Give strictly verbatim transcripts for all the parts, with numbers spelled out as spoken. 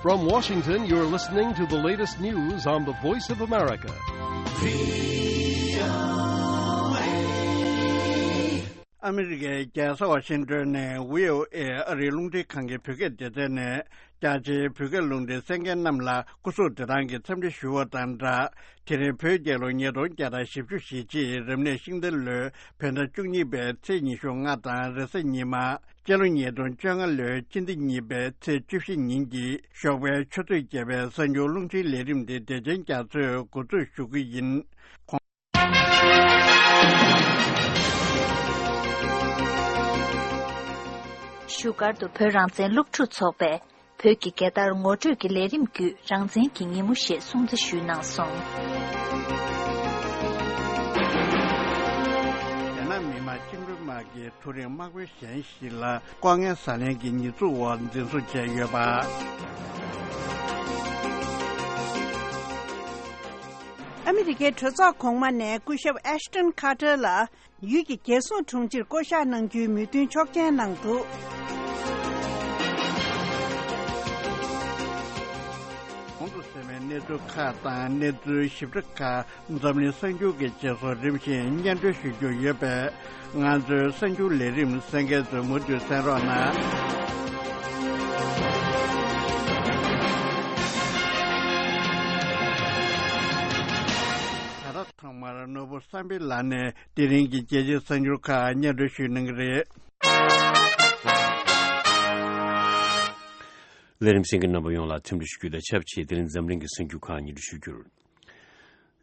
From Washington, you're listening to the latest news on the Voice of America. ཨ་མི་རི་ཀའི་རྒྱལ་ས་ཝ་ཤིང་ཏོན་ནས་བྷི་ཨོ་ཨེ་ཨ་རིའི་རླུང་འཕྲིན་ཁང་གི་བོད་སྐད་སྡེ་ཚན་ནས། རྒྱ་ཆེའི་བོད་སྐད་རླུང་འཕྲིན་གསན་མཁན་རྣམས་ལ་སྐུ་གཟུགས་བདེ་ཐང་གི་འཚམས་འདྲི་ཞུ་བ་དང་སྦྲགས། དེ་རིང་བོད་རྒྱལ་ལོ་ཉིས་སྟོང་བརྒྱ་དང་བཞི་བཅུ་ཞེ་གཅིག་རབ་གནས་ཤིང་རྟ་ལོའི་བོད་ཟླ་བཅུ་གཉིས་པའི་ཚེས་ཉི་ཤུ་ལྔ་དང་རེས་གཟའ་ཉི་མ། སྤྱི་ལོ་ཉིས་སྟོང་བཅོ་ལྔ་ལོའི་སྤྱི་ཟླ་གཉིས་པའི་ཚེས་བཅུ་བཞི་ཉིན་གྱི་ཞོགས་པའི་ཆུ་ཚོད་བརྒྱད་པའི་གསར་འགྱུར་རླུང་འཕྲིན་ལས་རིམ་དེ་བདེ་ཆེན་རྒྱ་མཚོས་འགོ་འཛུགས་ཞུ་གི་ཡིན། བཞུགས་སྒར་དུ་བོད་རང་བཙན་སློབ་ཕྲུག་ཚོགས་པས་བོད་ཀྱི་རྒྱལ་དར་ངོ་སྤྲོད་ཀྱི་ལས་རིམ་བརྒྱུད་རང་བཙན་གྱི་ཉིན་མོ་ཞེས་སྲུང་བརྩི་ཞུས་གནང་སོང་། རྒྱ་ནག་མི་དམངས་བཅིངས་འགྲོལ་དམག་གིས་མཐོ་རིམ་དམག་དཔོན་གཞན་ཞིག་ལ་ལྐོག་རྔན་ཟ་ལེན་གྱི་ཉེས་འཛུགས་འོག་འཛིན་བཟུང་བྱས་ཡོད་པ། ཨ་མི་རི་ཀའི་གྲོས་ཚོགས་གོང་མ་ནས་སྐུ་ཞབས་ཨེ་ཤི་ཊོན་ཁ་ཏར་ལ་ཡུལ་གྱི་རྒྱལ་སྲུང་དྲུང་ཆེར་བསྐོ་གཞག་གནང་རྒྱུའི་མོས་མཐུན་ཆོག་མཆན་གནང་འདུག། གོང་དུ་གསན་པའི་གནས་ཚུལ་ཁག་དང་གནས་ཚུལ་ཞིབ་ཕྲ་ཁག་འཛམ་གླིང་གསར་འགྱུར་གྱི་རྗེས་སུ་རིམ་བཞིན་སྙན་སྒྲོན་ཞུ་རྒྱུ་ཡོད་པས། ང་ཚོའི་གསར་འགྱུར་ལས་རིམ་གསན་མཁན་ཚོས་མུ་མཐུད་གསན་རོགས་གནང་། ད་ལྟ་ཐོག་མར་ནོར་བུ་བསམ་འཕེལ་ལགས་ནས་དེ་རིང་གི་རྒྱལ་སྤྱིའི་གསར་འགྱུར་ཁག་སྙན་སྒྲོན་ཞུ་གནང་གི་རེད། ལས་རིམ་གསན་མཁན་རྣམ་པ་ཡོངས་ལ་འཚམས་འདྲི་ཞུ་རྒྱུ་དང་ཆབས་ཅིག་དེ་རིང་འཛམ་གླིང་གི་གསར་འགྱུར་ཁག་སྙན་སྒྲོན་ཞུ་རྒྱུར།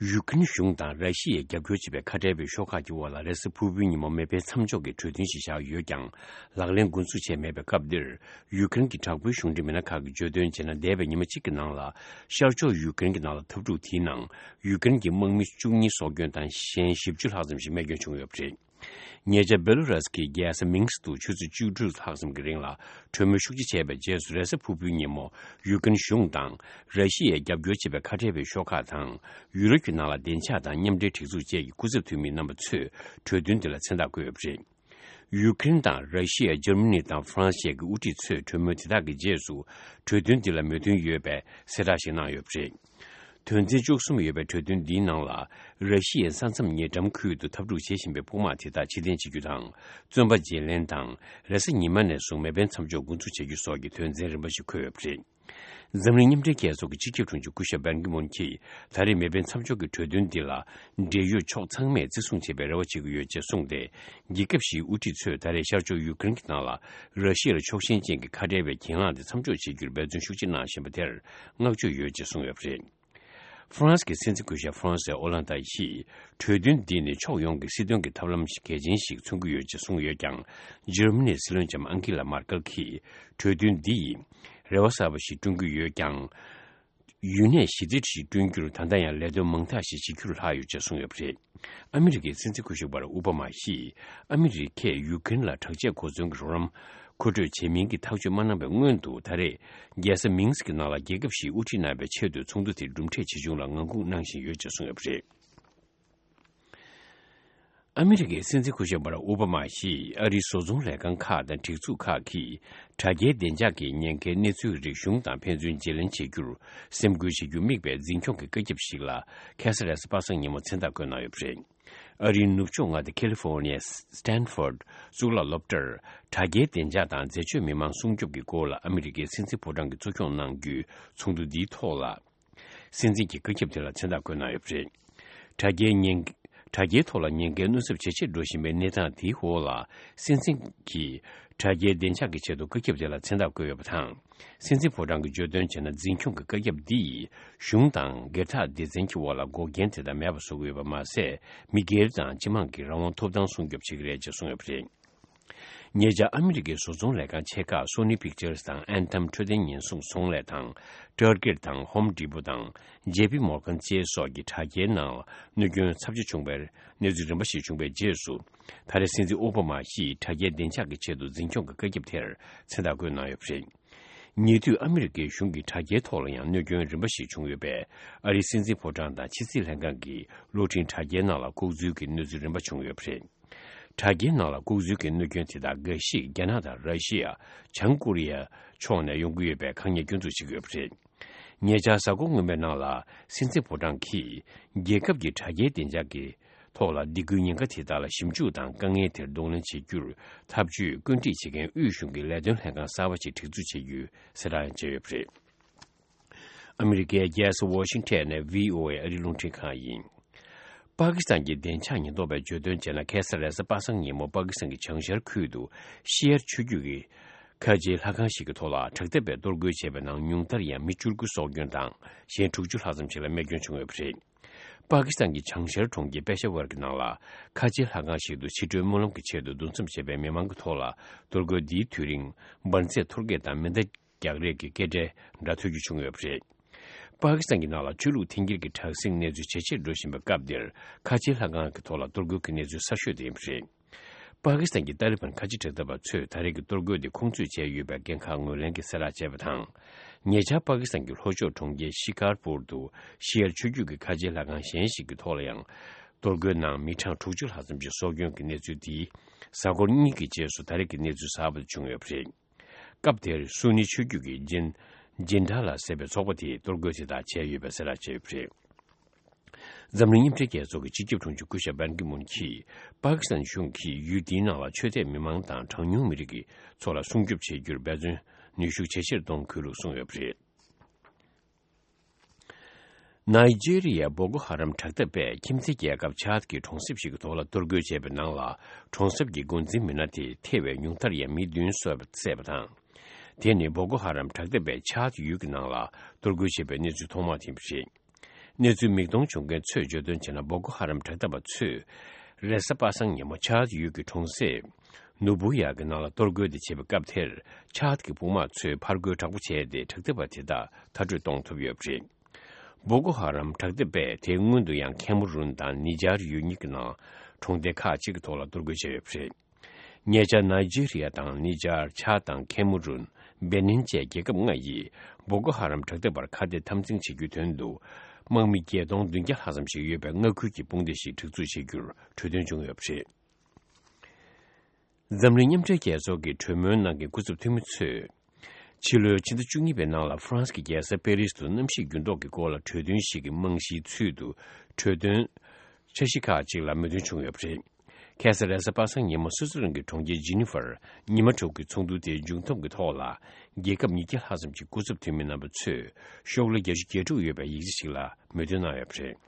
ཡུ་ཀེ་རེན་གཞུང་དང་ར་ཤི་ཡས་རྒྱབ་སྐྱོར་བྱེད་པའི་ཁ་བྲལ་བའི་ཤོག་ཁག་གི་འོག་ལ་རེས་གཟའ་ཕུར་བུའི་ཉིན་མོ་མེ་འཕེན་མཚམས་འཇོག་གི་གྲོས་མཐུན་ཞིག་བཞག་ཡོད་ཀྱང་། ལག་ལེན་འགོ་འཛུགས་བྱས་མེད་པའི་སྐབས་འདིར། ཡུ་ཀེ་རེན་གྱི་དྲག་པོའི་གཞུང་འབྲེལ་མི་སྣ་ཁག་གིས་བརྗོད་དོན་བྱས་ན། འདས་པའི་ཉི་མ་གཅིག་གི་ནང་ལ་ཤར་ཕྱོགས་ཡུ་ཀེ་རེན་གྱི་ནང་ལ་འཐབ་འཁྲུག་དེའི་ནང་ཡུ་ཀེ་རེན་གྱི་དམག་མི་བཅུ་གཉིས་སྲོག་སྐྱོན་དང་གཞན་བཞི་བཅུ་ལྷག་ཙམ་ཞིག་རྨས་སྐྱོན་བྱུང་ཡོད་པ་རེད། ཉེ་ཆར་སྦེ་ལོ་རས་ཀྱི་རྒྱལ་ས་མིན་སི་ཀ་དུ་ཆུ་ཚོད་བཅུ་དྲུག་ལྷག་ཙམ་གྱི་རིང་ལ་གྲོས་མོལ་ཤུགས་ཆེ་བྱས་པའི་རྗེས་སུ། རེས་གཟའ་ཕུར་བུའི་ཉིན་མོ་ཡུ་ཀེ་རེན་གཞུང་དང་ར་ཤི་ཡས་རྒྱབ་སྐྱོར་བྱེད་པའི་ཁ་བྲལ་བའི་ཤོག་ཁག་དང་ཡུ་རོབ་ཀྱི་ནང་ལ་བདེ་འཇགས་དང་མཉམ་འབྲེལ་སྒྲིག་འཛུགས་བཅས་ཀྱི་སྐུ་ཚབ་འཐུས་མི་རྣམ་པ་ཚོས་གྲོས་མཐུན་འདི་ལ་མཚན་རྟགས་བཀོད་ཡོད་པ་རེད། ཡུ་ཀེ་རེན་དང་ར་ཤི་ཡ། འཇར་མ་ནི་དང་ཧྥ་རན་སི་བཅས་ཀྱི་དབུ་ཁྲིད་ཚོས་གྲོས་མོལ་དེ་དག་གི་རྗེས་སུ་གྲོས་མཐུན་འདི་ལ་མོས་མཐུན་ཡོད་པའི་གསལ་བསྒྲགས་ཤིག་གནང་ཡོད་པ་རེད། དོན་ཚན་བཅུ་གསུམ་ཡོད་པའི་གྲོས་མཐུན་འདིའི་ནང་ལ། ར་ཤི་ཡའི་ས་མཚམས་ཉེ་འགྲམ་ཁུལ་དུ་འཐབ་འཁྲུག་བྱེད་བཞིན་པའི་དཔུང་དམག་དེ་དག་ཕྱིར་འཐེན་བྱེད་རྒྱུ་དང་། བཙོན་པ་བརྗེ་ལེན་དང་། རེས་གཟའ་ཉི་མ་ནས་བཟུང་མེ་འཕེན་མཚམས་འཇོག་འགོ་འཛུགས་བྱ་རྒྱུ་སོགས་ཀྱི་དོན་ཚན་རིམ་པ་ཞིག་འཁོད་ཡོད་པ་རེད། འཛམ་གླིང་མཉམ་འབྲེལ་རྒྱལ་ཚོགས་ཀྱི་སྤྱི་ཁྱབ་དྲུང་ཆེ་སྐུ་ཞབས་བན་ཀི་མུན་གྱིས། ད་རེས་མེ་འཕེན་མཚམས་འཇོག་གི་གྲོས་མཐུན་འདི་ལ་འབྲེལ་ཡོད་ཕྱོགས་ཚང་མས་བརྩི་སྲུང་བྱེད་པའི་རེ་བ་བྱེད་ཀྱི་ཡོད་ཅེས་གསུངས་ཏེ། རྒྱལ་ཁབ་བཞིའི་དབུ་ཁྲིད་ཚོས་ད་རེས་ཤར་ཕྱོགས་ཡུ་ཀེ་རེན་གྱི་ནང་ལ་ར་ཤི་ཡར་ཕྱོགས་ཞེན་ཅན་གྱི་ཁ་བྲལ་བའི་གྱེན་ལངས་དེ་མཚམས་འཇོག་བྱེད་རྒྱུར་འབད་བརྩོན་ཤུགས་ཆེ་གནང་བཞིན་པ་དེར་བསྔགས་བརྗོད་ཡོད་ཅེས་གསུངས་ཡོད་པ་རེད། ཧྥ་རན་སི་གི་སྲིད་འཛིན་སྐུ་ཞབས་ཧྥ་རན་སི་ཨོ་ལན་ཏ་ཡིས། གྲོས་མཐུན་འདི་ནི་ཕྱོགས་ཡོངས་ཀྱི་སྲིད་དོན་གྱི་ཐབས་ལམ་གལ་ཆེན་ཞིག་མཚོན་གྱི་ཡོད་ཅེས་གསུངས་ཡོད་ཀྱང་། འཇར་མ་ནིའི་སྲིད་བློན་ལྕམ་ཨང་ཀི་ལ་མར་ཀལ་གྱིས། གྲོས་མཐུན་འདི་ཡིས་རེ་བ་གསར་པ་ཞིག་བསྐྲུན་གྱི་ཡོད་ཀྱང་། ཡུན་གནས་ཞི་བདེ་ཞིག་བསྐྲུན་རྒྱུར་ད་ལྟ་ཡང་ལས་དོན་མང་དག་ཞིག་བྱེད་རྒྱུར་ལྷག་ཡོད་ཅེས་གསུངས་ཡོད་པ་རེད། ཨ་མི་རི་ཀའི་སྲིད་འཛིན་སྐུ་ཞབས་པར་ཨོ་བྷ་མ་ཡིས། ཨ་མི་རི་ཀས་ཡུ་ཀེ་རེན་ལ་དྲག་ཆས་གོ་མཚོན་གྱི་རོགས་རམ་མཁོ་སྤྲོད་བྱེད་མིན་གྱི་ཐག་གཅོད་མ་གནང་བའི་སྔོན་དུ། ད་རེས་རྒྱལ་ས་མིན་སི་ཀི་ནང་ལ་རྒྱལ་ཁབ་བཞིའི་དབུ་ཁྲིད་རྣམ་པའི་ཆེད་དུ་ཚོགས་འདུ་དེ་གྲུབ་འབྲས་ཇི་བྱུང་ལ་ངང་སྒུག་གནང་བཞིན་ཡོད་ཅེས་གསུངས་ཡོད་པ་རེད། ཨ་མི་རི་ཀའི་སྲིད་འཛིན་སྐུ་ཞབས་པར་ཨོ་བྷ་མ་ཡིས་ཨ་རིའི་བཟོ་ཚོང་ལས་ཁང་ཁག་དང་སྒྲིག་འཛུགས་ཁག་གིས། དྲ་རྒྱའི་བདེ་འཇགས་ཀྱི་ཉེན་ཁའི་གནས་ཚུལ་རིགས་གཞུང་དང་ཕན་ཚུན་བརྗེ་ལེན་བྱེད་རྒྱུར་སེམས་ཁུར་བྱེད་རྒྱུ་དམིགས་པའི་འཛིན་སྐྱོང་གི་བཀའ་ཁྱབ་ཞིག་ལ། ཁ་སང་རེས་གཟའ་པ་སངས་ཉིན་མོ་མཚན་རྟགས་བཀོད་གནང་ཡོད་པ་རེད། ཨ་རིའི་ནུབ་ཕྱོགས་མངའ་སྡེ་ཁ་ལི་ཧྥོ་ནི་ཡའི་སི་ཊན་ཧྥོར་ཌི་གཙུག་ལག་སློབ་གྲྭར། དྲ་རྒྱའི་བདེ་འཇགས་དང་འཛད་སྤྱོད་མི་མང་སྲུང་སྐྱོབ་ཀྱི་སྐོར་ལ་ཨ་མི་རི་ཀའི་སྲིད་འཛིན་ཕོ་བྲང་གིས་གཙོ་སྐྱོང་གནང་རྒྱུའི་ཚོགས་འདུ་འདིའི་ཐོག་ལ། སྲིད་འཛིན་གྱིས་བཀའ་ཁྱབ་དེ་ལ་མཚན་རྟགས་བཀོད་གནང་ཡོད་པ་རེད། དྲ་རྒྱའི་ཉེན། དྲ་རྒྱའི་ཐོག་ལ་ཉེན་ཁའི་གནོད་ཚབས་ཇེ་ཆེར་འགྲོ་བཞིན་པའི་གནས་སྟངས་དེའི་འོག་ལ། སྲིད་འཛིན་གྱིས་དྲ་རྒྱའི་བདེ་འཇགས་ཀྱི་ཆེད་དུ་བཀའ་ཁྱབ་དེ་ལ་མཚན་རྟགས་བཀོད་ཡོད་པ་དང་། སྲིད་འཛིན་ཕོ་བྲང་གིས་བརྗོད་དོན་བྱས་ན། འཛིན་སྐྱོང་གི་བཀའ་ཁྱབ་འདི་ཡིས་གཞུང་དང་སྒེར་བདག་སྡེ་ཚན་གྱི་འོག་ལ་འགོག་རྐྱེན་དེ་དག་མེད་པ་བཟོ་གི་ཡོད་པ་མ་ཟད། མི་སྒེར་དང་སྤྱི་དམངས་ཀྱི་རང་དབང་ཐོབ་ཐང་སྲུང་སྐྱོབ་བྱེད་ཀྱི་རེད་ཅེས་གསུངས་ཡོད་པ་རེད། ཉེ་ཆར་ཨ་མི་རི་ཀའི་བཟོ་ཚོང་ལས་ཁང་ཆེ་ཁག་སོ་ནི་པིག་ཅར་སི་དང་ཨན་ཐམ་འཕྲོད་བསྟེན་ཉེན་སྲུང་ཚོང་ལས་དང་། ཊར་གེ་ཊི་དང་ཧོམ་ཌི་པོ་དང་ཇེ་པི་མོར་གན་བཅས་སོགས་ཀྱི་དྲ་རྒྱའི་ནང་གནོད་སྐྱོན་ཚབས་ཆེ་བྱུང་བའི་གནས་ཚུལ་རིམ་པ་ཞིག་བྱུང་བའི་རྗེས་སུ། ད་རེས་སྲིད་འཛིན་ཨོ་བྷ་མ་ཡིས་དྲ་རྒྱའི་བདེ་འཇགས་ཀྱི་ཆེད་དུ་འཛིན་སྐྱོང་གི་བཀའ་ཁྱབ་དེར་མཚན་རྟགས་བཀོད་གནང་ཡོད་པ་རེད། ཉེ་དུས་ཨ་མི་རི་ཀའི་གཞུང་གི་དྲ་རྒྱའི་ཐོག་ལ་ཡང་གནོད་སྐྱོན་རིམ་པ་ཞིག་བྱུང་ཡོད་པས། ཨ་རིའི་སྲིད་འཛིན་ཕོ་བྲང་དང་ཕྱི་སྲིད་ལྷན་ཁང་གིས་གློག་འཕྲིན་དྲ་རྒྱའི་ནང་ལ་ལྐོག་འཛུལ་གྱི་གནས་ཚུལ་རིམ་པ་བྱུང་ཡོད་པ་རེད། དྲ་རྒྱའི་ནང་ལ་ལྐོག་འཛུལ་གྱི་གནོད་སྐྱོན་དེ་དག་འགའ་ཞིག་རྒྱ་ནག་དང་ར་ཤི་ཡ། བྱང་ཀོ་རི་ཡ་ཕྱོགས་ནས་ཡོང་གི་ཡོད་པའི་དཀའ་ངལ་སྐྱོན་འཛུགས་བྱེད་ཀྱི་ཡོད་པ་རེད། ཉེ་ཆར་གཟའ་འཁོར་སྔོན་མའི་ནང་ལ་སྲིད་འཛིན་ཕོ་བྲང་གིས་རྒྱལ་ཁབ་ཀྱི་དྲ་རྒྱའི་བདེ་འཇགས་ཀྱི་ཐོག་ལ་སྡིགས་སྐུལ་ཉེན་ཁ་དེ་དག་ལ་ཞིབ་འཇུག་དང་དཀའ་ངལ་དེར་གདོང་ལེན་བྱེད་རྒྱུར་ཐབས་ཇུས་བཀོད་སྒྲིག་བྱེད་མཁན་དབུས་གཞུང་གི་ལས་དོན་ལྷན་ཁང་གསར་པ་ཞིག་སྒྲིག་འཛུགས་བྱེད་རྒྱུའི་གསལ་བསྒྲགས་ཡང་བྱས་ཡོད་པ་རེད། ཨ་མི་རི་ཀའི་རྒྱལ་ས་ཝ་ཤིང་ཊོན་ནས་བྷི་ཨོ་ཨེ་ཨ་རིའི་རླུང་འཕྲིན་ཁང་ཡིན། པ་ཀི་སི་ཐན་གྱི་བདེ་འཇགས་ཉེན་རྟོག་པས་བརྗོད་དོན་བྱས་ན། ཁ་སང་རེས་གཟའ་པ་སངས་ཉིན་མོ་པ་ཀི་སི་ཐན་གྱི་བྱང་ཤར་ཁུལ་དུ་ཤི་ཡར་ཆོས་བརྒྱུད་ཀྱི་ཁ་ཆེའི་ལྷ་ཁང་ཞིག་གི་ཐོག་ལ་དྲག་འཐབ་པས་གཏོར་རྒོལ་བྱས་པའི་ནང་ཉུང་མཐར་ཡང་མི་བཅུ་དགུ་སྲོག་སྐྱོན་དང་གཞན་དྲུག་ཅུ་ལྷག་ཙམ་ཞིག་ལ་རྨས་སྐྱོན་བྱུང་ཡོད་པ་རེད། པ་ཀི་སི་ཐན་གྱི་བྱང་ཤར་གྲོང་ཁྱེར་པེ་ཤ་ཝར་གྱི་ནང་ལ་ཁ་ཆེའི་ལྷ་ཁང་ཞིག་ཏུ་ཕྱི་དྲོའི་སྨོན་ལམ་གྱི་ཆེད་དུ་འདུ་འཛོམས་བྱས་པའི་མི་མང་གི་ཐོག་ལ་གཏོར་རྒོལ་འདིའི་དུས་རིང་འབར་རྫས་གཏོར་རྒྱག་དང་མེ་མདའ་རྒྱག་རེས་ཀྱི་སྐད་སྒྲ་འདྲ་ཐོས་རྒྱུ་བྱུང་ཡོད་པ་རེད། པ་ཀི་སི་ཐན་གྱི་ནང་ལ་ཆོས་ལུགས་འཐེན་འཁྱེར་གྱི་དྲག་ཟིང་གནས་ཚུལ་ཇེ་ཆེར་འགྲོ་བཞིན་པའི་སྐབས་འདིར་ཁ་ཆེའི་ལྷ་ཁང་གི་ཐོག་ལ་གཏོར་རྒོལ་གྱི་གནས་ཚུལ་གསར་ཤོས་དེ་ཡིན་པ་རེད། པ་ཀི་སི་ཐན་གྱི་ཏཱ་ལི་བན་ཁ་ཆེ་དྲག་འཐབ་པ་ཚོས་ད་རེས་ཀྱི་གཏོར་རྒོལ་དེ་ཁོང་ཚོས་བྱས་ཡོད་པའི་འགན་ཁག་ངོས་ལེན་གྱིས་གསལ་བསྒྲགས་བྱས་པ་དང་། ཉེ་ཆར་པ་ཀི་སི་ཐན་གྱི་ལྷོ་ཕྱོགས་གྲོང་ཁྱེར་ཤི་ཀར་པུར་དུ་ཤི་ཡར་ཆོས་བརྒྱུད་ཀྱི་ཁ་ཆེའི་ལྷ་ཁང་གཞན་ཞིག་གི་ཐོག་ལ་ཡང་གཏོར་རྒོལ་ནང་མི་གྲངས་དྲུག་ཅུ་ལྷག་ཙམ་ཞིག་སྲོག་སྐྱོན་གྱི་གནས་ཚུལ་དེ་གཟའ་འཁོར་གཉིས་ཀྱི་རྗེས་སུ་ད་རེས་ཀྱི་གནས་ཚུལ་གསར་པ་དེ་བྱུང་ཡོད་པ་རེད། སྐབས་དེར་སུ་ནི་ཆོས་བརྒྱུད་ཀྱི་ཇིན་ཇིན་ཌ་ལ་ཟེར་བའི་ཚོགས་པ་དེས་གཏོར་རྒོལ་དེ་དག་བྱས་ཡོད་པའི་གསལ་བསྒྲགས་བྱས་ཡོད་པ་རེད། འཛམ་གླིང་མཉམ་འབྲེལ་རྒྱལ་ཚོགས་ཀྱི་སྤྱི་ཁྱབ་དྲུང་ཆེ་སྐུ་ཞབས་པན་ཀི་མུན་གྱིས་པ་ཀི་སི་ཐན་གཞུང་གིས་ཡུལ་དེའི་ནང་ལ་ཆོས་དད་མི་མང་དང་གྲངས་ཉུང་མི་རིགས་ཀྱི་ཚོགས་ལ་སྲུང་སྐྱོབ་བྱེད་རྒྱུར་འབད་བརྩོན་ནུས་ཤུགས་ཇེ་ཆེར་གཏོང་དགོས་ལུགས་གསུངས་ཡོད་པ་རེད། ནཱི་ཇི་རི་ཡའི་བོ་ཀོ་ཧ་རམ་དྲག་འཐབ་པས་ཁྱིམ་མཚེས་རྒྱལ་ཁབ་ཆཱད་ཀྱི་གྲོང་གསེབ་ཞིག་གི་ཐོག་ལ་གཏོར་རྒོལ་བྱས་པའི་ནང་ལ་གྲོང་གསེབ་ཀྱི་འགོ་འཛིན་མི་སྣ་དེ་ཐེ་བའི་ཉུང་མཐར་ཡང་མི་བདུན་བསད་པ་དང་། དེ་ནི་བོ་ཀོ་ཧ་རམ་དྲག་འཐབ་པས་ཆཱད་ཡུལ་གྱི་ནང་ལ་གཏོར་རྒོལ་བྱས་པའི་གནས་ཚུལ་ཐོག་མ་དེ་ཡིན་པ་རེད། གནས་ཚུལ་མིག་མཐོང་བྱུང་མཁན་ཚོས་བརྗོད་དོན་བྱས་ན། བོ་ཀོ་ཧ་རམ་དྲག་འཐབ་པ་ཚོས་རེས་གཟའ་པ་སངས་ཉིན་མོ་ཆཱད་ཡུལ་གྱི་གྲོང་གསེབ་ནུ་བུ་ཡ་གི་ནང་ལ་གཏོར་རྒོལ་དེ་བྱས་པའི་སྐབས་དེར་ཆཱད་ཀྱི་དཔུང་དམག་ཚོས་ཕར་རྒོལ་དྲག་པོ་བྱས་ཏེ་དྲག་འཐབ་པ་དེ་དག་མཐར་སྐྲོད་གཏོང་ཐུབ་ཡོད་པ་རེད། བོ་ཀོ་ཧ་རམ་དྲག་འཐབ་པས་དེའི་སྔོན་དུ་ཡང་ཁེ་མུ་རུན་དང་ནི་ཇར་ཡུལ་གཉིས་ཀྱི་ནང་གྲོང་སྡེ་ཁག་ཅིག་གི་ཐོག་ལ་གཏོར་རྒོལ་བྱས་ཡོད་པ་རེད། ཉེ་ཆར་ནཱི་ཇི་རི་ཡ་དང་ནི་ཇར། ཆཱད་དང་ཁེ་མུ་རུན། སྦེ་ནིན་བཅས་རྒྱལ་ཁབ་ལྔ་ཡིས་བོ་ཀོ་ཧ་རམ་དྲག་འཐབ་པར་ཁ་གཏད་དམ་འཛིན་བྱེད་རྒྱུའི་དོན་དུ། དམག་མི་བརྒྱད་སྟོང་བདུན་བརྒྱ་ལྷག་ཙམ་ཞིག་ཡོད་པའི་མངའ་ཁུལ་གྱི་དཔུང་སྡེ་ཞིག་སྒྲིག་འཛུགས་བྱེད་རྒྱུར་གྲོས་མཐུན་བྱུང་ཡོད་པ་རེད། འཛམ་གླིང་མཉམ་འབྲེལ་རྒྱལ་ཚོགས་ཀྱི་གྲོས་མོལ་གནང་མཁན་སྐུ་ཚབ་འཐུས་མི་ཚོས། ཕྱི་ལོའི་ཕྱི་ཟླ་བཅུ་གཉིས་པའི་ནང་ལ་ཧྥ་རན་སི་གི་རྒྱལ་ས་པེ་རིས་དུ་གནམ་གཤིས་འགྱུར་ལྡོག་གི་སྐོར་ལ་གྲོས་མཐུན་ཞིག་གི་རྨང་གཞིའི་ཚུལ་དུ་གྲོས་དོན་འཆར་གཞི་ཁག་ཅིག་ལ་མོས་མཐུན་བྱུང་ཡོད་པ་རེད། ཁ་སང་རེས་གཟའ་པ་སངས་ཉིན་མོ་སུད་སི་རལ་གྱི་གྲོང་ཁྱེར་ཇི་ནི་ཧྥར་ཉི་མ་དྲུག་གི་ཚོགས་འདུ་དེའི་མཇུག་བསྡོམས་ཀྱི་ཐོག་ལ། རྒྱལ་ཁབ་ཉིས་བརྒྱ་ལྷག་ཙམ་གྱི་སྐུ་ཚབ་འཐུས་མི་རྣམ་པ་ཚོས་ཤོག་ལྷེ་བརྒྱད་ཅུ་གྱ་དྲུག་ཡོད་པའི་ཡིག་ཆ་ཞིག་ལ་མོས་མཐུན་གནང་ཡོད་པ་རེད།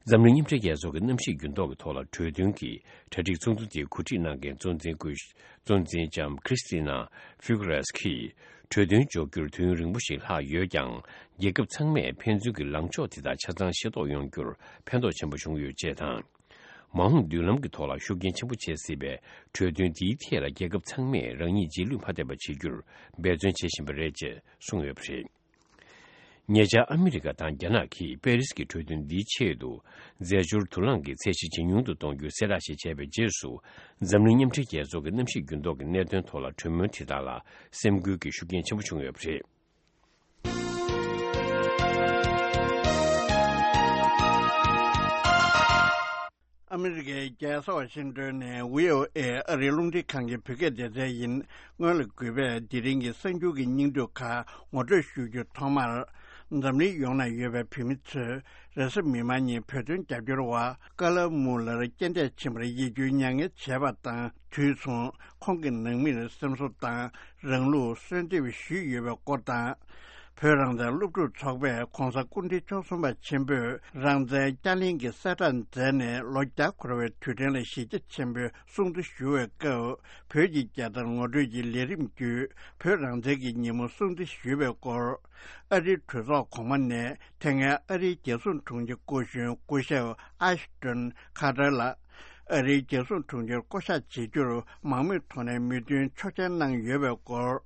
འཛམ་གླིང་མཉམ་འབྲེལ་རྒྱལ་ཚོགས་ཀྱི་གནམ་གཤིས་འགྱུར་ལྡོག་གི་ཐོག་ལ་གྲོས་མཐུན་གྱི་གྲ་སྒྲིག་ཚོགས་འདུ་དེ་གོ་སྒྲིག་གནང་མཁན་གཙོ་འཛིན་སྐུ་གཙོ་འཛིན་ལྕམ་Christalina Figueres གྱིས། གྲོས་མཐུན་འཇོག་རྒྱུར་དུས་ཡུན་རིང་པོ་ཞིག་ལྷག་ཡོད་ཀྱང་། རྒྱལ་ཁབ་ཚང་མས་ཕན་ཚུན་གྱི་ལངས་ཕྱོགས་དེ་དག་ཆ་ཚང་ཤེས་རྟོགས་ཡོང་རྒྱུར་ཕན་ཐོགས་ཆེན་པོ་བྱུང་ཡོད་ཅེས་དང་། མ་འོངས་མདུན་ལམ་གྱི་ཐོག་ལ་ཤུགས་རྐྱེན་ཆེན་པོ་བྱེད་སྲིད་པའི་གྲོས་མཐུན་འདིའི་ཐད་ལ་རྒྱལ་ཁབ་ཚང་མས་རང་ཉིད་རྗེས་ལུས་མ་ཐེབས་པ་བྱེད་རྒྱུར་འབད་བརྩོན་བྱེད་བཞིན་པ་རེད་ཅེས་གསུངས་ཡོད་པ་རེད། ཉེ་ཆར་ཨ་མི་རི་ཀ་དང་རྒྱ་ནག་གིས་པེ་རིས་ཀྱི་གྲོས་མཐུན་འདིའི་ཆེད་དུ་རྫས་སྦྱོར་དུག་རླངས་ཀྱི་ཚད་གཞི་ཇེ་ཉུང་དུ་གཏོང་རྒྱུའི་གསལ་བསྒྲགས་ཤིག་བྱས་པའི་རྗེས་སུ། འཛམ་གླིང་མཉམ་འབྲེལ་རྒྱལ་ཚོགས་ཀྱི་གནམ་གཤིས་འགྱུར་ལྡོག་གི་གནད་དོན་ཐོག་ལ་གྲོས་མོལ་དེ་དག་ལ་སེམས་འགུལ་གྱི་ཤུགས་རྐྱེན་ཆེན་པོ་བྱུང་ཡོད་པ་རེད། ཨ་མི་རི་ཀའི་རྒྱལ་ས་ཝ་ཤིང་ཏོན་ནས་བྷི་ཨོ་ཨེ་ཨ་རིའི་རླུང་འཕྲིན་ཁང་གི་བོད་སྐད་སྡེ་ཚན་ཡིན། སྔོན་ལ་གུས་པས་དེ་རིང་གི་གསར་འགྱུར་གྱི་སྙིང་བསྡུས་ཁག་ངོ་སྤྲོད་ཞུ་རྒྱུ། ཐོག་མར། འཛམ་གླིང་ཡོངས་ན་ཡོད་པའི་བོད་མི་ཚོས་རེས་གཟའ་མིག་དམར་ཉིན་བོད་དོན་རྒྱབ་སྐྱོར་བ་ཀ་ལ་མུ་ལར་རྐྱེན་འདས་ཕྱིན་པར་ཡིད་སྐྱོའི་མྱ་ངན་བྱས་པ་དང་། དུས་མཚུངས་ཁོང་གི་ནང་མིར་སེམས་གསོ་དང་རང་ལུགས་གསོལ་འདེབས་ཞུས་ཡོད་པའི་སྐོར་དང་། བོད་རང་བཙན་སློབ་ཕྲུག་ཚོགས་པས་༧གོང་ས་སྐུ་ཕྲེང་བཅུ་གསུམ་པ་ཆེན་པོས་རང་བཙན་བསྐྱར་གླེང་གི་གསལ་བསྒྲགས་མཛད་ནས་ལོ་བརྒྱ་འཁོར་བའི་དུས་དྲན་ལ་གཞི་རྒྱ་ཆེན་པོས་སྲུང་བརྩི་ཞུ་བའི་སྐབས། བོད་ཀྱི་རྒྱལ་དར་ངོ་སྤྲོད་ཀྱི་ལས་རིམ་བརྒྱུད། བོད་རང་བཙན་གྱི་ཉིན་མོ་སྲུང་བརྩི་ཞུས་པའི་སྐོར། ཨ་རིའི་གྲོས་ཚོགས་གོང་མ་ནས་དེ་སྔའི་ཨ་རིའི་རྒྱལ་སྲུང་དྲུང་ཆེ་སྐུ་གཞོན་སྐུ་ཞབས་ཨ་ཤི་ཏོན་ཁ་ཏར་ལགས། ཨ་རིའི་རྒྱལ་སྲུང་དྲུང་ཆེར་བསྐོ་གཞག་བྱེད་རྒྱུར་མང་མོས་ཐོག་ནས་མོས་མཐུན་ཆོག་མཆན་གནང་ཡོད་པའི་སྐོར།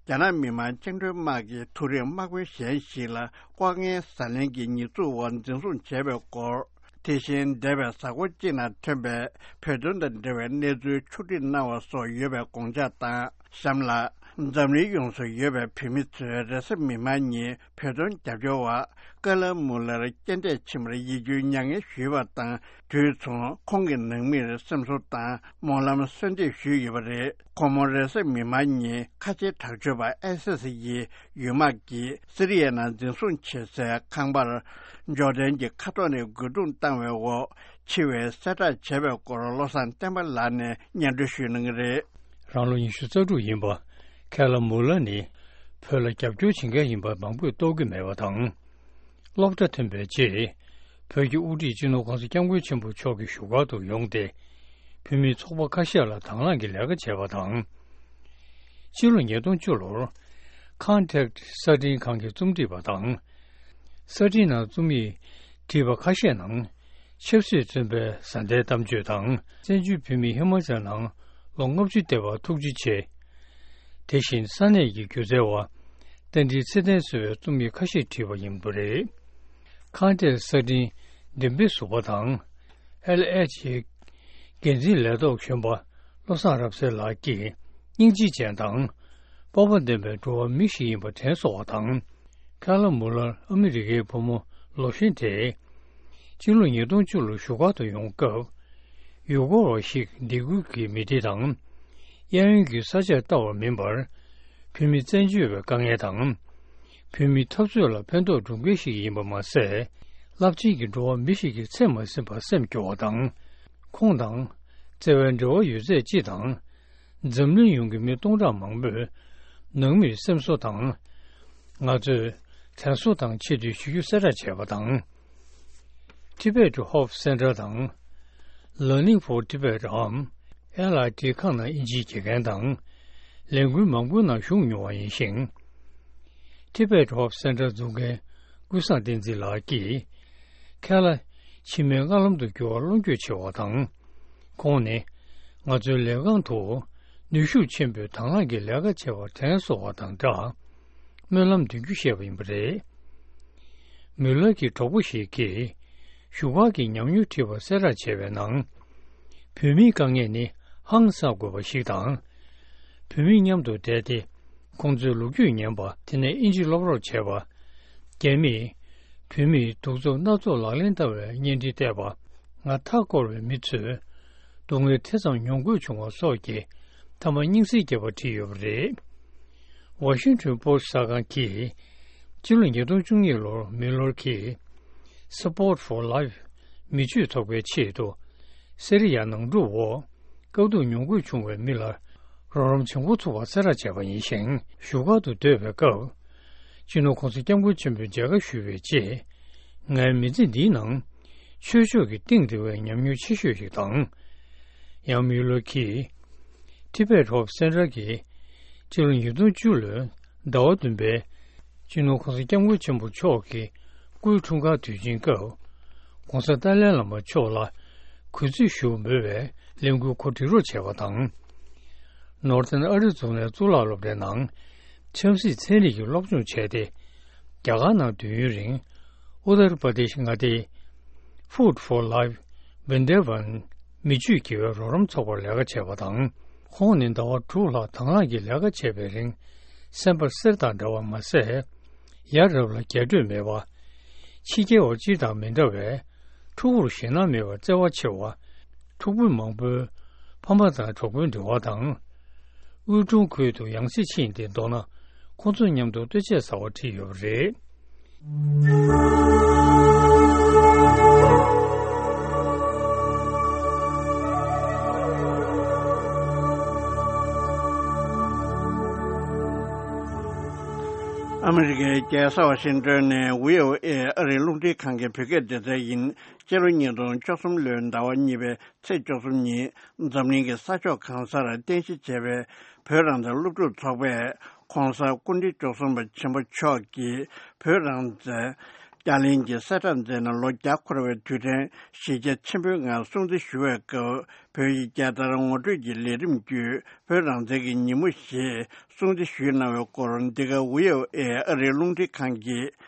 རྒྱ་ནག་མི་དམངས་བཅིངས་འགྲོལ་དམག་གིས་མཐོ་རིམ་དམག་དཔོན་གཞན་ཞིག་ལ་ལྐོག་རྔན་ཟ་ལེན་གྱི་ཉེས་འཛུགས་འོག་འཛིན་བཟུང་བྱས་པའི་སྐོར། དེ་བཞིན་འདས་པའི་གཟའ་འཁོར་གཅིག་ནང་ཐོན་པའི་བོད་དོན་དང་འབྲེལ་བའི་གནས་ཚུལ་ཕྱོགས་སྒྲིག་གནང་བ་སོགས་ཡོད་པའི་དགོངས་འཇགས་དང་། གཤམ་ལ། འཛམ་གླིང་ཡོངས་སུ་ཡོད་པའི་བོད་མི་ཚོས་རེས་གཟའ་མིག་དམར་ཉིན་བོད་དོན་རྒྱབ་སྐྱོར་བ་ཀ་ལ་མུ་ལར་རྐྱེན་འདས་ཕྱིན་པར་ཡིད་སྐྱོའི་མྱ་ངན་ཞུས་པ་དང་དུས་མཚུངས། ཁོང་གི་ནང་མིར་སེམས་གསོ་དང་སྨོན་ལམ་གསོལ་འདེབས་ཞུས་ཡོད་པ་རེད། ཁོང་མོ་རེས་གཟའ་མིག་དམར་ཉིན་ཁ་ཆེའི་དྲག་སྤྱོད་པ་ཨའི་སི་སི་ཡི་ཡུལ་དམག་གིས་སི་རི་ཡའི་ནང་འཛིན་བཟུང་བྱེད་སའི་ཁང་པར་འབྱོར་ལྡན་གྱི་མཁའ་ཐོག་ནས་རྒོལ་རྡུང་བཏང་བའི་འོག་འཆི་བའི་གསལ་བསྒྲགས་བྱས་པའི་སྐོར་བློ་བཟང་བསྟན་པ་ལགས་ནས་སྙན་སྒྲོན་ཞུ་གནང་གི་རེད། རང་ལོ་ཉི་ཤུ་རྩ་དྲུག་ཡིན་པ། ཁེ་ལ་མུ་ལ་ནི་བོད་ལ་རྒྱབ་སྐྱོར་བྱེད་མཁན་ཡིན་པ་མང་པོས་རྟོགས་ཀྱི་མེད་པ་དང་། སློབ་གྲྭ་ཐོན་པའི་རྗེས། བོད་ཀྱི་དབུ་ཁྲིད་སྤྱི་ནོར་༸གོང་ས་༸སྐྱབས་མགོན་ཆེན་པོ་མཆོག་གི་བཞུགས་སྒར་དུ་ཡོང་སྟེ། བོད་མིའི་ཚོགས་པ་ཁ་ཤས་ལ་དང་བླངས་ཀྱི་ལས་ཀ་བྱས་པ་དང་། སྤྱི་ལོ་ཉིས་སྟོང་བཅུ་ལོར། Contact གསར་འཕྲིན་ཁང་གི་རྩོམ་སྒྲིག་པ་དང་། གསར་འཕྲིན་ནང་རྩོམ་ཡིག་བྲིས་པ་ཁ་ཤས་ནང་། ཆབ་སྲིད་བཙོན་པའི་བཟའ་ཟླའི་གཏམ་བརྗོད་དང་། བཙན་བྱོལ་བོད་མིས་ཧི་མ་ཅལ་ནང་ལོ་ལྔ་བཅུ་བསྡད་པར་ཐུགས་རྗེ་ཆེ། དེ་བཞིན་ས་གནས་ཀྱི་སྒྱུ་རྩལ་བ་རྟ་མགྲིན་ཚེ་བརྟན་གཙོས་པའི་རྩོམ་ཡིག་ཁ་ཤས་བྲིས་པ་ཡིན་པ་རེད། Contact གསར་འཕྲིན་འགྲེམས་སྤེལ་ཟུར་པ་དང་། ཨེལ་ཨེཆ་ཨེ་འགན་འཛིན་ལས་ཐོག་གཞོན་པ་བློ་བཟང་རབ་གསལ་ལགས་ཀྱིས་སྙིང་རྗེ་ཅན་དང་། སྤོབས་པ་ལྡན་པའི་འགྲོ་བ་མི་ཞིག་ཡིན་པ་དྲན་གསོ་བ་དང་། ཁེ་ལ་མུ་ལར་ཨ་མི་རི་ཀའི་བུ་མོ་ལོ་གཞོན་དེས། སྤྱི་ལོ་ཉིས་སྟོང་བཅུ་ལོར་བཞུགས་སྒར་དུ་ཡོང་སྐབས། ཡུལ་སྐོར་བ་ཞིག་སྡེ་ཁུལ་གྱི་མི་སྡེ་དང་། གཡས་གཡོན་གྱི་ས་ཆར་ལྟ་བར་མིན་པར། བོད་མི་བཙན་བྱོལ་བའི་དཀའ་ངལ་དང་། བོད་མིའི་འཐབ་རྩོད་ལ་ཕན་ཐོགས་སྒྲུབ་མཁན་ཞིག་ཡིན་པ་མ་ཟད། རླབས་ཆེན་གྱི་འགྲོ་བ་མི་ཞིག་གི་ཚད་མ་ཟིན་པར་སེམས་སྐྱོ་བ་དང་། ཁོང་དང་བརྩེ་བའི་འབྲེལ་བ་ཡོད་ཚད་སྤྱི་དང་། འཛམ་གླིང་ཡོངས་ཀྱི་མི་སྟོང་ཕྲག་མང་པོས་ནང་མིར་སེམས་གསོ་དང་། ང་ཚོས་དྲན་གསོ་དང་ཆེ་བསྟོད་ཞུ་རྒྱུ་གསལ་བསྒྲགས་བྱས་པ་དང་། Tibet Hope Center དང་། Learning for Tibet འམ། ཨེལ་ཨའི་ཊི་ཁང་ནང་དབྱིན་ཇིའི་དགེ་རྒན་དང་། ལས་འགུལ་མང་པོའི་ནང་ཞུགས་མྱོང་བ་ཡིན་ཞིང་། Tibet Hope Center འཛུགས་མཁན་ཀུན་བཟང་བསྟན་འཛིན་ལགས་ཀྱིས། ཁེ་ལ་ཕྱི་མའི་སྔ་ལམ་དུ་འགྱུར་བར་བློ་འགྱོད་ཆེ་བ་དང་། ཁོང་ནི་ང་ཚོའི་ལས་རྐང་དུ་ནུས་ཤུགས་ཆེན་པོས་དང་བླངས་ཀྱིས་ལས་ཀ་བྱེད་པར་དྲན་གསོ་བ་དང་སྦྲགས། སྨོན་ལམ་འདོན་རྒྱུ་བཤད་པ་ཡིན་པ་རེད། མུ་ལར་གྱི་གྲོགས་པོ་ཞིག་གིས་བཞུགས་སྒར་གྱི་ཉམས་མྱོང་བྲིས་པ་གསལ་བསྒྲགས་བྱས་པའི་ནང་། བོད་མིའི་དཀའ་ངལ་ནི་ཧང་སང་དགོས་པ་ཞིག་དང་། བོད་མི་མཉམ་དུ་བསྡད་དེ། ཁོང་ཚོའི་ལོ་རྒྱུས་ཉན་པ། དེ་ནས་དབྱིན་ཇི་སློབ་རོགས་བྱས་པ། རྒྱ་མིས་བོད་མིའི་གདུག་རྩུབ་སྣ་ཚོགས་ལག་ལེན་བསྟར་བའི་བརྙན་འཕྲིན་བལྟས་པ། ང་མཐའ་བསྐོར་བའི་མི་ཚོས་སྡུག་བསྔལ་དེ་ཙམ་མྱོང་དགོས་བྱུང་བ་སོགས་ཀྱི་མཐའ་མ་སྙིང་གསལ་རྒྱས་པ་བྲིས་ཡོད་པ་རེད། Washington Post གསར་ཁང་གིས་སྤྱི་ལོ་ཉིས་སྟོང་བཅུ་གཉིས་ལོར་མུ་ལར་གྱིས་Support for Life མི་ཆོས་ཚོགས་པའི་ཆེད་དུ་སི་རི་ཡ་ནང་འཁྲུག་འོག་དཀའ་སྡུག་མྱོང་དགོས་བྱུང་བའི་མི་ལ་རོགས་རམ་བྱེད་འགོ་ཚུགས་པ་གསལ་བསྒྲགས་བྱས་པ་ཡིན་ཞིང་། བཞུགས་སྒར་དུ་སྡོད་པའི་སྐབས། སྤྱི་ནོར་༸གོང་ས་༸སྐྱབས་མགོན་ཆེན་པོས་མཇལ་ཁ་ཞུ་བའི་རྗེས། ངའི་མི་ཚེ་འདིའི་ནང་ཆོས་ཕྱོགས་ཀྱི་གཏིང་རིང་བའི་ཉམས་མྱོང་ཆེ་ཤོས་ཤིག་དང་། ཡང་མུ་ལར་གྱིས་Tibet Hope Center གྱི་སྤྱི་ལོ་ཉིས་སྟོང་བཅུ་ལོའི་ཟླ་བ་བདུན་པའི་སྤྱི་ནོར་༸གོང་ས་༸སྐྱབས་མགོན་ཆེན་པོ་མཆོག་གི་སྐུའི་འཁྲུངས་སྐར་དུས་ཆེན་སྐབས། ༸གོང་ས་ཏཱ་ལའི་བླ་མ་མཆོག་ལ་གུས་བརྩི་ཞུ་འབུལ་བའི་ལས་འགུལ་གོ་སྒྲིག་རོགས་བྱས་པ་དང་། Northern Arizona གཙུག་ལག་སློབ་གྲྭའི་ནང་ཆབ་སྲིད་ཚན་རིག་གི་སློབ་སྦྱོང་བྱས་ཏེ། རྒྱ་གར་ནང་དུས་ཡུན་རིང་ཨུ་ཏར་པ་དེཤ་མངའ་སྡེའི་Food for Life Vrindavan མི་ཆོས་དགེ་བའི་རོགས་རམ་ཚོགས་པར་ལས་ཀ་བྱས་པ་དང་། ཁོང་ནི་ཟླ་བ་དྲུག་ལྷག་དང་བླངས་ཀྱིས་ལས་ཀ་བྱས་པའི་རིང་། སེམས་པ་གསེར་དང་འདྲ་བ་མ་ཟད། ཡ་རབས་ལ་རྒྱས་སྤྲོས་མེད་པ། ཕྱི་རྒྱལ་བ་སྤྱིར་དང་མི་འདྲ་བས། ཕྲུ་གུར་ཞེད་སྣང་མེད་པར་བརྩེ་བ་ཆེ་བ། ཕྲུ་གུ་མང་པོའི་ཕ་མ་དང་གྲོགས་པོའི་འབྲེལ་བ་དང་། དབུལ་གྲོལ་ཁུལ་དུ་ཡང་སེ་ཕྱིན་ཏེ་མདོར་ན་ཁོང་ཚོ་མཉམ་དུ་ལྟོ་ཆས་ཟ་བར་ཁྲིད་ཡོད་པ་རེད། ཨ་མི་རི་ཀའི་རྒྱལ་ས་ཝ་ཤིང་ཏོན་ནས་བྷི་ཨོ་ཨེ་ཨ་རིའི་རླུང་འཕྲིན་ཁང་གི་བོད་སྐད་སྡེ་ཚན་ཡིན། སྤྱི་ལོ་ཉིས་སྟོང་བཅུ་གསུམ་ལོའི་ཟླ་བ་གཉིས་པའི་ཚེས་བཅུ་གསུམ་ཉིན་འཛམ་གླིང་གི་ས་ཕྱོགས་གང་སར་རྟེན་གཞི་བྱས་པའི་བོད་རང་བཙན་སློབ་ཕྲུག་ཚོགས་པས་༸གོང་ས་སྐུ་ཕྲེང་བཅུ་གསུམ་པ་ཆེན་པོ་མཆོག་གིས་བོད་རང་བཙན་བསྐྱར་ལེན་གྱི་གསལ་བསྒྲགས་མཛད་ནས་ལོ་བརྒྱ་འཁོར་བའི་དུས་དྲན་གཞིས་བྱེས་ཆེན་པོའི་ངང་སྲུང་བརྩི་ཞུ་བའི་སྐབས། བོད་ཀྱི་རྒྱལ་དར་ངོ་སྤྲོད་ཀྱི་ལས་རིམ་བརྒྱུད་བོད་རང་བཙན་གྱི་ཉིན་མོ་ཞེས་སྲུང་བརྩི་ཞུས་གནང་བའི་སྐོར། འདི་ག་བྷི་ཨོ་ཨེ་ཨ་རིའི་རླུང་འཕྲིན་ཁང་གི་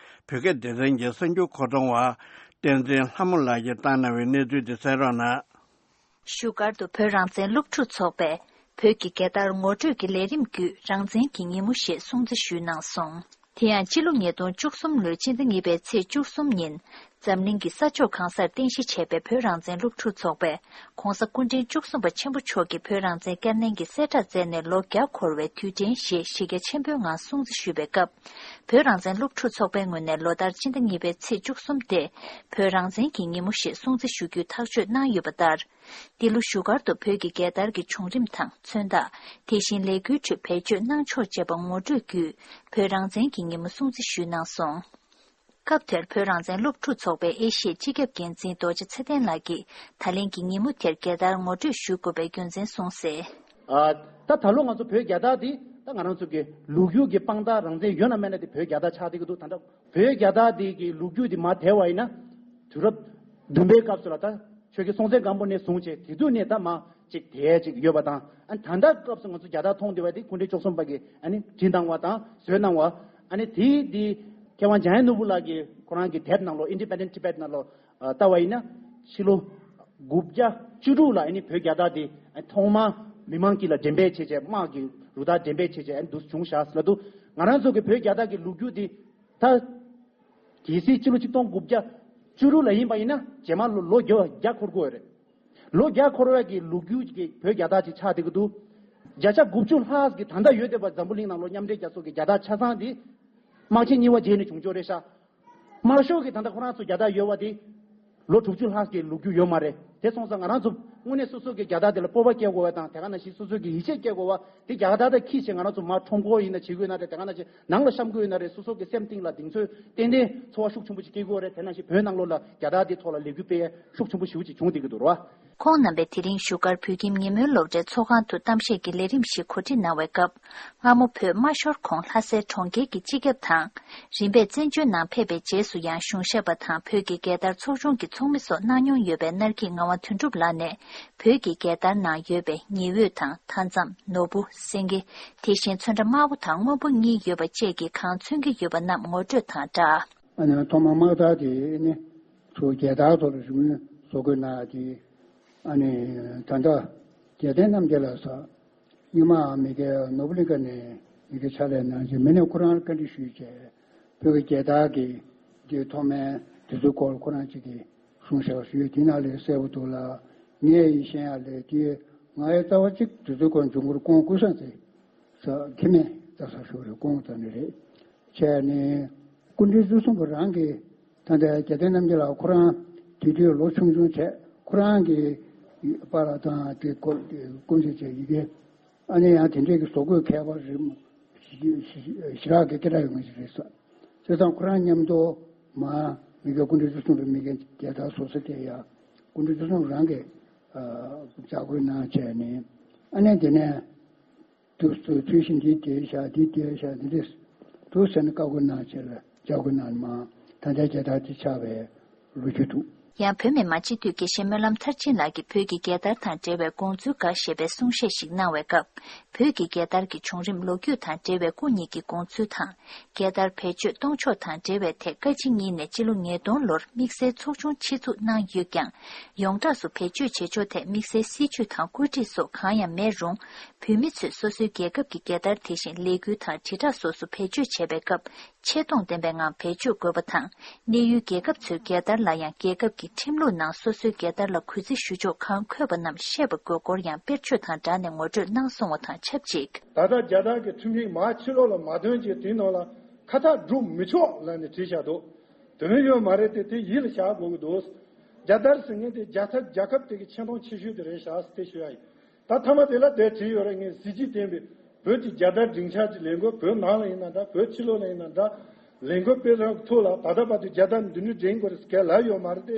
བོད་སྐད་སྡེ་ཚན་གྱི་གསར་འགྱུར་མཁོ་གཏོང་བ་བསྟན་འཛིན་ལྷ་མོ་ལགས་ཀྱིས་བཏང་གནང་བའི་གནས་ཚུལ་འདི་གསན་རོགས་གནང་། བཞུགས་སྒར་དུ་བོད་རང་བཙན་སློབ་ཕྲུག་ཚོགས་པས་ བོད་ཀྱི་རྒྱལ་དར་ངོ་སྤྲོད་ཀྱི་ལས་རིམ་བརྒྱུད་རང་བཙན་གྱི་ཉིན་མོ་ཞེས་སྲུང་བརྩི་ཞུས་གནང་སོང་། དེ་ཡང་སྤྱི་ལོ་ཉིས་སྟོང་བཅུ་གསུམ་ལོའི་སྤྱི་ཟླ་གཉིས་པའི་ཚེས་བཅུ་གསུམ་ཉིན། འཛམ་གླིང་གི་ས་ཕྱོགས་གང་སར་རྟེན་གཞི་བྱས་པའི་བོད་རང་བཙན་སློབ་ཕྲུག་ཚོགས་པས་༸གོང་ས་སྐུ་ཕྲེང་བཅུ་གསུམ་པ་ཆེན་པོ་མཆོག་གིས་བོད་རང་བཙན་བསྐྱར་ལེན་གྱི་གསལ་བསྒྲགས་མཛད་ནས་ལོ་བརྒྱ་འཁོར་བའི་དུས་དྲན་ཞེས་གཞི་རྒྱ་ཆེན་པོའི་ངང་སྲུང་བརྩི་ཞུས་པའི་སྐབས། བོད་རང་བཙན་སློབ་ཕྲུག་ཚོགས་པའི་ངོས་ནས་ལོ་ལྟར་སྤྱི་ཟླ་གཉིས་པའི་ཚེས་བཅུ་གསུམ་སྟེ། བོད་རང་བཙན་གྱི་ཉིན་མོ་ཞེས་སྲུང་བརྩི་ཞུ་རྒྱུའི་ཐག་གཅོད་གནང་ཡོད་པ་ལྟར། འདི་ལོ་བཞུགས་སྒར་དུ་བོད་ཀྱི་རྒྱལ་དར་གྱི་བྱུང་རིམ་དང་མཚོན་རྟགས། དེ་བཞིན་ལས་འགུལ་ཁྲོད་བེད་སྤྱོད་གནང་ཕྱོགས་བཅས་པ་ངོ་སྤྲོད་བརྒྱུད་བོད་རང་བཙན་གྱི་ཉིན་མོ་སྲུང་བརྩི་ཞུས་གནང་སོང་། སྐབས་དེར་བོད་རང་བཙན་སློབ་ཕྲུག་ཚོགས་པའི་ཨེ་ཤི་ཡའི་སྤྱི་ཁྱབ་འགན་འཛིན་རྡོ་རྗེ་ཚེ་བརྟན་ལགས་ཀྱིས་ད་ལན་གྱི་ཉིན་མོ་དེར་རྒྱལ་དར་ངོ་སྤྲོད་ཞུ་དགོས་པའི་རྒྱུ་མཚན་གསུངས་གསལ། ཨ། ད་ད་ལོ་ང་ཚོ་བོད་རྒྱལ་དར་འདི་ད་ང་རང་ཚོ་གི་ལོ་རྒྱུས་ཀྱི་དཔང་རྟགས་རང་བཙན་ཡོད་ན་མེད་ན་དེ་བོད་རྒྱལ་དར་ཆགས་བསྡད་ཀྱི་འདུག་ད་ལྟ་བོད་རྒྱལ་དར་འདི་གི་ལོ་རྒྱུས་འདི་མར་དལ་བ་ཡིན་ན། དུས་རབས་བདུན་པའི་སྐབས་སུ་ལ་ད་ཆོས་རྒྱལ་སྲོང་བཙན་སྒམ་པོ་ནས་བཟུང་བྱས་དེ་དུས་ནས་ད་མར་ཅིག་དལ་ཅིག་ཡོད་པ་དང་། ཨ་ནི་ད་ལྟ་སྐབས་སུ་ང་ཚོ་རྒྱལ་དར་མཐོང་བསྡད་པ་དེ་སྐུ་ཕྲེང་བཅུ་གསུམ་པ་གིས་ཨ་ནི་བྲིས་གནང་བ་དང་བཟོས་གནང་བ། ཨ་ནི་དེའི་འདི་མཁས་དབང་འཇམ་དབྱངས་ནོར་བུ་ལགས་ཀྱིས་ཁོ་རང་གི་དེབ་ནང་ལོགས་Independent Tibet ནང་ལོགས་ཨ་ལྟ་བ་ཡིན་ན། ཕྱི་ལོ་དགུ་བརྒྱ་བཅུ་དྲུག་ལ་ཨ་ནི་བོད་རྒྱལ་དར་འདི་ཨ་ཐོག་མར་མི་མང་དཀྱིལ་ལ་འགྲེམས་སྤེལ་བྱས་བྱས། དམག་གི་རུ་སྟར་འགྲེམས་སྤེལ་བྱས་བྱས་ཨ་ནི་འདུག་བྱུང་བཞག་ལབ་འདུག་ང་རང་ཚོ་གི་བོད་རྒྱལ་དར་གྱི་ལོ་རྒྱུས་འདི་ད། གལ་སྲིད་ཕྱི་ལོ་ཆིག་སྟོང་དགུ་བརྒྱ་བཅུ་དྲུག་ལ་ཡིན་པ་ཡིན་ན་རྗེས་མ་ལོ་ལོ་བརྒྱ་བརྒྱ་འཁོར་དགོས་རེད། ལོ་བརྒྱ་འཁོར་བའི་གི་ལོ་རྒྱུས་ཀྱི་བོད་རྒྱལ་དར་ཅིག་ཆགས་བསྡད་ཀྱི་འདུག་བརྒྱ་ཆ་དགུ་བཅུ་ལྷག་གི་ད་ལྟ་ཡོད་བསྡད་པ་འཛམ་བུ་གླིང་ནང་ལོ་མཉམ་འབྲེལ་རྒྱལ་ཚོགས་ཀྱི་རྒྱལ་དར་ཆ་ཚང་འདི་དམག་ཆེན་གཉིས་པ་རྗེས་ནས་བྱུང་ཆོག་རེད་ཤག་དམར་ཤོག་གི་ད་ལྟ་ཁོ་རང་ཚོ་རྒྱལ་དར་ཡོད་པ་འདི་ལོ་དྲུག་ཅུ་ལྷག་གི་ལོ་རྒྱུས་ཡོད་མ་རེད། དེ་སོང་ཙང་ང་རང་ཚོ་དངོས་གནས་སོ་སོ་གི་རྒྱལ་དར་དེ་ལ་སྤོབས་པ་སྐྱེ་དགོས་པ་དང་། དེ་ག་ནང་བཞིན་སོ་སོ་གི་ཡིད་ཆེས་སྐྱེ་དགོས་པ། དེ་རྒྱལ་དར་དེ་འཁྱེར་བྱས་ང་རང་ཚོ་མར་ཁྲོམ་སྐོར་ཡིན་ན་བྱེད་དགོས་ན་རེད། དེ་ག་ནང་བཞིན་ནང་ལ་བཤམས་དགོས་ཡོད་ན་རེད། སོ་སོ་གི་སེམས་གཏིང་ལ་གདེང་ཚོད་ཏན་ཏན་ཚོར་བ་ཤུགས་ཆེན་པོ་ཞིག་སྐྱེ་དགོས་རེད། དེ་ནང་བཞིན་བོད་ནང་ལོགས་ལ་རྒྱལ་དར་དེ་ཐོག་ལ་ལས་འགུལ་སྤེལ་ཡས་ཤུགས་ཆེན་པོ་ཞེ་པོ་ཅིག་བྱུང་བསྡད་ཀྱི་འདུག་རེད་བ། ཁོང་རྣམ་པས་དེ་རིང་བཞུགས་སྒར་བོད་ཁྱིམ་ཉིན་མོའི་སློབ་གྲྭའི་ཚོགས་ཁང་དུ་གཏམ་བཤད་ཀྱི་ལས་རིམ་ཞིག་གོ་སྒྲིག་གནང་བའི་སྐབས། སྔ་མོ་བོད་མ་ཤོར་གོང་ལྷ་སའི་གྲོང་ཁྱེར་གྱི་སྤྱི་ཁྱབ་དང་། རིམ་པས་བཙན་བྱོལ་ནང་ཕེབས་པའི་རྗེས་སུ་ཡང་གཞུང་ཞབས་པ་དང་བོད་ཀྱི་རྒྱལ་དར་ཚོགས་ཆུང་གི་ཚོགས་མི་སོགས་གནང་མྱོང་ཡོད་པའི་སྣར་སྐྱིད་ངག་དབང་དོན་གྲུབ་ལགས་ནས། བོད་ཀྱི་རྒྱལ་དར་ནང་ཡོད་པའི་ཉི་འོད་དང་མཐའ་མཚམས། ནོར་བུ། སེང་གེ། དེ་བཞིན་ཚོན་ཁྲ་དམར་པོ་དང་སྔོན་པོ་གཉིས་ཡོད་པ་བཅས་ཀྱིས་གང་མཚོན་གྱི་ཡོད་པ་རྣམས་ངོ་སྤྲོད་དང་སྦྲགས། ཨ་ནི་ཐོག་མར་དམག་དར་དེ་ནི་ཚུར་རྒྱལ་དར་ཐོག་ལ་རི་མོ་བཟོ་དགོས་གནང་ཡ་དེ། ཨ་ནི་ད་ལྟ་རྒྱལ་བསྟན་རྣམ་རྒྱལ་ལགས་སོགས་སྔོན་མ་མི་སྒེར་ནོར་བུ་གླིང་ཁ་ནས་མི་སྒེར་ཕྱག་ལས་གནང་རྗེས། མི་ནས་ཁོ་རང་བཀའ་འདྲི་ཞུས་བྱས། བོད་ཀྱི་རྒྱལ་དར་གྱི་དེ་ཐོག་མའི་དེ་ཚོའི་སྐོར་ཁོ་རང་གཅིག་གིས་གསུངས་བཞག་ཞུས། དེ་ནང་ལས་གསལ་པོ་འདུག་ལ། ངས་ཡིན་ཤེས་ཡ་ལས་དེ་ང་ཡི་རྩ་བ་གཅིག་དེ་ཚོའི་སྐོར་འབྱུང་འགྱུར་ཀོང་ཀུན་བཟང་ཚེ་ས་ཁྱི་མེད་རྩ་ས་ཞུ་རེད། ཀོང་ཙ་ནི་རེད། བྱས་ནས་སྐུ་ཕྲེང་བཅུ་གསུམ་པ་རང་གིས། ད་ལྟ་རྒྱལ་བསྟན་རྣམ་རྒྱལ་ལགས་ཁོ་རང་དེ་དུས་ལོ་ཆུང་ཆུང་བྱས། ཁོ་རང་གིས་པཱ་ལགས་དང་དེ་སྐོར་དེ་སྐུ་མདུན་བྱས་ཡི་གེ། ཨ་ནི་ཡང་དེ་འདྲས་ཀྱི་བཟོ་བཀོད་མཁས་པ་རེད། ཞེ་དྲག་གི་སྐད་གྲགས་ཡོད་མཁན་ཞིག་རེད་ས། བྱས་ཙང་ཁོ་རང་མཉམ་དུ་མར་མི་སྒེར་སྐུ་ཕྲེང་བཅུ་གསུམ་པའི་མི་སྒེར་རྒྱལ་དར་བཟོ་ས་དེ་ཡ་སྐུ་ཕྲེང་བཅུ་གསུམ་རང་གིས་ཨ་ལྕག་སྐུལ་གནང་བྱས་ནས། ཨ་ནི་དེ་ནས། དུ་ཚུལ་བཞིན་འདི་དེ་བཞག་འདི་དེ་བཞག་འདི་རེད། དུ་ཟེར་ནས་བཀའ་བསྒོ་གནང་བྱས་ལ་ལྕག་སྐུལ་གནང་མ། ད་ལྟའི་རྒྱལ་དར་དེ་ཆགས་པའི་ལོ་རྒྱུས་འདུག་ཡང་བོད་མི་མང་སྤྱི་འཐུས་དགེ་བཤེས་སྨོན་ལམ་མཐར་ཕྱིན་ལགས་ཀྱིས་བོད་ཀྱི་རྒྱལ་དར་དང་འབྲེལ་བའི་དགོངས་ཚུལ་འགའ་ཞེས་པའི་གསུང་བཤད་ཤིག་གནང་བའི་སྐབས། བོད་ཀྱི་རྒྱལ་དར་གྱི་བྱུང་རིམ་ལོ་རྒྱུས་དང་འབྲེལ་བའི་སྐུ་ཉིད་ཀྱི་དགོངས་ཚུལ་དང་། རྒྱལ་དར་བེད་སྤྱོད་གཏོང་ཕྱོགས་དང་འབྲེལ་བའི་ཐད་བཀའ་སྤྱི་གཉིས་ནས་སྤྱི་ལོ་ཉིས་སྟོང་ལོར་དམིགས་བསལ་ཚོགས་ཆུང་ཆེད་འཛུགས་གནང་ཡོད་ཀྱང་། ཡོངས་གྲགས་སུ་བེད་སྤྱོད་བྱེད་ཕྱོགས་ཐད་དམིགས་བསལ་སྲིད་ཇུས་དང་བཀོད་སྒྲིག་སོགས་གང་ཡང་མེད་རུང་། བོད་མི་ཚོས་སོ་སོའི་རྒྱལ་ཁབ་ཀྱི་རྒྱལ་དར་དེ་བཞིན་ལས་འགུལ་དང་དྲིལ་བསྒྲགས་སོགས་སུ་བེད་སྤྱོད་བྱས་པའི་སྐབས། ཆེ་མཐོང་ལྡན་པའི་ངང་བེད་སྤྱོད་དགོས་པ་དང་། གནས་ཡུལ་རྒྱལ་ཁབ་ཚོའི་རྒྱལ་དར་ལ་ཡང་རྒྱལ་ཁབ་ཀྱི་ཁྲིམས་ལུགས་ནང་སོ་སོའི་རྒྱལ་དར་ལ་གུས་བརྩི་ཞུ་ཕྱོགས་གང་འཁོད་པ་རྣམས་ཤེས་པ་དགོས་སྐོར་ཡང་དཔེར་བརྗོད་དང་སྦྲགས་ནས་ངོ་སྤྲོད་གནང་སོང་བ་དང་ཆབས་ཅིག་ད་ལྟ་རྒྱལ་དར་གྱི་ཁྲིམས་ཡིག་མར་ཕྱི་ལོགས་ལ་མ་ཐོན་ཅིག་དེའི་ནང་ལ་ཁ་ཐག་སྒྲུབ་མི་ཆོག་ལབ་ནས་བྲིས་བཞག་འདུག་དོན་ཡོད་མ་རེད་དེ། དེ་ཡིད་ལ་བཞག་དགོས་ཀྱི་འདུག་རྒྱལ་དར་ཟེར་མཁན་དེ་རྒྱལ་ཁབ་རྒྱལ་ཁབ་དེ་གི་ཆེ་མཐོང་ཆེ་ཤོས་དེ་རེད་བཞག་ཟེར་དེ་ཞུ་ཡ་ཡིན། ད་མཐའ་མ་དེ་ལ་དེ་བྲིས་ཡོད་རེད། ངས་གཟི་བརྗིད་ལྡན་པའི་བོད་ཀྱི་རྒྱལ་དར་སྒྲིག་འཆར་གྱི་ལས་འགུལ། བོད་ནང་ལ་ཡིན་ན་འདྲ། བོད་ཕྱི་ལོགས་ལ་ཡིན་ན་འདྲ། ལས་འགུལ་སྤེལ་རོགས་ཐུགས་ལ་ད་ལྟ་བར་དུ་རྒྱལ་དར་འདི་འདྲ་སྒྲེང་དགོས་རེད་ཟེར་ག་ལབ་ཡོད་མ་རེད་དེ།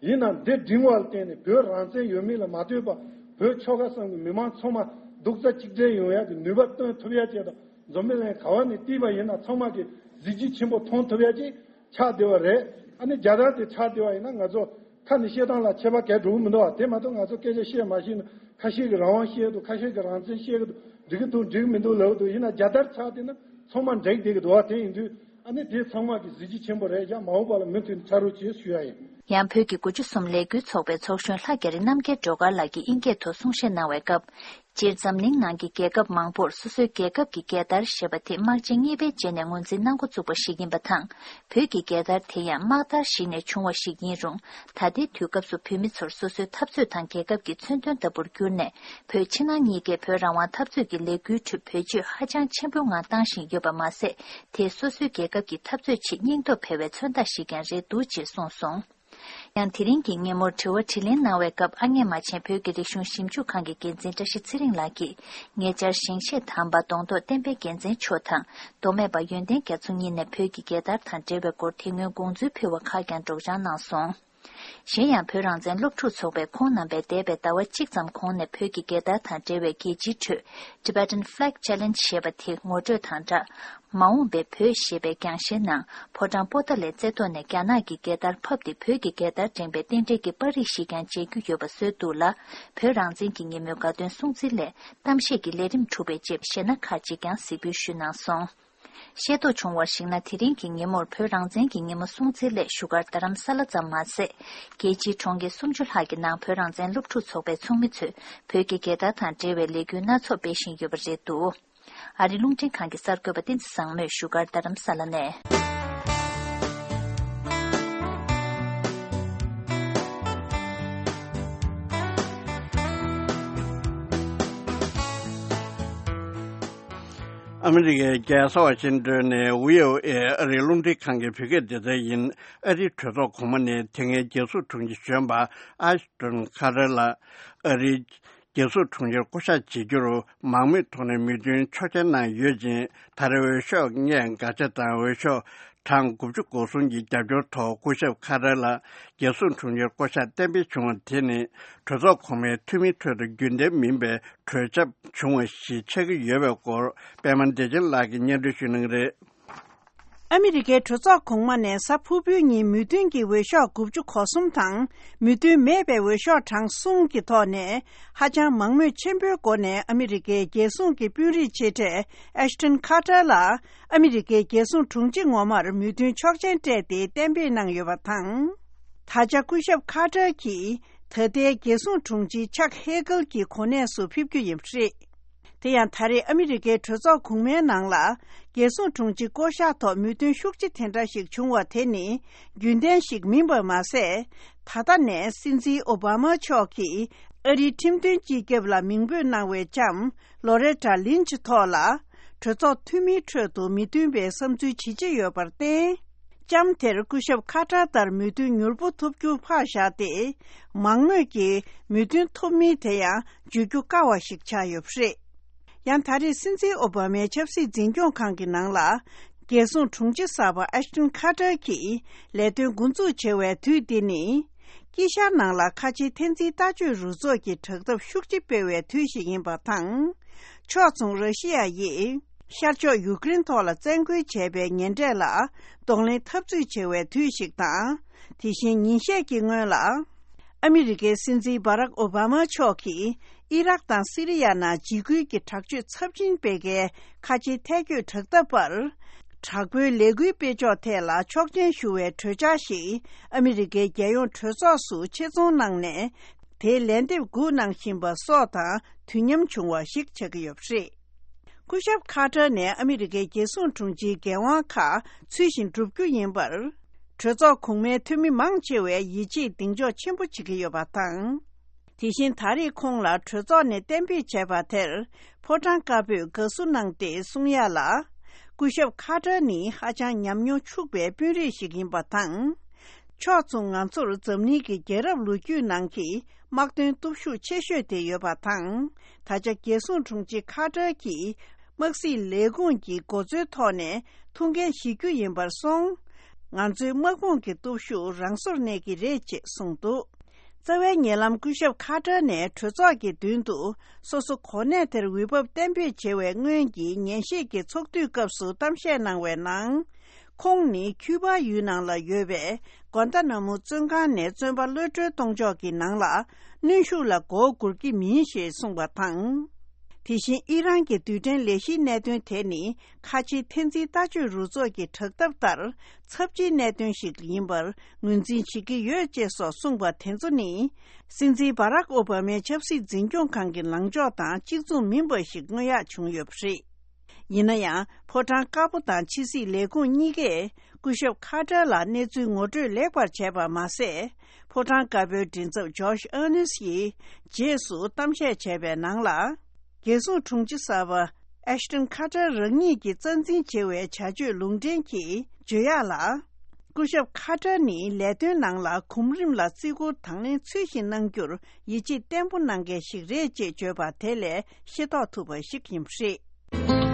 ཡིན་ནའང་འདི་སྒྲིང་བ་ལ་བརྟེན་ནས་བོད་རང་བཙན་ཡོད་མེད་ལ་མ་ལྟོས་པར་བོད་ཆོལ་ཁ་གསུམ་གྱི་མི་མང་ཚང་མ་རྡོག་རྩ་གཅིག་སྒྲིལ་ཡོང་ཡག་གི་ནུས་པ་བཏོན་ཐུབ་ཡག་ཅིག་དང་། འཛམ་བུ་གླིང་ག་བ་ནས་བལྟས་པ་ཡིན་ན་ཚང་མ་གི་གཟི་བརྗིད་ཆེན་པོ་མཐོང་ཐུབ་ཡག་ཅིག་ཆགས་བསྡད་པ་རེད། ཨ་ནི་རྒྱལ་དར་དེ་ཆགས་བསྡད་པ་ཡིན་ན་ང་ཚོ་ཁ་ནས་བཤད་སྟངས་ལ་ཁྱད་པར་ག་འགྲོ་གི་མི་འདུག་བ། དེ་མ་གཏོགས་ང་ཚོ་སྐད་ཆ་བཤད་མ་ཤེས་ན་ཁ་ཤས་ཀྱིས་རང་དབང་བཤད་འདུག་ཁ་ཤས་ཀྱིས་རང་བཙན་བཤད་ཀྱི་འདུག་འགྲིག་གི་འདུག་འགྲིག་གི་མི་འདུག་ལབ་འདུག་ཡིན་ན་རྒྱལ་དར་ཆགས་བསྡད་ན་ཚང་མ་འགྲིག་བསྡད་ཀྱི་འདུག་བ། དེ་ཡིན་དུས་ཨ་ནི་དེ་ཚང་མ་གི་གཟི་བརྗིད་ཆེན་པོ་རེད། ཡང་མ་འོངས་པ་ལ་མུ་མཐུད་ནས་ཆགས་རོགས་བྱེད་ཞུ་ཡ་ཡིན། ཡང་བོད་ཀྱི་དགུ་བཅུ་གསུམ་ལས་འགུལ་ཚོགས་པའི་ཚོགས་གཞོན་ལྷ་རྒྱ་རི་རྣམ་རྒྱལ་སྒྲོལ་དཀར་ལགས་ཀྱིས་ཨིན་སྐད་ཐོག་གསུང་བཤད་གནང་བའི་སྐབས། སྤྱིར་འཛམ་གླིང་ནང་གི་རྒྱལ་ཁབ་མང་པོར་སོ་སོའི་རྒྱལ་ཁབ་ཀྱི་རྒྱལ་དར་ཞེས་པ་དེ་དམག་ཆེན་གཉིས་པའི་རྗེས་ནས་ངོས་འཛིན་གནང་འགོ་བཙུགས་པ་ཞིག་ཡིན་པ་དང་། བོད་ཀྱི་རྒྱལ་དར་དེ་ཡང་དམག་དར་ཞིག་ནས་བྱུང་བ་ཞིག་ཡིན་རུང་། ད་ལྟའི་དུས་སྐབས་སུ་བོད་མི་ཚོར་སོ་སོའི་འཐབ་རྩོད་དང་རྒྱལ་ཁབ་ཀྱི་མཚོན་དོན་ལྟ་བུར་གྱུར་ནས། བོད་ཕྱི་ནང་གཉིས་ཀའི་བོད་རང་དབང་འཐབ་རྩོད་ཀྱི་ལས་འགུལ་ཁྲོད་བེད་སྤྱོད་ཧ་ཅང་ཆེན་པོའི་ངང་བཏང་བཞིན་ཡོད་པ་མ་ཟད། དེས་སོ་སོའི་རྒྱལ་ཁབ་ཀྱི་འཐབ་རྩོད་ཆེད་སྙིང་སྟོབས་འཕེལ་བའི་མཚོན་རྟགས་ཤིག་ཀྱང་རེད་འདུག་ཅེས་གསུངས་སོང་། ཡང་དེ་རིང་གི་ཉིན་མོར་དྲི་བ་དྲིས་ལན་གནང་བའི་སྐབས། ཨ་མྱེས་རྨ་ཆེན་བོད་ཀྱི་རིག་གཞུང་ཞིབ་འཇུག་ཁང་གི་འགན་འཛིན་བཀྲ་ཤིས་ཚེ་རིང་ལགས་ཀྱིས། ཉེ་ཆར་ཞིང་གཤེགས་དམ་པ་གདོང་ཐོག་བསྟན་པའི་རྒྱལ་མཚན་མཆོག་དང་། མདོ་སྨད་པ་ཡོན་ཏན་རྒྱ་མཚོ་གཉིས་ནས་བོད་ཀྱི་རྒྱལ་དར་དང་འབྲེལ་བའི་སྐོར་དེ་སྔོན་དགོངས་ཚུལ་ཕུལ་བ་ཁག་ཀྱང་སྒྲོག་སྦྱང་གནང་སོང་། གཞན་ཡང་། བོད་རང་བཙན་སློབ་ཕྲུག་ཚོགས་པས་ཁོང་རྣམ་པས་འདས་པའི་ཟླ་བ་གཅིག་ཙམ་གོང་ནས་བོད་ཀྱི་རྒྱལ་དར་དང་འབྲེལ་བའི་རྒྱལ་སྤྱིའི་ཁྲོད། Tibetan Flag Challenge ཞེས་པ་དེ་ངོ་སྤྲོད་དང་སྦྲགས། མ་འོངས་པའི་བོད་ཞེས་པའི་རྒྱང་ཤེལ་ནང་ཕོ་བྲང་པོ་ཏཱ་ལའི་རྩེ་ཐོག་ནས་རྒྱ་ནག་གི་རྒྱལ་དར་ཕབ་སྟེ། བོད་ཀྱི་རྒྱལ་དར་འགྲེང་བའི་རྟེན་འབྲེལ་གྱི་པར་རིས་ཤིག་ཀྱང་མཇལ་རྒྱུ་ཡོད་པ་བཟོས་འདུག་ལ། བོད་རང་བཙན་གྱི་ཉིན་མོའི་དགའ་སྟོན་སྲུང་བརྩི་སླད་གཏམ་བཤད་ཀྱི་ལས་རིམ་གྲུབ་པའི་རྗེས། གཞས་སྣ་ཁག་ཅིག་ཀྱང་གཟིགས་འབུལ་ཞུས་གནང་སོང་། ཤེས་རྟོགས་བྱུང་བར་གཞིགས་ན། དེ་རིང་གི་ཉིན་མོར་བོད་རང་བཙན་གྱི་ཉིན་མོ་སྲུང་བརྩིའི་སླད་བཞུགས་སྒར་རྡ་རམ་ས་ལ་ཙམ་མ་ཟད། རྒྱལ་སྤྱིའི་གྲོང་ཁྱེར་སུམ་ཅུ་ལྷག་གི་ནང་བོད་རང་བཙན་སློབ་ཕྲུག་ཚོགས་པའི་ཚོགས་མི་ཚོས་བོད་ཀྱི་རྒྱལ་དར་དང་འབྲེལ་བའི་ལས་འགུལ་སྣ་ཚོགས་སྤེལ་བཞིན་ཡོད་པ་རེད་འདུག། ཨ་རིའི་རླུང་འཕྲིན་ཁང་གི་གསར་འགོད་པ་བསྟན་འཛིན་བཟང་མོས་བཞུགས་སྒར་རྡ་རམ་ས་ལ་ནས། ཨ་མི་རི་ཀའི་རྒྱལ་ས་ཝ་ཤིང་ཏོན་ནས་བྷི་ཨོ་ཨེ་ཨ་རིའི་རླུང་འཕྲིན་ཁང་གི་བོད་སྐད་སྡེ་ཚན་ཡིན། ཨ་རིའི་གྲོས་ཚོགས་གོང་མ་ནས་དེ་སྔའི་རྒྱལ་སྲུང་དྲུང་ཆེ་གཞོན་པ་ཨ་ཤི་ཏོན་ཁ་ཏར་ལ་ཨ་རིའི་རྒྱལ་སྲུང་དྲུང་ཆེར་བསྐོ་གཞག་བྱེད་རྒྱུར་མང་མོས་ཐོག་ནས་མོས་མཐུན་ཆོག་མཆན་གནང་ཡོད་ཅིང་། ད་རེས་འོས་ཤོག་ལྔས་འགལ་ཆ་དང་འོས་ཤོག་གྲངས་དགུ་བཅུ་གོ་གསུམ་གྱི་རྒྱབ་སྐྱོར་ཐོག་སྐུ་ཞབས་ཁ་ཏར་ལ་རྒྱལ་སྲུང་དྲུང་ཆེར་བསྐོ་གཞག་གཏན་འབེབས་བྱུང་བ་དེ་ནི། གྲོས་ཚོགས་གོང་མའི་འཐུས་མིའི་ཁྲོད་དུ་རྒྱུན་ལྡན་མིན་པའི་གྲོས་འཆམ་བྱུང་བ་ཞིག་ཆགས་ཀྱི་ཡོད་པའི་སྐོར། པད་མ་བདེ་ཆེན་ལགས་ཀྱིས་སྙན་སྒྲོན་ཞུ་གནང་གི་རེད། ཨ་མི་རི་ཀའི་གྲོས་ཚོགས་གོང་མ་ནས་གཟའ་ཕུར་བུའི་ཉིན་མོས་མཐུན་གྱི་འོས་ཤོག་དགུ་བཅུ་གོ་གསུམ་དང་། མོས་མཐུན་མེད་པའི་འོས་ཤོག་གྲངས་གསུམ་གྱི་ཐོག་ནས། ཧ་ཅང་མང་མོས་ཆེན་པོའི་སྒོ་ནས་ཨ་མི་རི་ཀའི་རྒྱལ་སྲུང་གི་དཔོན་རིགས་ཆེ་གྲས་ཨེ་ཤི་ཏོན་ཁ་ཏར་ལ། ཨ་མི་རི་ཀའི་རྒྱལ་སྲུང་དྲུང་ཆེ་ངོ་མར་མོས་མཐུན་ཆོག་མཆན་སྤྲད་དེ་གཏན་འབེབས་གནང་ཡོད་པ་དང་། ད་ཆ་སྐུ་ཞབས་ཁ་ཏར་གྱིས་ད་ལྟའི་རྒྱལ་སྲུང་དྲུང་ཆེ་ཆག་ཧེ་གལ་གྱི་གོ་གནས་སུ་ཕེབས་རྒྱུ་ཡིན་པ་རེད། དེ་ཡང་ད་རེས་ཨ་མི་རི་ཀའི་གྲོས་ཚོགས་གོང་མའི་ནང་ལ་རྒྱལ་སྲུང་དྲུང་ཆེ་བསྐོ་གཞག་ཐོག་མོས་མཐུན་ཤུགས་ཆེ་དེ་འདྲ་ཞིག་བྱུང་བ་དེ་ནི་རྒྱུན་ལྡན་ཞིག་མིན་པ་མ་ཟད། ད་ལྟ་ནས་སྲིད་འཛིན་ཨོ་བྷ་མ་མཆོག་གིས་ཨ་རིའི་ཁྲིམས་དོན་སྤྱི་ཁྱབ་ལ་མིང་འབོད་གནང་བའི་ལྕམ་ལོ་རེ་ཊ་ལིན་ཆི་ཐོག་ལ། གྲོས་ཚོགས་འཐུས་མིའི་ཁྲོད་དུ་མི་མཐུན་པའི་བསམ་ཚུལ་ཇི་ཆེ་ཡོད་པར་བརྟེན། ལྕམ་དེར་སྐུ་ཞབས་ཁ་ཏར་ལྟར་མོས་མཐུན་མྱུར་པོ་ཐོབ་རྒྱུ་ཕར་བཞག་སྟེ། མང་མོས་ཀྱིས་མོས་མཐུན་ཐོབ་མིན་དེ་ཡང་བརྗོད་རྒྱུ་དཀའ་བ་ཞིག་ཆགས་ཡོད་པ་རེད། ཡང་ད་རེས་སྲིད་འཛིན་ཨོ་བྷ་མའི་ཆབ་སྲིད་འཛིན་སྐྱོང་ཁང་གི་ནང་ལ། རྒྱལ་སྲུང་དྲུང་ཆེ་གསར་པ་ཨེ་ཤི་ཏོན་ཁ་ཏར་གྱིས་ལས་དོན་འགོ་འཛུགས་བྱས་པའི་དུས་འདི་ནི། དཀྱིལ་ཤར་ནང་ལ་ཁ་ཆེའི་འཐབ་འཛིང་ལྟ་སྤྱོད་རུ་ཚོགས་ཀྱི་དྲག་འཐབ་ཤུགས་ཆེ་སྤེལ་བའི་དུས་ཤིག་ཡིན་པ་དང་། ཕྱོགས་མཚུངས་ར་ཤི་ཡ་ཡིས་ཤར་ཕྱོགས་ཡུ་ཀེ་རེན་ཐོག་ལ་བཙན་རྒོལ་བྱས་པའི་ཉེས་འབྲས་ལ་གདོང་ལེན་འཐབ་རྩོད་བྱེད་པའི་དུས་ཤིག་དང་། དེ་བཞིན་ཉིན་ཤས་ཀྱི་སྔོན་ལ། ཨ་མི་རི་ཀའི་སྲིད་འཛིན་བྷ་རག་ཨོ་བྷ་མ་མཆོག་གིས་ཨི་རག་དང་སི་རི་ཡ་ནང་འཇིགས་སྐུལ་གྱི་དྲག་སྤྱོད་ཚབས་ཆེན་སྤེལ་མཁན་ཁ་ཆེའི་ཐལ་སྐྱོད་དྲག་འཐབ་པར། དྲག་པོའི་ལས་འགུལ་སྤེལ་ཕྱོགས་ཐད་ལ་ཆོག་མཆན་ཞུ་བའི་གྲོས་འཆར་ཞིག་ཨ་མི་རི་ཀའི་རྒྱལ་ཡོངས་གྲོས་ཚོགས་སུ་ཆེད་རྫོང་གནང་ནས། དེའི་ལན་འདེབས་སྒུག་གནང་བཞིན་པ་སོགས་དང་དུས་མཉམ་བྱུང་བ་ཞིག་ཆགས་ཀྱི་ཡོད་པ་རེད། སྐུ་ཞབས་ཁ་ཏར་ནས་ཨ་མི་རི་ཀའི་རྒྱལ་སྲུང་དྲུང་ཆེའི་འགན་དབང་ཁག་ཚུལ་བཞིན་བསྒྲུབ་རྒྱུ་ཡིན་པར། གྲོས་ཚོགས་གོང་མའི་འཐུས་མི་མང་ཆེ་བས་ཡིད་ཆེས་གདེང་འཇོག་ཆེན་པོ་བྱེད་ཀྱི་ཡོད་པ་དང་། དེ་བཞིན་ད་རེས་ཁོང་ལ་གྲོས་ཚོགས་ནས་གཏན་འབེབས་བྱས་པ་དེར་ཕོ་བྲང་དཀར་པོས་དགའ་བསུ་གནང་སྟེ་གསུང་ཡ་ལ། སྐུ་ཞབས་ཁ་ཏར་ནི་ཧ་ཅང་ཉམས་མྱོང་ཕྱུག་པའི་དཔོན་རིགས་ཤིག་ཡིན་པ་དང་། ཕྱོགས་མཚུངས་ང་ཚོར་འཛམ་གླིང་གི་རྒྱལ་རབས་ལོ་རྒྱུས་ནང་གི་དམག་དོན་སྟོབས་ཤུགས་ཆེ་ཤོས་དེ་ཡོད་པ་དང་། ད་ཆ་རྒྱལ་སྲུང་དྲུང་ཆེ་ཁ་ཏར་གྱིས་དམག་སྲིད་ལས་ཁུངས་ཀྱི་འགོ་གཙོའི་ཐོག་ནས་ཐུགས་འགན་བཞེས་རྒྱུ་ཡིན་པར་སོང་། ང་ཚོའི་དམག་དཔུང་གི་སྟོབས་ཤུགས་རང་སོར་གནས་ཀྱི་རེད་ཅེས་གསུངས་འདུག། རྩ་བའི་ཉེ་ལམ་སྐུ་ཞབས་ཁ་ཏར་ནས་གྲོས་ཚོགས་ཀྱི་མདུན་དུ་སོ་སོ་གོ་གནས་དེར་འོས་འབབ་གཏན་འབེབས་བྱེད་པའི་སྔོན་གྱི་ཉན་ཞིབ་ཀྱི་ཚོགས་འདུའི་སྐབས་སུ་གཏམ་བཤད་གནང་བའི་ནང་། ཁོང་ནི་ཁྱུ་པ་ཡུལ་ནང་ལ་ཡོད་པའི་གོན་ཏ་ན་མུ་བཙོན་ཁང་ནས་བཙོན་པ་གློད་གྲོལ་གཏོང་ཕྱོགས་ཀྱི་ནང་ལ་གནོན་ཤུགས་ལ་མགོ་སྒུར་གྱི་མིན་ཞེས་གསུངས་པ་དང་། དེ་བཞིན་ཨི་རན་གྱི་རྡུལ་ཕྲན་ལས་གཞིའི་གནད་དོན་དེ་ནི་ཁ་ཆེའི་འཐབ་འཛིང་ལྟ་སྤྱོད་རུ་ཚོགས་ཀྱི་དྲག་འཐབ་ལྟར་ཚབས་ཆེའི་གནད་དོན་ཞིག་ཡིན་པར་ངོས་འཛིན་བྱེད་ཀྱི་ཡོད་ཅེས་སོགས་གསུངས་པ་དེ་ཚོ་ནི། སྲིད་འཛིན་བྷ་རག་ཨོ་བྷ་མའི་ཆབ་སྲིད་འཛིན་སྐྱོང་ཁང་གི་ལངས་ཕྱོགས་དང་གཅིག་མཚུངས་མིན་པ་ཞིག་མངོན་ཡག་བྱུང་ཡོད་པ་རེད། ཡིན་ན་ཡང་ཕོ་བྲང་དཀར་པོ་དང་ཕྱི་སྲིད་ལས་ཁུངས་གཉིས་ཀས་སྐུ་ཞབས་ཁ་ཏར་ལ་གནས་ཚུལ་ངོ་སྤྲོད་ལེགས་པར་བྱས་པ་མ་ཟད། ཕོ་བྲང་དཀར་པོའི་མགྲིན་ཚབ་ཇོརྗ་ཨར་ནེ་སི་ཡིས་རྗེས་སུ་གཏམ་བཤད་བྱས་པའི་ནང་ལ། རྒྱལ་སྲུང་དྲུང་ཆེ་གསར་པ་ཨེ་ཤི་ཏོན་ཁ་ཏར་རང་ཉིད་ཀྱིས་རྩ་འཛིན་བྱེད་པའི་བྱ་སྤྱོད་ལུང་འདྲེན་གྱིས་བརྗོད་ཡག་ལ། སྐུ་ཞབས་ཁ་ཏར་ནི་ལས་དོན་ནང་ལ་གོམ་རིམ་ལ་བརྩི་བཀུར་དང་ལེན་ཚུལ་བཞིན་གནང་རྒྱུར་ཡིད་ཆེས་བརྟན་པོ་གནང་མཁན་ཞིག་རེད་ཅེས་བརྗོད་པ་དེ་ལས་ཤེས་རྟོགས་ཐུབ་པ་ཞིག་ཡིན་པ་རེད།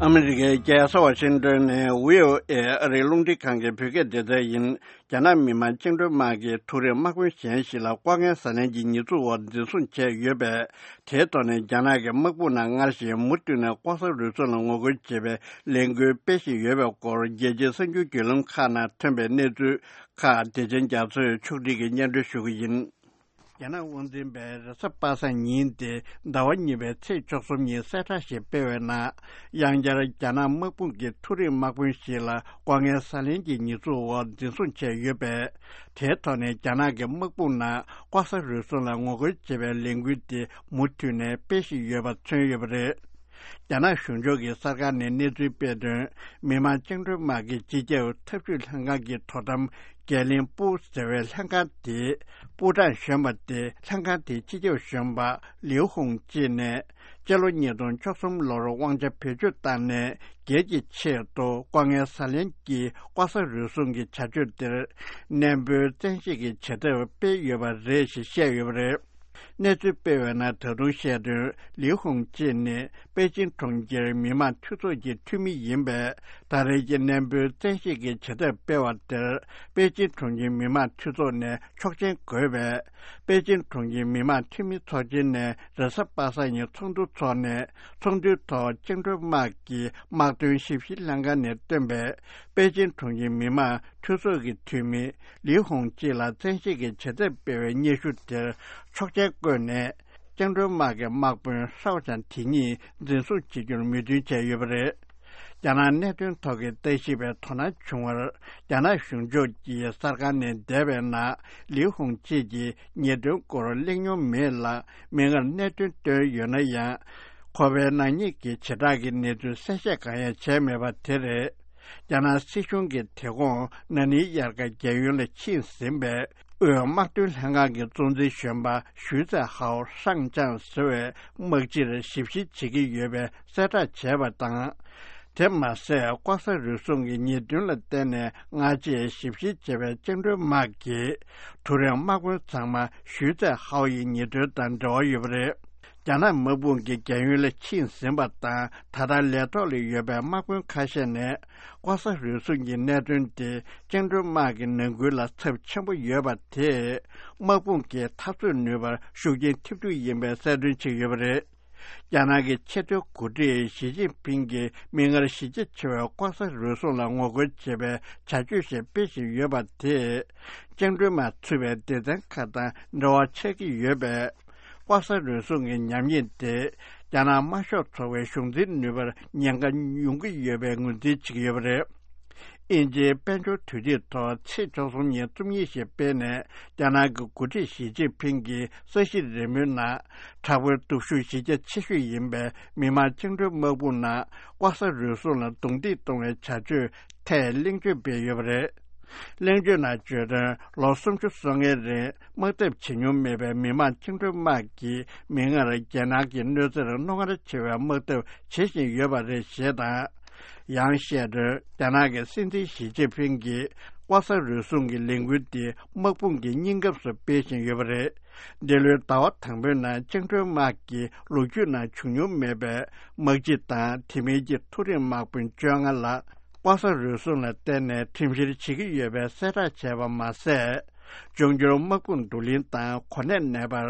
ཨ་མི་རི་ཀའི་རྒྱལ་ས་ཝ་ཤིང་ཏོན་ནས་བྷི་ཨོ་ཨེ་ཨ་རིའི་རླུང་འཕྲིན་ཁང་གི་བོད་སྐད་སྡེ་ཚན་ཡིན། རྒྱ་ནག་མི་དམངས་བཅིངས་འགྲོལ་དམག་གིས་མཐོ་རིམ་དམག་དཔོན་གཞན་ཞིག་ལ་བཀའ་ངལ་ཟ་ལན་གྱི་ཉེས་འཛུགས་འོག་འཛིན་བཟུང་བྱས་ཡོད་པས། དེའི་ཐོག་ནས་རྒྱ་ནག་གི་དམག་དཔུང་ནང་སྔར་བཞིན་མུ་མཐུད་ནས་ལྐོག་ཟ་རུལ་སུངས་ལ་ངོ་རྒོལ་བྱེད་པའི་ལས་འགུལ་སྤེལ་བཞིན་ཡོད་པའི་སྐོར་རྒྱལ་སྤྱིའི་གསར་འགྱུར་བརྒྱུད་ལམ་ཁག་ནང་ཐོན་པའི་གནས་ཚུལ་ཁག་བདེ་ཆེན་རྒྱ་མཚོས་ཕྱོགས་སྒྲིག་གིས་སྙན་སྒྲོན་ཞུ་གི་ཡིན། རྒྱ་ནག་དབང་འཛིན་པས་རེས་གཟའ་པ་སངས་ཉིན་ཏེ་ཟླ་བ་གཉིས་པའི་ཚེས་བཅུ་གསུམ་ཉིན་གསལ་བསྒྲགས་ཤིག་སྤེལ་བའི་ནང་། ཡང་བསྐྱར་རྒྱ་ནག་དམག་དཔུང་གིས་མཐོ་རིམ་དམག་དཔོན་ཞིག་ལ་བཀའ་ངལ་ཟ་ལན་གྱི་ཉེས་འཛུགས་འོག་འཛིན་བཟུང་བྱས་ཡོད་པས། དེའི་ཐོག་ནས་རྒྱ་ནག་གི་དམག་དཔུང་ནང་ལྐོག་ཟ་རུལ་སུངས་ལ་ངོ་རྒོལ་བྱེད་པའི་ལས་འགུལ་དེ་མུ་མཐུད་ནས་སྤེལ་བཞིན་ཡོད་པ་མཚོན་ཡོད་པ་རེད། རྒྱ་ནག་གཞུང་ཕྱོགས་ཀྱི་གསར་ཁང་ནས་གནས་ཚུལ་སྤེལ་དོན། མི་དམངས་བཅིངས་འགྲོལ་དམག་གི་སྤྱི་ཁྱབ་ཐབས་ཇུས་ལྷན་ཁང་གི་དོ་དམ་རྒྱས་གླིང་པུའུ་ཟེར་བའི་ལྷན་ཁང་དེས་པུའུ་ཀྲང་གཞོན་པ་སྟེ། ལྷན་ཁང་དེའི་སྤྱི་ཁྱབ་གཞོན་པ་ལིའུ་ཧུང་ཅི་ནས། སྤྱི་ལོ་ཉིས་སྟོང་བཅུ་གསུམ་ལོར་དབང་ཆ་བེད་སྤྱོད་བཏང་ནས། སྒེར་གྱི་ཆེད་དུ་བཀའ་ངལ་ཟ་ལན་གྱི་ལྐོག་ཟ་རུལ་སུངས་ཀྱི་བྱ་སྤྱོད་དེར། ནན་པོའི་བཙན་ཤེད་ཀྱི་བྱེད་ཐབས་སྤེལ་ཡོད་པ་རེད་ཞེས་བཤད་ཡོད་པ་རེད། གནས་ཚུལ་སྤེལ་བའི་ནང་ད་དུང་བཤད་དོན། ལིའུ་ཧུང་ཅི་ནི་པེ་ཅིན་གྲོང་ཁྱེར་མི་དམངས་འཐུས་ཚོགས་ཀྱི་འཐུས་མི་ཡིན་པས། ད་རེས་ཀྱི་ནན་པོའི་བཙན་ཤེད་ཀྱི་བྱེད་ཐབས་སྤེལ་བ་དེར། པེ་ཅིན་གྲོང་ཁྱེར་མི་དམངས་འཐུས་ཚོགས་ནས་ཆོག་མཆན་དགོས་པས། པེ་ཅིན་གྲོང་ཁྱེར་མི་དམངས་འཐུས་མི་ཚོགས་ཆེན་ནས་རེས་གཟའ་པ་སངས་ཉིན་ཚོགས་འདུ་འཚོགས་ནས། ཚོགས་འདུའི་ཐོག་བཅིངས་འགྲོལ་དམག་གི་དམག་དོན་ཞིབ་བཤེར་ལྷན་ཁང་ནས་བཏོན་པའི་པེ་ཅིན་གྲོང་ཁྱེར་མི་དམངས་འཐུས་ཚོགས་ཀྱི་འཐུས་མི་ལིའུ་ཧུང་ཅི་ལ་བཙན་ཤེད་ཀྱི་བྱེད་ཐབས་སྤེལ་བའི་སྙན་ཞུ་དེར་ཆོག་མཆན་བཀོད་ནས། བཅིངས་འགྲོལ་དམག་གི་དམག་དཔོན་ཧྲའོ་ཅང་དེ་ཉིད་འཛིན་བཟུང་བྱེད་རྒྱུར་མོས་མཐུན་བྱས་ཡོད་པ་རེད། རྒྱ་ནག་གནད་དོན་ཐོག་གི་ལྟ་ཞིབ་པས་དོ་སྣང་བྱུང་བར། རྒྱ་ནག་གཞུང་ཕྱོགས་ཀྱི་གསར་ཁང་ནས་འདས་པའི་ནང་། ལིའུ་ཧུང་ཅི་གིས་ཉེས་དོན་སྐོར་གླེང་མྱོང་མེད་ལ། མིག་སྔར་གནད་དོན་བཏོན་ཡོད་ན་ཡང་། ཁོ་པའི་ནག་ཉེས་ཀྱི་བྱེ་བྲག་གི་གནས་ཚུལ་གསལ་བཤད་གང་ཡང་བྱས་མེད་པ་དེ་རེད། རྒྱ་ནག་སྲིད་གཞུང་གིས་དེ་དགོང་ན་ནིང་དབྱར་ཁ་རྒྱལ་ཡོངས་ལ་ཕྱིན་ཟིན་པའི་དབུས་དམག་དོན་ལྷན་ཁང་གི་གཙོ་འཛིན་གཞོན་པ་ཞུས་ཙེ་ཧའོ་ཧྲང་ཅང་ཟེར་བའི་དམག་སྤྱིར་ཞིབ་བཤེར་བྱེད་ཀྱི་ཡོད་པའི་གསལ་བསྒྲགས་བྱས་པ་དང་། དེ་མ་ཟད། ལྐོག་ཟ་རུལ་སུངས་ཀྱི་ཉེས་དོན་ལ་བརྟེན་ནས་སྔ་རྗེས་ཞིབ་བཤེར་བྱས་པའི་བཅིངས་འགྲོལ་དམག་གི་མཐོ་རིམ་དམག་དཔོན་ཚང་མ་ཞུས་ཙེ་ཧའོ་ཡི་ཉེས་དོན་དང་འབྲེལ་བ་ཡོད་པ་རེད། རྒྱ་ནག་དམག་དཔུང་གིས་རྒྱལ་ཡོངས་ལ་ཕྱིན་ཟིན་པ་དང་། ད་ལྟ་ལས་ཐོག་ལ་ཡོད་པའི་དམག་དཔོན་ཁ་ཤས་ནས་ལྐོག་ཟ་རུལ་སུངས་ཀྱི་གནད་དོན་དེ་བཅིངས་འགྲོལ་དམག་གི་ནང་ཁུལ་ལ་ཚབས་ཆེན་པོ་ཡོད་པ་དེས། དམག་དཔུང་གི་འཐབ་རྩོད་ནུས་པར་ཤུགས་རྐྱེན་ཐེབས་རྒྱུ་ཡིན་པའི་གསལ་སྟོན་བྱས་ཡོད་པ་རེད། རྒྱ་ནག་གི་ཆེས་མཐོའི་འགོ་ཁྲིད་ཞི་ཅིན་ཕིང་གིས་མིག་སྔར་གཞི་རྒྱ་ཆེ་བའི་ལྐོག་ཟ་རུལ་སུངས་ལ་ངོ་རྒོལ་བྱེད་པའི་བྱ་སྤྱོད་ཞིག་སྤེལ་བཞིན་ཡོད་པ་དེས། བཅིངས་འགྲོལ་དམག་ཚུད་པའི་སྡེ་ཚན་ཁག་དང་འབྲེལ་བ་ཆགས་ཀྱི་ཡོད་པས། ལྐོག་ཟ་རུལ་སུངས་ཀྱི་ཉམས་ཉེས་དེ། རྒྱ་ནག་དམར་ཤོག་ཚོགས་པའི་གཞུང་འཛིན་ནུས་པར་ཉེན་ཁ་ཡོང་གི་ཡོད་པའི་ངོས་འཛིན་བྱེད་ཀྱི་ཡོད་པ་རེད། དབྱིན་ཇིའི་དཔལ་འབྱོར་དུས་ཐིག་ཐོག་ཚེས་བཅུ་གསུམ་ཉིན་རྩོམ་ཡིག་ཞིག་སྤེལ་ནས། རྒྱ་ནག་གི་འགོ་ཁྲིད་ཞི་ཅིན་ཕིང་གིས་ས་གཞི་རིལ་མོའི་ནང་། དྲག་པོའི་སྟོབས་ཤུགས་གཞི་རྒྱ་ཆེ་ཤོས་ཡིན་པའི་མི་དམངས་བཅིངས་འགྲོལ་དམག་དཔུང་ནང་ལྐོག་ཟ་རུལ་སུངས་ལ་རྡུང་རྡེག་གཏོང་བའི་བྱ་སྤྱོད་ཐད་གླེང་བརྗོད་སྤེལ་ཡོད་པ་རེད། གླེང་བརྗོད་ནང་བརྗོད་དོན། ལོ་སུམ་ཅུ་སོ་ལྔའི་རིང་དམག་འཐབ་བྱེད་མྱོང་མེད་པའི་མི་དམངས་བཅིངས་འགྲོལ་དམག་གིས་མིག་སྔར་རྒྱལ་ནང་གི་གནོད་འཚེར་རྣོ་ངར་ཆེ་བའི་དམག་འཐབ་བྱེད་བཞིན་ཡོད་པ་རེད་ཞེས་དང་། ཡང་བཤད་དོན། རྒྱ་ནག་གི་སྲིད་འཛིན་ཞི་ཅིན་ཕིང་གིས་ལྐོག་ཟ་རུལ་སུངས་ཀྱི་ལས་འགུལ་འདི་དམག་དཔུང་གི་སྙིང་སྐབས་སུ་སྤེལ་བཞིན་ཡོད་པ་རེད། འདི་ལོའི་ཟླ་བ་དང་པོའི་ནང་བཅིངས་འགྲོལ་དམག་གི་ལོ་རྒྱུས་ནང་བྱུང་མྱོང་མེད་པའི་དམག་སྤྱི་དང་དེ་མིན་གྱི་མཐོ་རིམ་དམག་དཔོན་བཅོ་ལྔ་ལ། ལྐོག་ཟ་རུལ་སུངས་ལ་བརྟེན་ནས་ཁྲིམས་བཤེར་བྱེད་ཀྱི་ཡོད་པའི་གསལ་བསྒྲགས་བྱས་པ་མ་ཟད། འབྱུང་འགྱུར་དམག་དཔུང་བསྡུ་ལེན་དང་གོ་གནས་གནས་སྤར།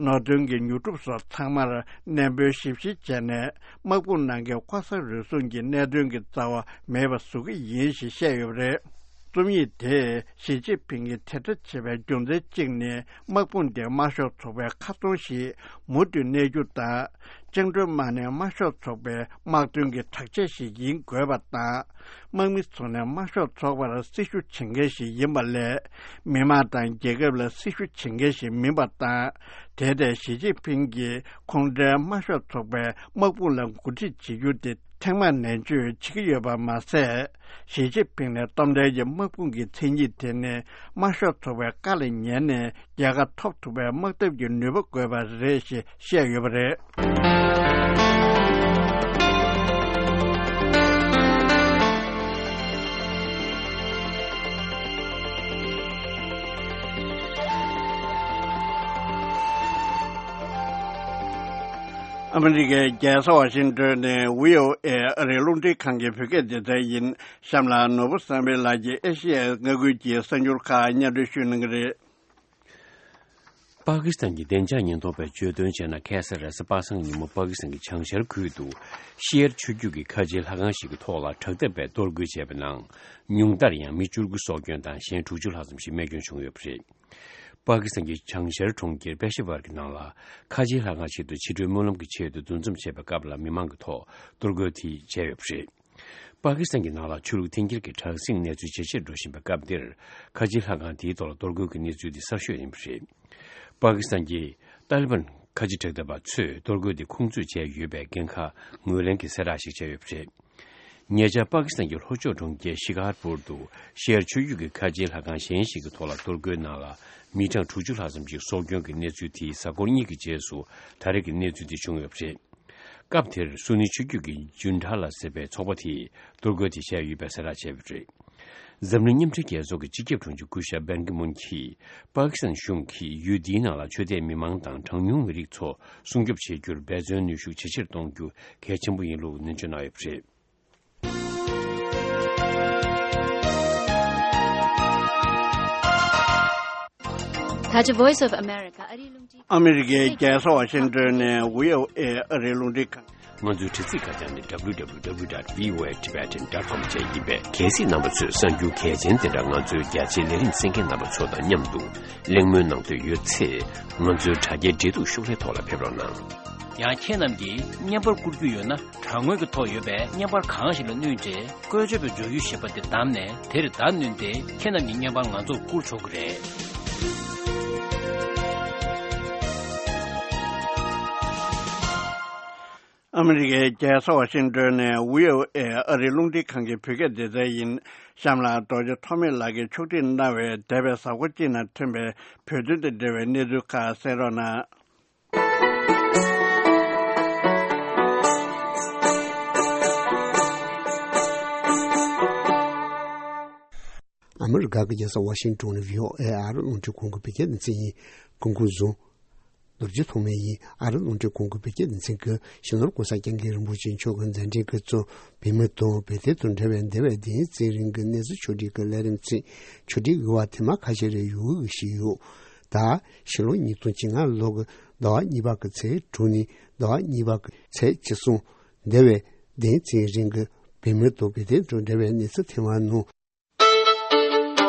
ནོར་དོན་གྱི་ཉོ་སྒྲུབ་སོགས་ཚང་མར་གནས་སྤོའི་ཞིབ་བཤེར་བྱས་ནས། དམག་དཔུང་ནང་གི་ལྐོག་ཟ་རུལ་སུངས་ཀྱི་གནད་དོན་གྱི་རྩ་བ་མེད་པ་བཟོ་གི་ཡིན་ཞེས་བཤད་ཡོད་པ་རེད། རྩོམ་ཡིག་དེས་ཞི་ཅིན་ཕིང་གིས་དེ་འདྲ་བྱེད་པའི་རྒྱུ་མཚན་གཅིག་ནི། དམག་དཔུང་དེ་དམར་ཤོག་ཚོགས་པའི་ཁ་ཚོན་ཞིག་མུ་མཐུད་གནས་རྒྱུ་དང་། བཅིངས་འགྲོལ་དམག་ནི་དམར་ཤོག་ཚོགས་པའི་དམག་དོན་གྱི་དྲག་ཆས་ཤིག་ཡིན་དགོས་པ་དང་། དམག་མི་ཚོ་ནི་དམར་ཤོག་ཚོགས་པར་སྲི་ཞུ་བྱེད་མཁན་ཞིག་ཡིན་པ་ལས། མི་དམངས་དང་རྒྱལ་ཁབ་ལ་སྲི་ཞུ་བྱེད་མཁན་ཞིག་མིན་པ་དང་། དེར་བརྟེན་ཞི་ཅིན་ཕིང་གིས་ཁོང་ཁྲོའི་དམར་ཤོག་ཚོགས་པའི་དམག་དཔུང་ལ་འགོ་ཁྲིད་བྱེད་རྒྱུ་དེ་ཐེངས་མང་ནན་བརྗོད་བྱེད་ཀྱི་ཡོད་པ་མ་ཟད། ཞི་ཅིན་ཕིང་ནས་གཏོང་འདོད་ཀྱི་དམག་དཔུང་གི་མཚན་ཉིད་དེ་ནི་དམར་ཤོག་ཚོགས་པའི་བཀའ་ལ་ཉན་ནས་རྒྱལ་ཁ་ཐོབ་ཐུབ་པའི་དམག་འཐབ་ཀྱི་ནུས་པ་དགོས་པ་རེད་ཞེས་བཤད་ཡོད་པ་རེད། ཨ་མི་རི་ཀའི་རྒྱལ་ས་ཝ་ཤིང་ཏོན་ནས་བྷི་ཨོ་ཨེ་ཨ་རིའི་རླུང་འཕྲིན་ཁང་གི་བོད་སྐད་སྡེ་ཚན་ཡིན། གཤམ་ལ་ནོར་བུ་བསམ་འཕེལ་ལགས་ཀྱིས་ཨེ་ཤེ་ཡའི་མངའ་ཁུལ་གྱི་གསར་འགྱུར་ཁག་སྙན་སྒྲོན་ཞུ་གནང་གི་རེད། པ་ཀི་སི་ཐན་གྱི་བདེ་འཇགས་ཉེན་རྟོག་པས་བརྗོད་དོན་བྱས་ན། ཁ་སང་རེས་གཟའ་པ་སངས་ཉིན་མོ་པ་ཀི་སི་ཐན་གྱི་བྱང་ཤར་ཁུལ་དུ་ཤི་ཡར་ཆུ་རྒྱུད་ཀྱི་ཁ་ཆེའི་ལྷ་ཁང་ཞིག་གི་ཐོག་ལ་དྲག་འཐབ་པས་གཏོར་རྒོལ་བྱས་པའི་ནང་། ཉུང་མཐར་ཡང་མི་བཅུ་དགུ་སྲོག་སྐྱོན་དང་གཞན་དྲུག་ཅུ་ལྷག་ཙམ་ཞིག་རྨས་སྐྱོན་བྱུང་ཡོད་པ་རེད། པ་ཀི་སི་ཐན་གྱི་བྱང་ཤར་གྲོང་ཁྱེར་པེ་ཤ་ཝར་གྱི་ནང་ལ་ཁ་ཆེའི་ལྷ་ཁང་ཞིག་ཏུ་ཕྱི་དྲོའི་སྨོན་ལམ་གྱི་ཆེད་དུ་འདུ་འཛོམས་བྱས་པའི་སྐབས་ལ་མི་མང་གི་ཐོག་གཏོར་རྒོལ་དེ་བྱས་ཡོད་པ་རེད། པ་ཀི་སི་ཐན་གྱི་ནང་ལ་ཆོས་ལུགས་འཐེན་འཁྱེར་གྱི་དྲག་ཟིང་གནས་ཚུལ་ཇེ་ཆེར་འགྲོ་བཞིན་པའི་སྐབས་འདིར། ཁ་ཆེའི་ལྷ་ཁང་དེའི་ཐོག་ལ་གཏོར་རྒོལ་གྱི་གནས་ཚུལ་འདི་གསར་ཤོས་ཡིན་པ་རེད། པ་ཀི་སི་ཐན་གྱི་ཏཱ་ལི་བན་ཁ་ཆེ་དྲག་འཐབ་པ་ཚོས་གཏོར་རྒོལ་དེ་ཁུངས་འཛུགས་བྱས་ཡོད་པའི་འགན་ཁག་ངོས་ལེན་གྱི་གསལ་བསྒྲགས་ཤིག་བྱས་ཡོད་པ་རེད། ཉེ་ཆར་པ་ཀི་སི་ཐན་གྱི་ལྷོ་ཕྱོགས་གྲོང་ཁྱེར་ཤི་ཀ་ཧར་པུར་དུ་ཤི་ཡར་ཆོས་བརྒྱུད་ཀྱི་ཁ་ཆེའི་ལྷ་ཁང་གཞན་ཞིག་གི་ཐོག་ལ་གཏོར་རྒོལ་ནང་ལ་མི་གྲངས་དྲུག་ཅུ་ལྷག་ཙམ་ཞིག་སྲོག་སྐྱོན་གྱི་གནས་ཚུལ་དེའི་གཟའ་འཁོར་གཉིས་ཀྱི་རྗེས་སུ་ད་རེས་ཀྱི་གནས་ཚུལ་དེ་བྱུང་ཡོད་པ་རེད། སྐབས་དེར་སུ་ནི་ཆོས་བརྒྱུད་ཀྱི་ཇུན་ཁྲ་ལ་ཟེར་བའི་ཚོགས་པ་དེས་གཏོར་རྒོལ་དེ་བྱས་ཡོད་པའི་གསལ་བསྒྲགས་བྱས་པ་རེད། འཛམ་གླིང་མཉམ་འབྲེལ་རྒྱལ་ཚོགས་ཀྱི་སྤྱི་ཁྱབ་དྲུང་ཆེ་སྐུ་ཞབས་པན་ཀི་མུན་གྱིས་པ་ཀི་སི་ཐན་གཞུང་གིས་ཡུལ་འདིའི་ནང་ལ་ཆོས་དད་མི་མང་དང་གྲངས་ཉུང་མི་རིགས་ཚོ་སྲུང་སྐྱོབ་བྱེད་རྒྱུར་འབད་བརྩོན་ནུས་ཤུགས་ཇེ་ཆེར་གཏོང་རྒྱུ་གལ་ཆེན་པོ་ཡིན་ལུགས་ནན་བརྗོད་གནང་ཡོད་པ་རེད། ད་ཆ་Voice of America ཨ་རིའི་རླུང་འཕྲིན། ཨ་མི་རི་ཀའི་རྒྱལ་ས་ཝ་ཤིང་ཏོན་ནས་བྷི་ཨོ་ཨེ་ཨ་རིའི་རླུང་འཕྲིན་ཁང་། ང་ཚོའི་དྲ་ཚིགས་ཁ་བྱང་ནི་W W W dot V O A Tibetan dot com བཅས་ཡིན་པས། གལ་སྲིད་རྣམ་པ་ཚོས་གསར་འགྱུར་གལ་ཆེན་དེ་འདྲ་ང་ཚོའི་རྒྱ་ཆེའི་ལས་རིམ་གསན་མཁན་རྣམ་པ་ཚོ་དང་མཉམ་དུ་གླེང་མོལ་གནང་འདོད་ཡོད་ཚེ། ང་ཚོའི་དྲ་རྒྱའི་འབྲེལ་གཏུག་ཤོག་ལྷེ་ཐོག་ལ་ཕེབས་རོགས་གནང་། ཡང་ཁྱེད་རྣམས་ཀྱིས་བརྙན་པར་བསྐུར་རྒྱུ་ཡོད་ན། དྲ་ངོས་ཀྱི་ཐོག་ཡོད་པའི་བརྙན་པར་གང་ཞིག་ལ་བསྣུན་ཏེ། བཀོལ་སྤྱོད་པའི་འབྱོར་ཡུལ་ཞེས་པ་དེ་བདམས་ནས། དེར་བརྡ་བསྣུན་ཏེ། ཁྱེད་རྣམས་ཀྱི་བརྙན་པར་ང་ཚོར་བསྐུར་ཆོག་གི་རེད། ཨ་མི་རི་ཀའི་རྒྱལ་ས་ཝ་ཤིང་ཏོན་ནས་བྷི་ཨོ་ཨེ་ཨ་རིའི་རླུང་འཕྲིན་ཁང་གི་བོད་སྐད་སྡེ་ཚན་ཡིན། གཤམ་ལ་རྡོ་རྗེ་ཐོགས་མེད་ལགས་ཀྱིས་ཕྱོགས་སྒྲིག་གནང་བའི་འདས་པའི་གཟའ་འཁོར་གཅིག་ནང་ཐོན་པའི་བོད་དོན་དང་འབྲེལ་བའི་གནས་ཚུལ་ཁག་གསན་རོགས་གནང་། ཨ་མི་རི་ཀ་གི་རྒྱལ་ས་ཝ་ཤིང་ཏོན་ནས་བྷི་ཨོ་ཨེ་ཨ་རི་རླུང་འཕྲིན་ཁང་གི་བོད་སྐད་སྡེ་ཚན་ཡིན། སྐུ་ཁམས་བཟང་། རྡོ་རྗེ་ཐོགས་མེད་ཡིན། ཨ་རི་རླུང་འཕྲིན་ཁང་གི་བོད་སྐད་སྡེ་ཚན་གྱིས་སྤྱི་ནོར་༸གོང་ས་༸སྐྱབས་མགོན་རིན་པོ་ཆེ་མཆོག་གི་མཛད་འཕྲིན་གྱི་གཙོ་བོད་མི་དང་བོད་དོན་དང་འབྲེལ་བའི་འདས་པའི་བདུན་ཕྲག་རིང་གི་གནས་ཚུལ་ཕྱོགས་སྒྲིག་གི་ལས་རིམ་ཚན་ཕྱོགས་སྒྲིག་ཡོད་པ་དེ་མ་ཁ་ཤས་རེ་ཡོད་ཞུས་ཡོད། ད་ཕྱི་ལོ་ཉིས་སྟོང་བཅོ་ལྔ་ལོ་གི་ཟླ་བ་གཉིས་པ་གི་ཚེས་དྲུག་ནས་ཟླ་བ་གཉིས་པ་གི་ཚེས་བཅུ་གསུམ། འདས་པའི་བདུན་ཕྲག་རིང་གི་བོད་མི་དང་བོད་དོན་དང་འབྲེལ་བའི་གནས་ཚུལ་ཐེངས་མང་ནང་།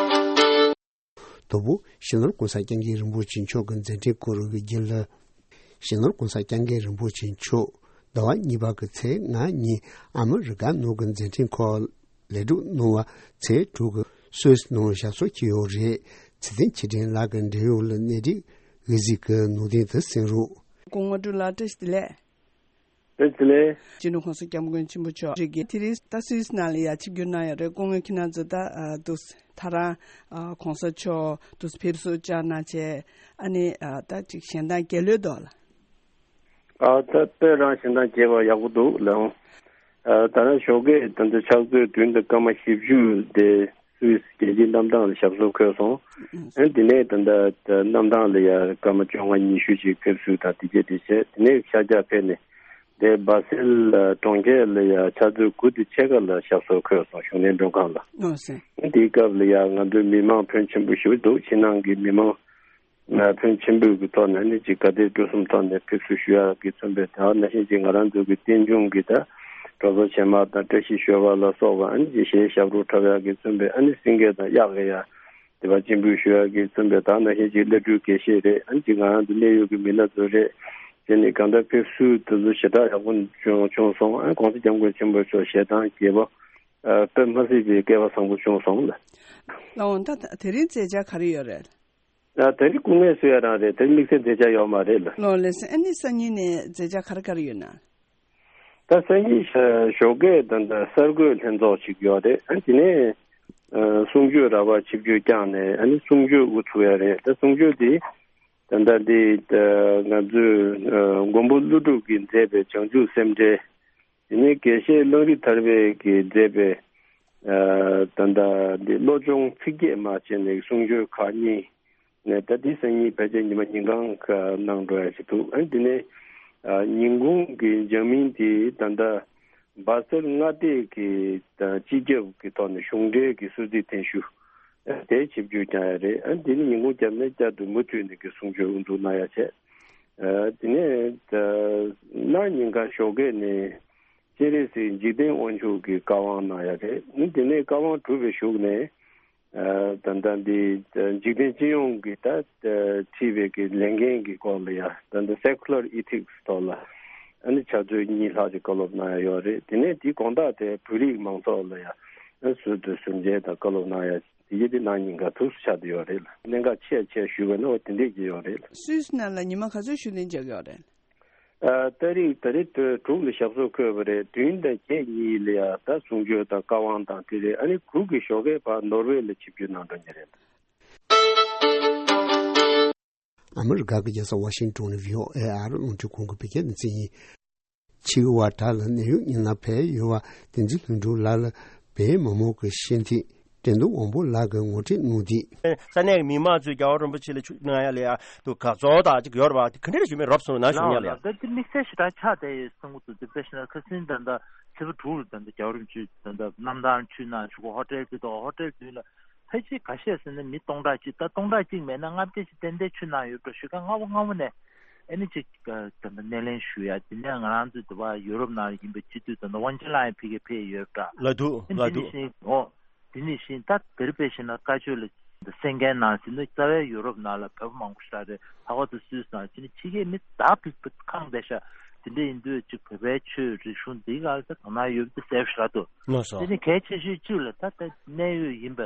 དང་པོ། སྤྱི་ནོར་༸གོང་ས་༸སྐྱབས་མགོན་རིན་པོ་ཆེ་མཆོག་གི་མཛད་འཕྲིན་སྐོར་གྱི་རྒྱུན་ལས། སྤྱི་ནོར་༸གོང་ས་༸སྐྱབས་མགོན་རིན་པོ་ཆེ་མཆོག་ཟླ་བ་གཉིས་པ་གི་ཚེས་ལྔ་ཉིན་ཨ་མི་རི་ཀ་ནང་གི་མཛད་འཕྲིན་ཁག་ལེགས་གྲུབ་གནང་བ། ཚེས་དྲུག་གི་སུད་སི་ནང་ཞབས་སོར་འཁྱེར་ཡོད་རེད། ཚེ་བརྟན་ཆོས་སྒྲོན་ལགས་ཀྱི་འབྲེལ་ཡོད་ལ་གནས་སྒྲིག་འོས་གཟིགས་ཀྱི་ནང་དོན་དུ་གསན་རོགས། སྐུ་ངོ་སྤྲུལ་ལགས་བཀྲ་ཤིས་བདེ་ལེགས། བཀྲ་ཤིས་བདེ་ལེགས། སྤྱི་ནོར་༸གོང་ས་༸སྐྱབས་མགོན་ཆེན་པོ་མཆོག་རིགས་ཀྱི་དེ་རིང་ད་སུད་སི་ནང་ལ་ཡ་ཆིབས་བསྒྱུར་གནང་ཡོད་རེད། སྐུ་ངོ་ཁྱེད་རང་ཚོ་ད་ཨ་འདུག་ད་རང་ཨ་༸གོང་ས་མཆོག་འདུག་ཕེབས་བསུ་བཅར་གནང་བྱས། ཨ་ནི་ཨ་ད་ཅིག་གཞན་དང་རྒྱལ་ལོས་འདུག་ལ། ཨ་ད་དཔེ་རང་གཞན་དང་རྒྱས་པ་ཡག་པོ་འདུག་ལགས། ཨ་ད་རང་ཞོགས་ཀས་ད་ལྟ་ཕྱག་ཚོད་བདུན་དང་སྐར་མ་བཞི་བཅུ་དེ་སུད་སི་རྒྱལ་སྤྱིའི་གནམ་ཐང་ལ་ཞབས་སོར་འཁོད་སོང་། ཨ་དེ་ནས་ད་ལྟ་གནམ་ཐང་ལ་ཡ་སྐར་མ་བཅོ་ལྔ་ཉི་ཤུ་ཅིག་ཕེབས་བསུ་དང་དེ་བྱས་དེ་བྱས། དེ་ནས་ཤར་རྒྱག་ཕེབས་ནས་ དེ་སྦ་སེལ་གྲོང་ཁྱེར་ལ་ཡ་ཕྱག་ཚོད་དགུ་དང་ཕྱེད་ཀ་ལ་ཞབས་སོར་འཁོད་སོང་། གཞོན་ནུའི་མགྲོན་ཁང་ལ། ཨོ་ཟེར། དེའི་སྐབས་ལ་ཡ་ང་ཚོའི་མི་མང་ཕོན་ཆེན་པོ་ཞིག་འདུག་ཕྱི་ནང་གི་མི་མང་ཕོན་ཆེན་པོའི་གི་ཐོག་ནས་ནི་ཅིག་དགའ་དད་སྤྲོ་གསུམ་ཐོག་ནས་ཕེབས་བསུ་ཞུ་ཡག་གི་མཚོན་པའི་དེ་ནང་བཞིན་ཅིག་ང་རང་ཚོ་གི་རྟེན་འབྱུང་གི་ད་གྲོགས་ཚོགས་ཆེན་མོ་དང་བཀྲ་ཤིས་ཞོལ་པ་ལ་སོགས་པ་ཨ་ནི་ཅིག་གཞས་ཞབས་བྲོ་འཁྲབ་ཡག་གི་མཚོན་པའི་ཨ་ནི་སེང་གེ་དང་གཡག་གི་ཡ། དེ་བ་སྤྱན་འབུལ་ཞུ་ཡག་གི་མཚོན་པའི་དེ་ནང་བཞིན་ཅིག་བླ་སྤྲུལ་དགེ་བཤེས་རེད། ཨ་ནི་ཅིག་ང་རང་ཚོ་གནད་ཡོད་ཀྱི་མི་སྣ་ཚོ་རེད། དེ་ནི་གང་ལྟར་ཕེབས་བསུ་དེ་ཚོ་ཞེ་དྲག་ཡག་པོ་བྱུང་བྱུང་སོང་། ཨ་ནི་༸གོང་ས་༸སྐྱབས་མགོན་ཆེན་པོ་མཆོག་ཞལ་ཐང་རྒྱས་པོ་དཔེ་མ་སྲིད་པའི་སྐལ་བ་བཟང་པོ་བྱུང་སོང་ལ། ལགས་འོང་། ད་དེ་རིང་མཛད་འཆར་ག་རེ་ཡོད་རེད། ད་དེ་རིང་སྐུ་ངལ་གསོ་ཡ་རང་རེད། དེ་རིང་དམིགས་བསལ་མཛད་འཆར་ཡོད་མ་རེད་ལ། ལགས་ལགས་སོ། ཨ་ནི་སང་ཉིན་ནས་མཛད་འཆར་ག་རེ་ག་རེ་ཡོད་ན། ད་སང་ཉིན་ཞོགས་ཀས་ད་ད་གསར་འགོད་ལྷན་ཚོགས་ཤིག་ཡོད་རེད། ཨ་དེ་ནས་གསུང་ཆོས་ར་བ་ཆིབས་བསྒྱུར་བསྐྱངས་ནས་ཨ་ནི་གསུང་ཆོས་དབུ་ཚུགས་ཡ་རེད། ད་གསུང་ཆོས་དེ་ད་ད་འདི་ང་ཚོའི་མགོན་པོ་ཀླུ་སྒྲུབ་ཀྱིས་མཛད་པའི་བྱང་ཆུབ་སེམས་འགྲེལ། དེ་ནས་དགེ་བཤེས་གླང་རི་ཐར་པས་ཀྱིས་མཛད་པའི་ད་ད་འདི་བློ་སྦྱོང་ཚིག་བརྒྱད་མ་བྱས་ནས་གསུང་ཆོས་ཁག་གཉིས། ནས་ད་ལྟའི་སང་ཉིན་ཕལ་ཆེར་ཉི་མ་ཉིན་གང་གནང་འགྲོ་ཡ་ཞིག་འདུག་ཨ་ནི་དེ་ནས་ཉིན་གུང་གི་འཇར་མན་དེ་ད་ལྟ་སྦ་སེལ་མངའ་སྡེ་གི་སྤྱི་ཁྱབ་ཀྱི་ཐོག་ནས་གཞུང་འབྲེལ་གྱི་གསོལ་ཚིགས་ཐེངས་ཞུ་དེ་ཆིབས་བསྒྱུར་བསྐྱངས་ཡ་རེད། ཨ་ནི་དེ་ནི་ཉིན་གུང་རྒྱབ་ནས་བསྐྱར་དུ་མུ་མཐུད་ནས་ཀྱི་གསུང་ཆོས་དབུ་འཛུགས་གནང་ཡ་བྱས། དེ་ནས་གནངས་ཉིན་ག་ཞོགས་ཀས་ནས་སྤྱན་རས་གཟིགས་འཇིག་རྟེན་དབང་ཕྱུག་གི་བཀའ་དབང་གནང་ཡ་རེད། ཨ་ནི་དེ་ནས་བཀའ་དབང་གྲུབ་པའི་གཞུག་ནས། ད་ལྟ་འདི་འཇིག་རྟེན་སྤྱི་ཡོངས་ཀྱི་ད་ཁྲིད་པའི་གི་ལས་འགན་གྱི་སྐོར་ལ་ཡ་ད་ལྟ་Secular Ethics ཐོག་ལ་ཨ་ནི་ཕྱག་ཚོད་གཉིས་ལྷག་ཅིག་བཀའ་སློབ་གནང་ཡ་ཡོད་རེད། དེ་ནས་དེའི་དགོང་དག་དེ་བོད་རིགས་མང་ཚོགས་ལ་ཡ་ཟུར་དུ་ཟུར་མཇལ་དང་བཀའ་སློབ་གནང་ཡ་དེ་གྱད་དེ་གནངས་ཉིན་ག་ཐུགས་སུ་ཆགས་བསྡད་ཡོད་རེད་ལ། གནད་འགག་ཆེ་ཆེ་ཞུས་པ་ན་འོ་དེ་འདྲས་ཀྱི་ཡོད་རེད་ལ། སུད་སི་ནང་ལ་ཉི་མ་ག་ཚོད་བཞུགས་གླེང་བྱེད་ཀྱི་ཡོད་རེད། ཨ་ཏ་རིག་ཏ་རིག་དྲུག་ལ་ཞབས་སོར་འཁོད་པ་རེད། བདུན་དང་བརྒྱད་གཉིས་ལ་ཡ་ད་གསུང་ཆོས་དང་བཀའ་དབང་དང་དེ་རེད། ཨ་ནི་དགུ་གི་ཞོགས་ཀས་ཕར་ནོར་ཝེ་ལ་ཆིབས་བསྒྱུར་གནང་འགྲོ་ཉེ་རེད། ཨ་མི་རི་ཀ་གི་རྒྱལ་ས་ཝ་ཤིང་ཏོན་ནས་བྷི་ཨོ་ཨེ་ཨ་རི་རླུང་འཕྲིན་ཁང་གི་བོད་སྐད་སྡེ་ཚན་ཡིན། ཆེ་བ་དག་ལ་གནད་ཡོད་བརྙན་ལ་ཕེབས་ཡོད་པ་བསྟན་འཛིན་ལྷུན་གྲུབ་ལགས་ལ་བོད་མི་མང་གི་ཤེས་ཐིག་དྲན་གདུང་དབང་པོ་ལགས་ཀྱིས་ངོ་སྤྲོད་གནང་འདུག་ས་གནས་ཀྱི་མི་མང་ཚོས་རྒྱལ་བ་རིན་པོ་ཆེ་ལ་ཆུ་གནང་ཡ་ལ་ཡ་དུ་དགའ་ཚོར་དང་ཅིག་ཡོད་རེད་པ། དེ་ག་འདྲ་ཞིག་མེད་རོབ་སོང་ན་ཞུ་ཡ་ལ་ཡ། ད་དེ་དམིགས་བསལ་ཞེ་དྲག་ཆགས་བསྡད་ཡོད་བསམ་གྱི་འདུག་དེ་དཔེ་བཞག་ན་ཁ་སང་ད་ལྟ་ཚེས་པ་དྲུག་ལ་ད་ལྟ་རྒྱལ་བ་རིན་པོ་ཆེ་ད་ལྟ་གནམ་ཐང་ཆུ་ནང་ཆུ་ཁོ་ཧོ་ཊེལ་དེ་དང་ཧོ་ཊེལ་མདུན་ལ་ཕལ་ཆེར་འགའ་ཤས་ཟེར་ན་མི་སྟོང་ཕྲག་གཅིག་ད་སྟོང་ཕྲག་གཅིག་མེད་ན་ལྔ་བརྒྱ་ཅིག་ཏན་ཏན་ཆུ་ནང་ཡོད་འགྲོ་ཞུ་མཁན་སྔ་པོ་སྔ་པོ་ནས་ཨ་ནི་ཅིག་ད་ལྟ་སྣེ་ལེན་ཞུ་ཡ། དེ་ནས་ང་རང་ཚོ་དུ་བ་ཡུ་རོབ་ནང་ཡིན་པའི་སྤྱི་འཐུས་ད་ལྟ་དབང་ཆེན་ལགས་ཡང་ཕ་གིར་ཕེབས་ཡོད་འདྲ། ལ་དུ་ཨ་ནི་ལ་དེ་ནས་དུ་ཤིང་ཨོ། དེ་ནས་ཤིང་ད་དེར་དཔེ་བཞག་ན་བཀའ་ཆོས་ལ་གསན་མཁན་ནང་ཟིན་ན་རྩ་བའི་ཡུ་རོབ་ནང་ལ་བོད་པ་མང་པོ་ཞིག་རེད། ལྷག་པར་དུ་སུད་སི་ནང་ཕྱིན་ན་ཕྱི་རྒྱལ་མི་ད་ཕིག་ཕིག་ཁང་བསྡད་ཤག་དེ་འདྲ་ཡིན་དུས་ཅིག་བོད་པའི་ཆོས་རིག་གཞུང་འདི་ག་ལ་ད་དོ་སྣང་ཡོད་པ་དེ་གསལ་པོ་ཞིག་རེད་འདུག་ལགས་སོ། དེ་ནི་གལ་ཆེ་ཤོས་གཅིག་ལ་ད་ལྟ་གནད་ཡོད་ཡིན་པ་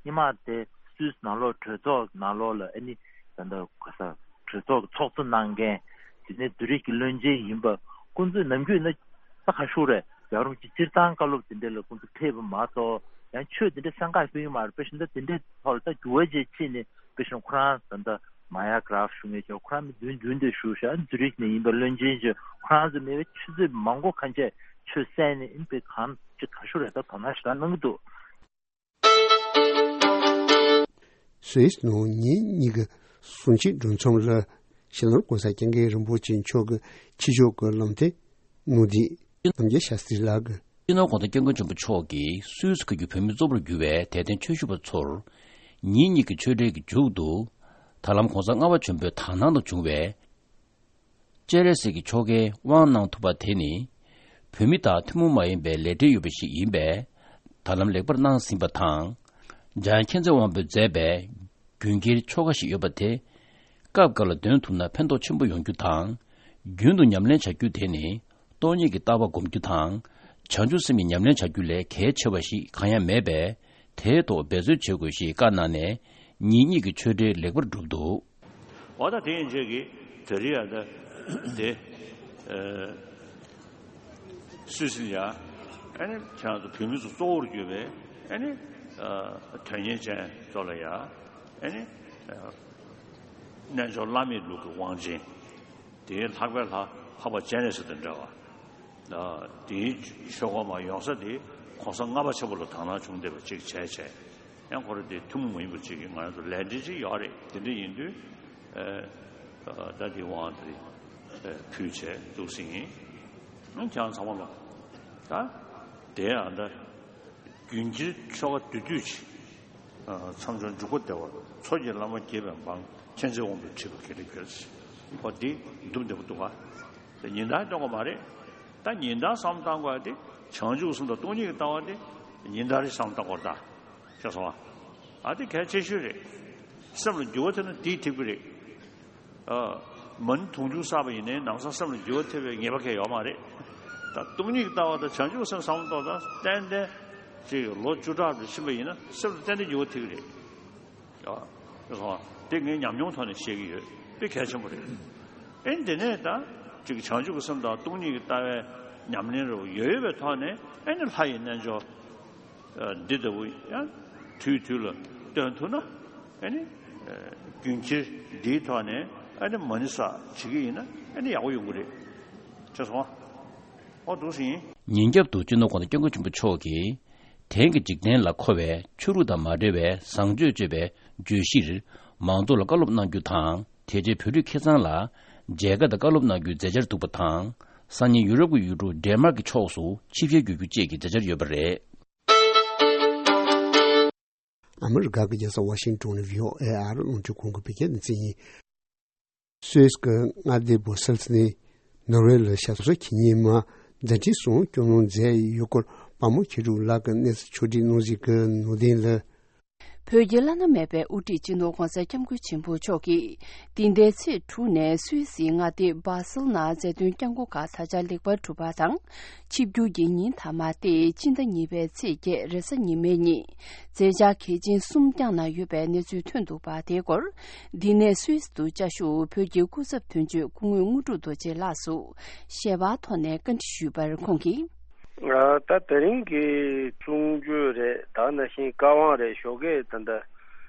སྔོན་མ་དེ་སུད་སི་ནང་ལོགས་གྲོས་ཚོགས་ནང་ལོགས་ལ་ཨ་ནི་ད་ལྟ་ག་ས་གྲོས་ཚོགས་ཀྱི་ཚོགས་གཙོ་གནང་མཁན་དེ་ནས་བོད་རིགས་ཀྱི་བློན་ཆེན་ཡིན་པ་ཁོང་ཚོས་ནམ་རྒྱུན་ན་ད་ག་ཤུགས་རེད། རྒྱལ་བ་རིན་པོ་ཆེ་སྤྱིར་བཏང་བཀའ་སློབ་དེ་འདྲ་ལ་ཁོང་ཚོ་ཕེབས་པ་མ་གཏོགས་ཡང་ཆོས་དེ་འདྲ་གསན་ཁག་ཕུལ་གྱི་མ་རེད། དཔེ་བཞིན་ད་དེ་འདྲའི་ཐོག་ལ་ད་འགྱུར་བ་ཅིག་ཕྱིན་ནས་དཔེ་བཞིན་ཁོ་རང་ད་ལྟ་མ་ཡ་གྷ་རབ་ཞུ་མཁན་ཅིག་ཁོ་རང་མི་མདུན་མདུན་དུ་བཞུགས་ཤག་ཛུ་རིག་ནས་ཡིན་པའི་བློན་ཆེན་ཅིག་ཁོ་རང་ཚོ་མེད་པའི་ཆུ་ཚོད་མང་པོ་ཁ་ཤས་ཆོས་གསན་ནས་ཨིན་པའི་གང་ཅིག་ག་ཤུགས་རེད་ད་དོ་སྣང་ཞེ་དྲག་གནང་གི་འདུག་སུད་སི་ནང་ཉིན་གཉིས་ཀྱི་གསུང་ཆོས་གྲོས་ཚོགས་ལ་ཕྱི་ནང་༸གོང་ས་༸སྐྱབས་མགོན་རིན་པོ་ཆེ་མཆོག་གི་ཕྱི་ཕྱོགས་ཀྱི་བློ་མཐུན་ནོར་བདེ་རྣམ་རྒྱལ་ཤཱསྟྲི་ལགས་ཀྱིས། སྤྱི་ནོར་༸གོང་ས་༸སྐྱབས་མགོན་ཆེན་པོ་མཆོག་གིས་སུད་སི་ཁུལ་གྱི་བོད་མི་གཙོ་བོར་གྱུར་བའི་དད་ལྡན་ཆོས་ཞུ་བ་ཚོར་ཉིན་གཉིས་ཀྱི་ཆོས་འབྲེལ་གྱི་མཇུག་ཏུ་ད་ལམ་༸གོང་ས་ལྔ་པ་ཆེན་པོའི་དག་སྣང་དུ་བྱུང་བའི་སྤྱན་རས་གཟིགས་ཀྱི་ཆོ་གའི་དབང་གནང་ཐུབ་པ་དེ་ནི་བོད་མི་དང་ཐུན་མོང་མ་ཡིན་པའི་ལས་འབྲེལ་ཡོད་པ་ཞིག་ཡིན་པས་ད་ལམ་ལེགས་པར་གནང་ཟིན་པ་དང་། འཇམ་དབྱངས་མཁྱེན་བརྩེ་དབང་པོས་མཛད་པའི་རྒྱུན་ཁྱེར་ཆོ་ག་ཞིག་ཡོད་པ་དེ་སྐབས་འགའ་ལ་འདོན་ཐུབ་ན་ཕན་ཐོགས་ཆེན་པོ་ཡོང་རྒྱུ་དང་། རྒྱུན་དུ་ཉམས་ལེན་བྱ་རྒྱུ་དེ་ནི་སྟོང་ཉིད་ཀྱི་ལྟ་བ་སྒོམ་རྒྱུ་དང་། བྱང་ཆུབ་སེམས་ཀྱི་ཉམས་ལེན་བྱ་རྒྱུ་ལས་གལ་ཆེ་བ་ཞིག་གང་ཡང་མེད་པས། དེའི་ཐོག་འབད་རྩོལ་བྱེད་དགོས་ཞེས་བཀའ་གནང་ནས་ཉིན་གཉིས་ཀྱི་ཆོས་འབྲེལ་ལེགས་པར་གྲུབ་འདུག་འོ་ད་དེ་ཡིན་ཆོས་ཀྱི་དེ་རིང་ཡང་ད་དེ་སུད་སི་ལ་ཡ་ཨ་ནི་ཁྱེད་རང་ཚོ་བོད་མི་ཚོ་གཙོ་བོར་གྱུར་པའི་ཨ་ནི་དོན་གཉེར་ཅན་ཚོ་ལ་ཡ་ཨ་ནི་རྣལ་འབྱོར་བླ་མེད་ལུགས་ཀྱི་དབང་ཆེན། དེའི་ལྷག་པའི་ལྷ་འཕགས་པ་སྤྱན་རས་གཟིགས་དང་འདྲ་བ། དེའི་ཆོས་སྒོ་མ་ཡོང་ས་དེ་༸གོང་ས་ལྔ་པ་ཆེན་པོ་ལ་དག་སྣང་བྱུང་བསྡད་པ་གཅིག་བྱས་བྱས། ཡང་ཁོ་རང་དེ་ཐུན་མོང་མ་ཡིན་པ་གཅིག་གི་ང་རང་ཚོ་ལས་འབྲེལ་གཅིག་ཡོད་རེད། དེ་འདྲ་ཡིན་དུས་ད་དེ་དབང་དེ་ཕུལ་བྱས་འདུག་ཟིན་ཡིན། ཁྱེད་རང་ཚང་མ་ལ་ད་དེ་ཡང་འདྲ། རྒྱུན་ཁྱེར་ཆོ་ག་དུས་དུས་ཀྱི་མཚམས་སྦྱོར་འཇུག་པ་བདེ་བར། མཚོ་སྐྱེས་བླ་མ་དགྱེས་པའི་འབངས། མཁྱེན་བརྩེ་དབང་པོས་ཁྲིད་པ་ག་ལེ་གྱུར་ཅིག་འོ་འདི་འདུམ་བདེ་པོ་འདུག་ག་དེ་ཉིན་ལྟར་སྟོན་དགོས་མ་རེད། ད་ཉིན་ལྟར་བསམ་བློ་བཏང་དགོས་ཡ་དེ། བྱང་ཆུབ་སེམས་དང་སྟོང་ཉིད་ཀྱི་ལྟ་བ་དེ་ཉིན་ལྟར་རེ་བསམ་བློ་བཏང་དགོས་རེད་ད། ཤེས་སོང་ཨ། ཨ་དེ་གལ་ཆེ་ཤོས་རེད། སེམས་ལ་འགྱུར་བ་ཐེབས་ན་དེས་ཐེབས་ཀྱི་རེད། ཨ། མ་ཎི་དུང་ཕྱུར་བསགས་པ་ཡིན་ནའི་ལམ་སང་སེམས་ལ་འགྱུར་བ་ཐེབས་པའི་ངེས་པ་གང་ཡང་ཡོད་མ་རེད། ད་སྟོང་ཉིད་ཀྱི་ལྟ་བ་དང་བྱང་ཆུབ་སེམས་བསམ་བློ་གཏོང་སྟངས་ཏན་ཏན་ཅིག་ལོ་བཅུ་ཕྲག་རེ་ཕྱིན་པ་ཡིན་ན་སེམས་ལ་ཏན་ཏན་འགྱུར་བ་ཐེབས་ཀྱི་རེད། ཨ། དེ་ངས་ཉམས་མྱོང་ཐོག་ནས་བཤད་ཀྱི་ཡོད། དཔེ་གལ་ཆེན་པོ་རེད། ཨེ་འདི་ནས་ད་ཅིག་བྱང་ཆུབ་ཀྱི་སེམས་དང་སྟོང་ཉིད་ཀྱི་ལྟ་བའི་ཉམས་ལེན་རེ་བ་ཡོད་ཡོད་པའི་ཐོག་ནས། ཨེ་ནི་ལྷ་ཡི་རྣལ་འབྱོར་འདི་ལྟ་བུ་ཡང་དུས་དུས་ལ་སྟོན་ཐུབ་ན། ཨ་ནི་རྒྱུན་ཁྱེར་འདིའི་ཐོག་ནས་ཨ་ནི་མ་ཎི་བསགས་བྱེད་ཀྱི་ཡིན་ན་ཨ་ནི་ཡག་པོ་ཡོང་གི་རེད། ཤེས་སོང་ཨ། འོ་འདུག་སེ་ཡིན། ཉིན་རྒྱབ་ཏུ་སྤྱི་ནོར་༸གོང་ས་༸སྐྱབས་མགོན་ཆེན་པོ་མཆོག་གིས། དེང་གི་འཇིག་རྟེན་ལ་མཁོ་བའི་ཆོས་ལུགས་དང་མ་འབྲེལ་བའི་བཟང་སྤྱོད་སྤྱོད་པའི་བརྗོད་གཞིར་མང་ཚོགས་ལ་བཀའ་སློབ་གནང་རྒྱུ་དང་། དེ་རྗེས་བོད་རིགས་ཁེ་གཙང་ལ་མཇལ་ཁ་དང་བཀའ་སློབ་གནང་རྒྱུའི་མཛད་འཆར་འདུག་པ་དང་། སང་ཉིན་ཡུ་རོབ་ཀྱི་ཡུལ་གྲུ་ཌེན་མཱག་གི་ཕྱོགས་སུ་ཆིབས་ཞལ་བསྒྱུར་རྒྱུ་བཅས་ཀྱི་མཛད་འཆར་ཡོད་པ་རེད། ཨ་མི་རི་ཀ་གི་རྒྱལ་ས་ཝ་ཤིང་ཏོན་ནས་བྷི་ཨོ་ཨེ་ཨ་རི་རླུང་འཕྲིན་ཁང་གི་བོད་སྐད་སྡེ་ཚན་ཡིན། སུད་སི་གི་མངའ་སྡེ་སྦུ་སེལ་སི་ནས་ནོར་ཝེ་ལ་ཞབས་སོར་འཁྱམ་མཁན་མ་མཛད་འཕྲིན་གསུམ་སྐྱོང་སློང་མཛད་ཡོད་སྐོར་དཔའ་མོ་མཁས་གྲུབ་ལགས་ཀྱིས་གནས་ཚུལ་ཕྱོགས་སྒྲིག་གནང་གཟིགས་ཀྱི་ནང་དོན་ལ། བོད་ཀྱི་བླ་ན་མེད་པའི་དབུ་ཁྲིད་སྤྱི་ནོར་༸གོང་ས་༸སྐྱབས་མགོན་ཆེན་པོ་མཆོག་གིས་འདི་ཟླའི་ཚེས་དྲུག་ནས་སུད་སིའི་མངའ་སྡེ་སྦ་སེལ་ནང་མཛད་དོན་བསྐྱངས་འགོ་ཁག་ད་ཆ་ལེགས་པར་གྲུབ་པ་དང་། ཆིབས་བསྒྱུར་གྱི་ཉིན་མཐའ་མ་སྟེ་ཕྱི་ཟླ་གཉིས་པའི་ཚེས་བརྒྱད་རེས་གཟའ་ཉི་མའི་ཉིན་མཛད་འཆར་གལ་ཆེན་གསུམ་བསྐྱངས་གནང་ཡོད་པའི་གནས་ཚུལ་ཐོན་འདུག་པ། དེའི་སྐོར་འདི་ནས་སུད་སི་དུ་བཅའ་བཞུགས་བོད་ཀྱི་སྐུ་ཚབ་དོན་གཅོད་སྐུ་ངོ་དངོས་གྲུབ་རྡོ་རྗེ་ལགས་སུ་ཞལ་པར་ཐོག་ནས་བཀའ་འདྲི་ཞུས་པར་ཁོང་གིས། ད་དེ་རིང་གི་གསུང་ཆོས་རེད། ད་ནང་བཞིན་བཀའ་དབང་རེད། ཞོགས་ཀས་ད་ལྟ་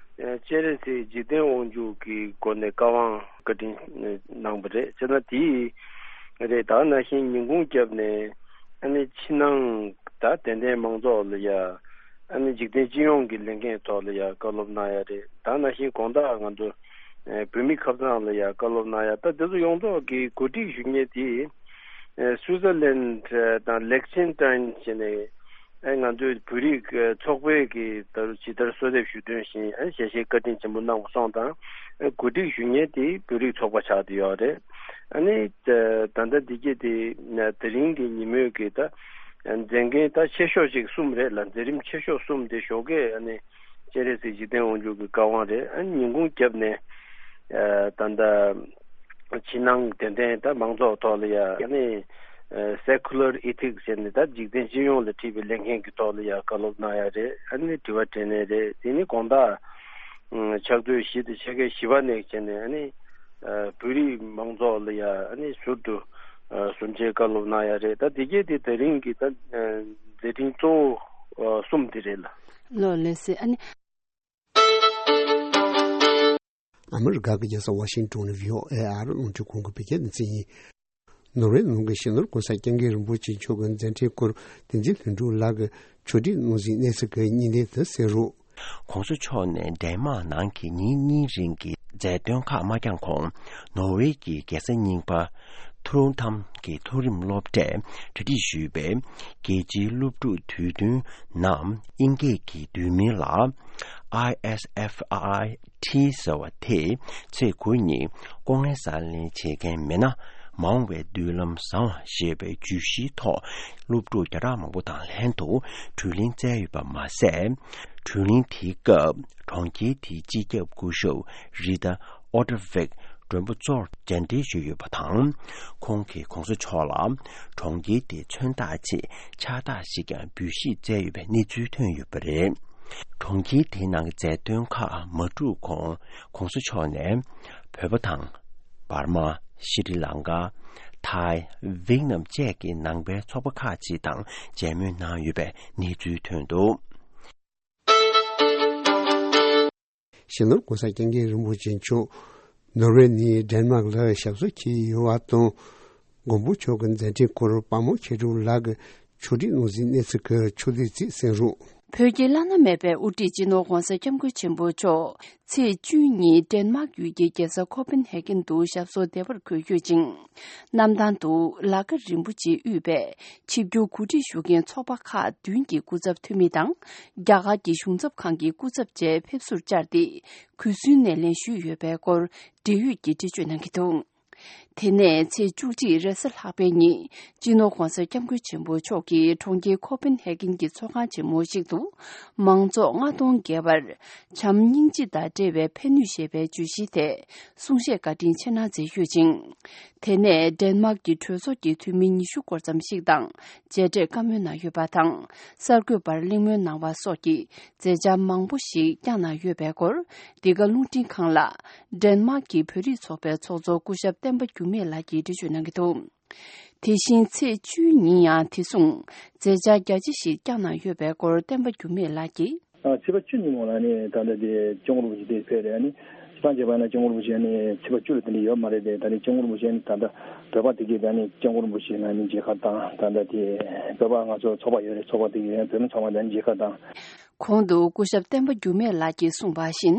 སྤྱན་རས་གཟིགས་འཇིག་རྟེན་དབང་ཕྱུག་གི་སྒོ་ནས་བཀའ་དབང་བཀའ་དྲིན་གནང་བ་རེད། བྱས་ན་དེ་རེད། ད་ནང་བཞིན་ཉིན་གུང་རྒྱབ་ནས་ཨ་ནི་ཕྱི་ནང་ད་དད་ལྡན་མང་ཚོགས་ལ་ཡ་ཨ་ནི་འཇིག་རྟེན་སྤྱི་ཡོངས་ཀྱི་ལས་འགན་ཐོག་ལ་ཡ་བཀའ་སློབ་གནང་ཡ་རེད། ད་ནང་བཞིན་དགོང་དག་ང་ཚོ་བོད་མི་ཁ་སང་ལ་ཡ་བཀའ་སློབ་གནང་ཡ། ད་དེ་ཚོ་ཡོངས་རྫོགས་ཀྱི་གོ་སྒྲིག་ཞུ་མཁན་དེ། ཨེ་སུའི་ཙར་ལན་དང་ལེག་ཆེན་ཏན་བྱས་ནས། ཨེ་ང་ཚོའི་བོད་རིགས་ཚོགས་པའི་གི་ད་རུང་ཇི་ལྟར་གསོལ་འདེབས་ཞུ་དོན་བཞིན། ཨེ་ཞལ་བཞེས་བཀའ་དྲིན་ཆེན་པོ་གནང་བ་སོང་དང་། ཨེ་གོ་སྒྲིག་ཞུ་མཁན་དེ་བོད་རིགས་ཚོགས་པ་ཆགས་བསྡད་ཡོད་རེད། ཨ་ནི་ད་ལྟ་འདི་གྱད་དེ་དེ་རིང་གི་ཉིན་མོའི་གི་ད་མཛད་འགན་ད་ཆེ་ཤོས་ཅིག་གསུམ་རེད་ལ། མཛད་རིམ་ཆེ་ཤོས་གསུམ་དེ་ཞོགས་ཀས་ཨ་ནི་སྤྱན་རས་གཟིགས་འཇིག་རྟེན་དབང་ཕྱུག་གི་བཀའ་དབང་རེད། ཨ་ནི་ཉིན་གུང་རྒྱབ་ནས་ཨ་ད་ལྟ། ཕྱི་ནང་དད་ལྡན་དང་མང་ཚོགས་ཐོག་ལ་ཡ་ཨ་ནི་Secular Ethics ཟེར་ནས་ད་འཇིག་རྟེན་སྤྱི་ཡོངས་ལ་འཁྲི་བའི་ལས་འགན་གྱི་ཐོག་ལ་ཡ་བཀའ་སློབ་གནང་ཡ་རེད། ཨ་ནི་དྲི་བ་དྲིས་ལན་རེད། དེ་ནི་དགོང་དག་ཕྱག་ཚོད་བཞི་དང་ཕྱེད་ཀའི་བཞི་པ་ནས་བྱས་ནས་ཨ་ནི་བོད་རིགས་མང་ཚོགས་ལ་ཡ་ཨ་ནི་ཟུར་དུ་གསུང་ཆོས་བཀའ་སློབ་གནང་ཡ་རེད། ད་དེ་གྱད་དེ་དེ་རིང་གི་ད་མཛད་འཕྲིན་གཙོ་བོ་གསུམ་དེ་རེད་ལ། ལགས་ལགས་སེ། ཨ་ནི། ཨ་མི་རི་ཀ་གི་རྒྱལ་ས་ཝ་ཤིང་ཏོན་ནས་བྷི་ཨོ་ཨེ་ཨ་རི་རླུང་འཕྲིན་ཁང་གི་བོད་སྐད་སྡེ་ཚན་ཡིན། ནོར་ཝེ་ནང་གི་གཞོན་ནུ་༸གོང་ས་༸སྐྱབས་མགོན་རིན་པོ་ཆེ་མཆོག་གི་མཛད་འཕྲིན་སྐོར་བསྟན་འཛིན་ལྷུན་གྲུབ་ལགས་ཀྱིས་ཕྱོགས་སྒྲིག་གནང་ཟིན་གནས་ཚུལ་གྱི་བརྙན་ལེན་དུ་གསན་རོགས། ༸གོང་ས་མཆོག་ནས་ཌེན་མཱག་ནང་གི་ཉིན་གཉིས་རིང་གི་མཛད་དོན་ཁག་མ་འཁྱོངས་གོང་། ནོར་ཝེ་གི་རྒྱལ་ས་རྙིང་པ་ཐུ་རུང་ཐམ་གྱི་མཐོ་རིམ་སློབ་གྲྭས་གྲ་སྒྲིག་ཞུས་པའི་རྒྱལ་སྤྱིའི་སློབ་ཕྲུག་དུས་སྟོན་ནམ་དབྱིན་སྐད་ཀྱི་བསྡུས་མིང་ལ་ཨའི་ཨེས་ཨེཕ་ཨའི་ཊི་ཟེར་བ་དེ་ཚེས་དགུ་ཉིན་ལྐོག་རྔན་གསར་ལེན་བྱེད་མཁན་མི་སྣ་མང་བའི་མདུན་ལམ་བཟང་བ་ཞེས་པའི་བརྗོད་གཞིའི་ཐོག་སློབ་ཕྲུག་བརྒྱ་ཕྲག་མང་པོ་དང་ལྷན་དུ་བགྲོ་གླེང་བསྩལ་ཡོད་པ་མ་ཟད། བགྲོ་གླེང་དེའི་སྐབས་གྲོང་ཁྱེར་དེའི་སྤྱི་ཁྱབ་སྐུ་ཞབས་རི་ཏཱ་ཨོ་ཏྲ་ཝེག་མགྲོན་པོ་གཙོར་མཇལ་འཕྲད་ཞུས་ཡོད་པ་དང་། ཁོང་གིས་༸གོང་ས་མཆོག་ལ་གྲོང་ཁྱེར་དེའི་མཚོན་རྟགས་ཆེད་ཕྱག་རྟགས་ཤིག་ཀྱང་འབུལ་བཞེས་མཛད་ཡོད་པའི་གནས་ཚུལ་ཐོན་ཡོད་པ་རེད། གྲོང་ཁྱེར་དེའི་ནང་གི་མཛད་དོན་ཁག་མ་གྲུབ་གོང་༸གོང་ས་མཆོག་ནས་བོད་པ་དང་། འབར་མ། ཤྲི་ལང་ཀ། ཐའི། ཝེད་ནམ་བཅས་ཀྱི་ནང་པའི་ཚོགས་པ་ཁག་ཅིག་དང་མཇལ་མོལ་གནང་ཡོད་པའི་གནས་ཚུལ་ཐོན་འདུག། སྤྱི་ནོར་༸གོང་ས་༸སྐྱབས་མགོན་རིན་པོ་ཆེ་མཆོག་ནོར་ཝེ་ནས་ཌེན་མཱག་ལ་ཞབས་སོར་འཁྱམས་ཡོད་པ་དང་། མགོན་པོ་མཆོག་གི་མཛད་འཕྲིན་སྐོར་དཔའ་མོ་མཁས་གྲུབ་ལགས་ཀྱིས་ཕྱོགས་སྒྲིག་གནང་ཟིན་གནས་ཚུལ་གྱི་ཕྱོགས་བསྡུས་ཚིག་གསན་རོགས། བོད་ཀྱི་བླ་ན་མེད་པའི་དབུ་ཁྲིད་སྤྱི་ནོར་༧གོང་ས་༧སྐྱབས་མགོན་ཆེན་པོ་མཆོག་ཚེས་བཅུ་གཉིས་ཌེན་མཱག་ཡུལ་གྱི་རྒྱལ་ས་ཁོ་པན་ཧེ་གྷན་དུ་ཞབས་སོར་བདེ་བར་འཁོད་ཡོད་ཅིང་། གནམ་ཐང་དུ་ལ་ཀ་རིན་པོ་ཆེ་དབུས་པའི་ཆིབས་བསྒྱུར་གོ་སྒྲིག་ཞུ་མཁན་ཚོགས་པ་ཁག་བདུན་གྱི་སྐུ་ཚབ་འཐུས་མི་དང་། རྒྱ་གར་གྱི་གཞུང་ཚབ་ཁང་གི་སྐུ་ཚབ་བཅས་ཕེབས་བསུར་བཅར་ཏེ། གུས་བསུའི་སྣེ་ལེན་ཞུས་ཡོད་པའི་སྐོར་འབྲེལ་ཡོད་ཀྱིས་འགྲེལ་བརྗོད་གནང་གི་འདུག་དེ་ནས་ཚེས་བཅུ་གཅིག་རེས་གཟའ་ལྷག་པའི་ཉིན། སྤྱི་ནོར་༧གོང་ས་༧སྐྱབས་མགོན་ཆེན་པོ་མཆོག་གིས་གྲོང་ཁྱེར་ཁོ་པན་ཧེ་གྷན་གྱི་ཚོགས་ཁང་ཆེན་མོ་ཞིག་ཏུ། མང་ཚོགས་ལྔ་སྟོང་བརྒལ་བར། བྱམས་སྙིང་རྗེ་དང་འབྲེལ་བའི་ཕན་ནུས་ཞེས་པའི་བརྗོད་གཞིའི་ཐད། གསུང་བཤད་བཀའ་དྲིན་ཆེ་གནང་མཛད་ཡོད་ཅིང་། དེ་ནས་ཌེན་མཱག་གི་གྲོས་ཚོགས་ཀྱི་འཐུས་མི་ཉི་ཤུ་སྐོར་ཙམ་ཞིག་དང་མཇལ་འཕྲད་བཀའ་མོལ་གནང་ཡོད་པ་དང་། གསར་འགོད་པར་གླེང་མོལ་གནང་བ་སོགས་ཀྱི་མཛད་འཆར་མང་པོ་ཞིག་བསྐྱངས་གནང་ཡོད་པའི་སྐོར། འདི་ག་རླུང་འཕྲིན་ཁང་ལ། ཌེན་མཱག་གི་བོད་རིགས་ཚོགས་པའི་ཚོགས་གཙོ་སྐུ་ཞབས་བསྟན་པ་འགྱུར་མེད་ལགས་ཀྱིས་འགྲེལ་བརྗོད་གནང་གི་འདུག་དེ་བཞིན་ཚེས་བཅུའི་ཉིན་ཡང་དེ་མཚུངས་མཛད་འཆར་རྒྱ་ཆེ་ཞིག་བསྐྱངས་གནང་ཡོད་པའི་སྐོར་བསྟན་པ་འགྱུར་མེད་ལགས་ཀྱིས། ཨ་ཚེས་པ་བཅུ་ཉིན་མོ་ལ་ནི་ད་ལྟ་དེ་སྐྱབས་མགོན་རིན་པོ་ཆེ་དེ་ཕེབས་རེད། ཨ་ནི་སྤྱིར་བཏང་བྱས་པ་ན་སྐྱབས་མགོན་རིན་པོ་ཆེ་ནི་ཚེས་པ་བཅུ་ལ་དེ་འདྲ་ཡོད་མ་རེད་དེ། ད་ནི་སྐྱབས་མགོན་རིན་པོ་ཆེ་ནི་ད་ལྟ་བོད་པ་དེ་གས་ད་ནི་སྐྱབས་མགོན་རིན་པོ་ཆེ་ལ་ནི་མཇལ་ཁ་དང་། ད་ལྟ་དེ་བོད་པ་ང་ཚོ་ཚོགས་པ་ཡོད་རེད། ཚོགས་པ་དེ་གས་བོད་མི་ཚང་མ་ད་ནི་མཇལ་ཁ་དང་། གོང་དུ་སྐུ་ཞབས་བསྟན་པ་འགྱུར་མེད་ལགས་ཀྱིས་གསུངས་པ་བཞིན།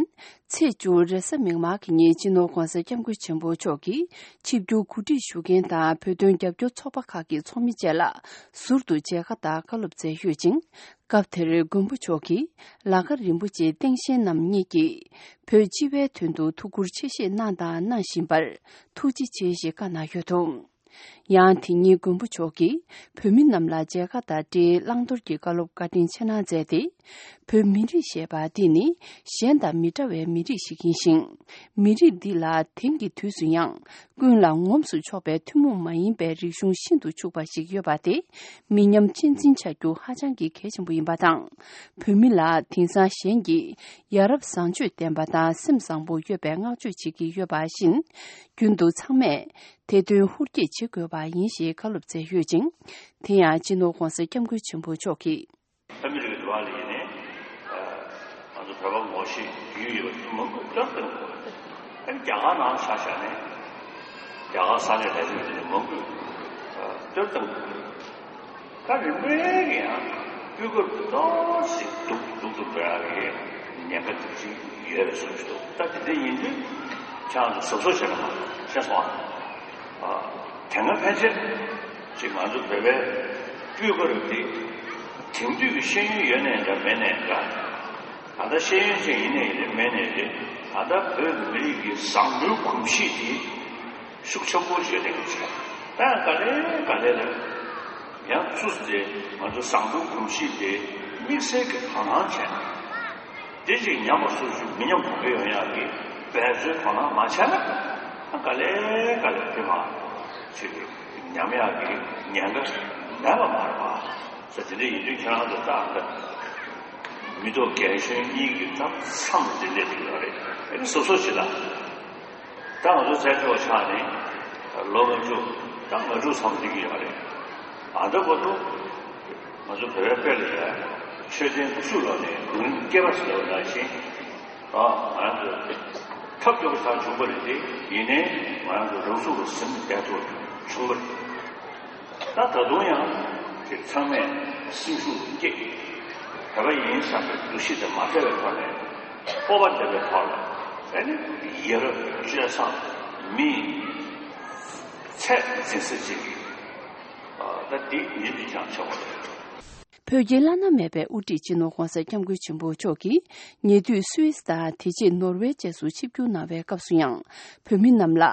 ཚེས་བཅུ་རེས་གཟའ་མིག་དམར་གྱི་ཉིན་སྤྱི་ནོར་༧གོང་ས་༧སྐྱབས་མགོན་ཆེན་པོ་མཆོག་གིས་ཆིབས་བསྒྱུར་གོ་སྒྲིག་ཞུ་མཁན་དང་བོད་དོན་རྒྱབ་སྐྱོར་ཚོགས་པ་ཁག་གི་ཚོགས་མི་བཅས་ལ་ཟུར་དུ་མཇལ་ཁ་དང་བཀའ་སློབ་སྩལ་ཡོད་ཅིང་། སྐབས་དེར་མགོན་པོ་མཆོག་གིས་ལ་ཀ་རིན་པོ་ཆེ་སྟེང་ཞལ་རྣམ་གཉིས་ཀྱིས་བོད་སྤྱི་པའི་དོན་དུ་ཐུགས་ཁུར་ཆེ་བཞེས་གནང་དང་གནང་བཞིན་པར་ཐུགས་རྗེ་ཆེ་ཞེས་བཀའ་གནང་ཡོད་འདུག་ཡང་དེ་ཉིན་མགོན་པོ་མཆོག་གིས་བོད་མི་རྣམས་ལ་མཇལ་ཁ་དང་འབྲེལ་བླང་དོར་གྱི་བཀའ་སློབ་བཀའ་དྲིན་ཆེ་གནང་མཛད་དེ། བོད་མི་རིགས་ཞེས་པ་འདི་ནི་གཞན་དང་མི་འདྲ་བའི་མི་རིགས་ཤིག་ཡིན་ཞིང་། མི་རིགས་འདི་ལ་དེང་གི་དུས་སུ་ཡང་ཀུན་ལ་ངོམས་སུ་ཆོག་པའི་ཐུན་མོང་མ་ཡིན་པའི་རིག་གཞུང་ཤིན་ཏུ་ཕྱུག་པ་ཞིག་ཡོད་པ་དེ་མི་ཉམས་གཅེས་འཛིན་བྱ་རྒྱུ་ཧ་ཅང་གི་གལ་ཆེན་པོ་ཡིན་པ་དང་། བོད་མི་ལ་དེང་སང་གཞན་གྱིས་ཡ་རབས་བཟང་སྤྱོད་ལྡན་པ་དང་སེམས་བཟང་པོ་ཡོད་པའི་བསྔགས་བརྗོད་བྱེད་ཀྱི་ཡོད་པ་བཞིན། རྒྱུན་དུ་ཚང་མས། དེ་དོན་ཧུར་སྐྱེད་བྱེད་དགོས་པ་ཡིན་ཞེས་བཀའ་སློབ་སྩལ་ཡོད་ཅིང་། དེ་ཡང་སྤྱི་ནོར་༧གོང་ས་༧སྐྱབས་མགོན་ཆེན་པོ་མཆོག་གིས། ཨ་མི་རི་ཀའི་འགྲོ་བ་ལ་ཡིན་ནའི། ང་ཚོ་བོད་པ་ངོ་ཤེས་རྒྱུས་ཡོད་པ་མང་པོ་བསྐྱར་དུ་ཨ་ནི་རྒྱ་གར་ནང་ཆ་བཞག་ནས་རྒྱ་གར་ས་གནས་ལས་དོན་དེ་མང་པོས་བསྐྱར་དུ། ད་རིམ་པས་ཀྱི་ཡང་སྤུས་ཀ་ཏོག་ཙམ་སྡུག་སྡུག་ཏུ་འགྲོ་ཡག་གི་ཉེན་ཁ་དེ་ཅིག་ཡོད་པའི་བཟོ་ཞིག་འདུག་ད་དེ་འདྲ་ཡིན་དུས་ཁྱེད་རང་ཚོ་གཟབ་གཟབ་བྱས་ན་མ་ཤེས་སོང་ཨ། དེ་སྔ་ཕན་ཆད་ཅིག་ང་ཚོ་བོད་པའི་སྤུས་ཀ་རུ་དེ་དེང་དུས་ཀྱི་ཤེས་ཡོན་ཡོད་ནའི་འདྲ་མེད་ནའི་འདྲ། ད་ལྟ་ཤེས་ཡོན་ཅན་ཡིན་ནའི་ཡིན་རེད་མེད་ནའི་རེད། ད་ལྟ་བོད་མི་རིགས་ཀྱི་བཟང་པོའི་གོམས་གཤིས་དེ་ཤུགས་ཆེན་པོ་བརྗོད་ལྡན་གྱི་ཆེད་ད་ཡང་ག་ལེ་ག་ལེ་ལ་ཡང་ཚུར་དེ་ང་ཚོ་བཟང་པོའི་གོམས་གཤིས་དེ་དམིགས་བསལ་གྱི་དོ་སྣང་བྱས་ན། དེ་ཅིག་ཉམས་པ་སོར་ཆུད་མི་ཉམས་གོང་འཕེལ་ཡོང་ཡག་གི་འབད་རྩོལ་དོ་སྣང་མ་བྱས་ན། ཨ་ག་ལེ་ག་ལེ་དེ་མ་ཅིག་ཉམས་ཡག་གི་ཉེན་ཁ་མེད་པ་མ་རེད་པ། ཟེར་དེ་འདྲ་ཡིན་དུས་ཁྱེད་རང་ཚོ་ད་ལྟ་མི་ཐོག་རྒན་གཞོན་གཉིས་ཀྱི་ད་མཚམས་འདི་འདྲ་དུ་ཡོད་རེད། ཨ་ནི་སོ་སོ་ཅིག་ལ། ད་ང་ཚོ་བཙན་བྱོལ་བ་ཆགས་ནས་ལོ་ལྔ་བཅུ་ད་ལྔ་དྲུག་མཚམས་འདི་གི་ཡོད་རེད། ཨ་ད་བར་དུ་ང་ཚོ་བོད་པའི་དཔེ་ལ་ཡ་མཆོད་རྟེན་དགུ་བཅུ་ལོ་ནས་རྒྱུན་རིང་སྐྱེས་པ་ཟེར་བ་ནང་བཞིན། ཨ་ང་རང་ཚོ་ཐབས་སྐྱོ་པོ་ཆགས་བྱུང་བ་རེད་དེ། ཡིན་ནའི་ང་རང་ཚོ་རང་ཚུགས་ལ་ཟིན་བསྡད་ཐུབ་བྱུང་བ་རེད། ད་ད་དུང་ཡང་དེ་ཚང་མས་སེམས་ཤུགས་བསྐྱེད། བོད་པ་ཡིན་བསམ་པའི་འདུ་ཤེས་དེ་མ་བྲལ་བའི་ཐོག་ནས་སྤོབས་པ་ལྡན་པའི་ཐོག་ལ་ཨ་ནི་ཡ་རབས་སྤྱོད་བཟང་མི་ཚད་འཛིན་ས་ཅིག་ད་འདི་ཉིད་དུ་ཀྱང་ཆགས་པ་རེད། བོད་ཀྱི་བླ་ན་མེད་པའི་དབུ་ཁྲིད་སྤྱི་ནོར་༧གོང་ས་༧སྐྱབས་མགོན་ཆེན་པོ་མཆོག་གིས་ཉེ་དུས་སུད་སི་དང་དེ་རྗེས་ནོར་ཝེ་བཅས་སུ་ཆིབས་བསྒྱུར་གནང་བའི་སྐབས་སུ་ཡང་བོད་མི་རྣམས་ལ་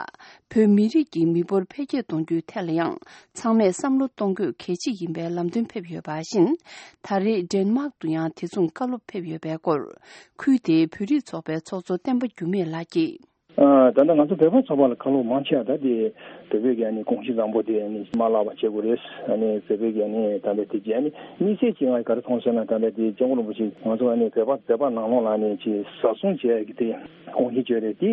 བོད་མི་རིགས་ཀྱི་མི་འབོར་འཕེལ་རྒྱས་གཏོང་རྒྱུའི་ཐད་ལ་ཡང་ཚང་མས་བསམ་བློ་གཏོང་དགོས་གལ་ཆེ་ཡིན་པའི་ལམ་སྟོན་ཕེབས་ཡོད་པ་བཞིན། ད་རེས་ཌེན་མཱག་ཏུ་ཡང་དེ་མཚུངས་བཀའ་སློབ་ཕེབས་ཡོད་པའི་སྐོར་ཁུལ་དེའི་བོད་རིགས་ཚོགས་པའི་ཚོགས་གཙོ་བསྟན་པ་འགྱུར་མེད་ལགས་ཀྱིས། ཨ་ད་ལྟ་ང་ཚོ་བོད་པ་ཚོགས་པ་ལ་བཀའ་སློབ་མང་ཆེ་བ་ད་དེ་བོད་པའི་གི་ཨ་ནི་གོམས་གཤིས་བཟང་པོ་དེ་ཨ་ནི་མ་བརླག་པ་བྱེད་དགོས་རེད། ཨ་ནི་བོད་པའི་གི་ཨ་ནི་ད་ལྟ་དེ་གི་ཨ་ནི་དམིགས་བསལ་གྱིས་ང་ག་རེ་མཐོང་ཟེར་ན། ད་ལྟ་དེ་སྐྱབས་མགོན་རིན་པོ་ཆེ་ང་ཚོ་ཨ་ནི་བོད་པ་བོད་པ་ནང་ལོགས་ལ་ཨ་ནི་ཅིག་བཟའ་ཚང་བྱེད་ཡ་གི་དེ་གོམས་གཤིས་བྱོས་རེད། དེ་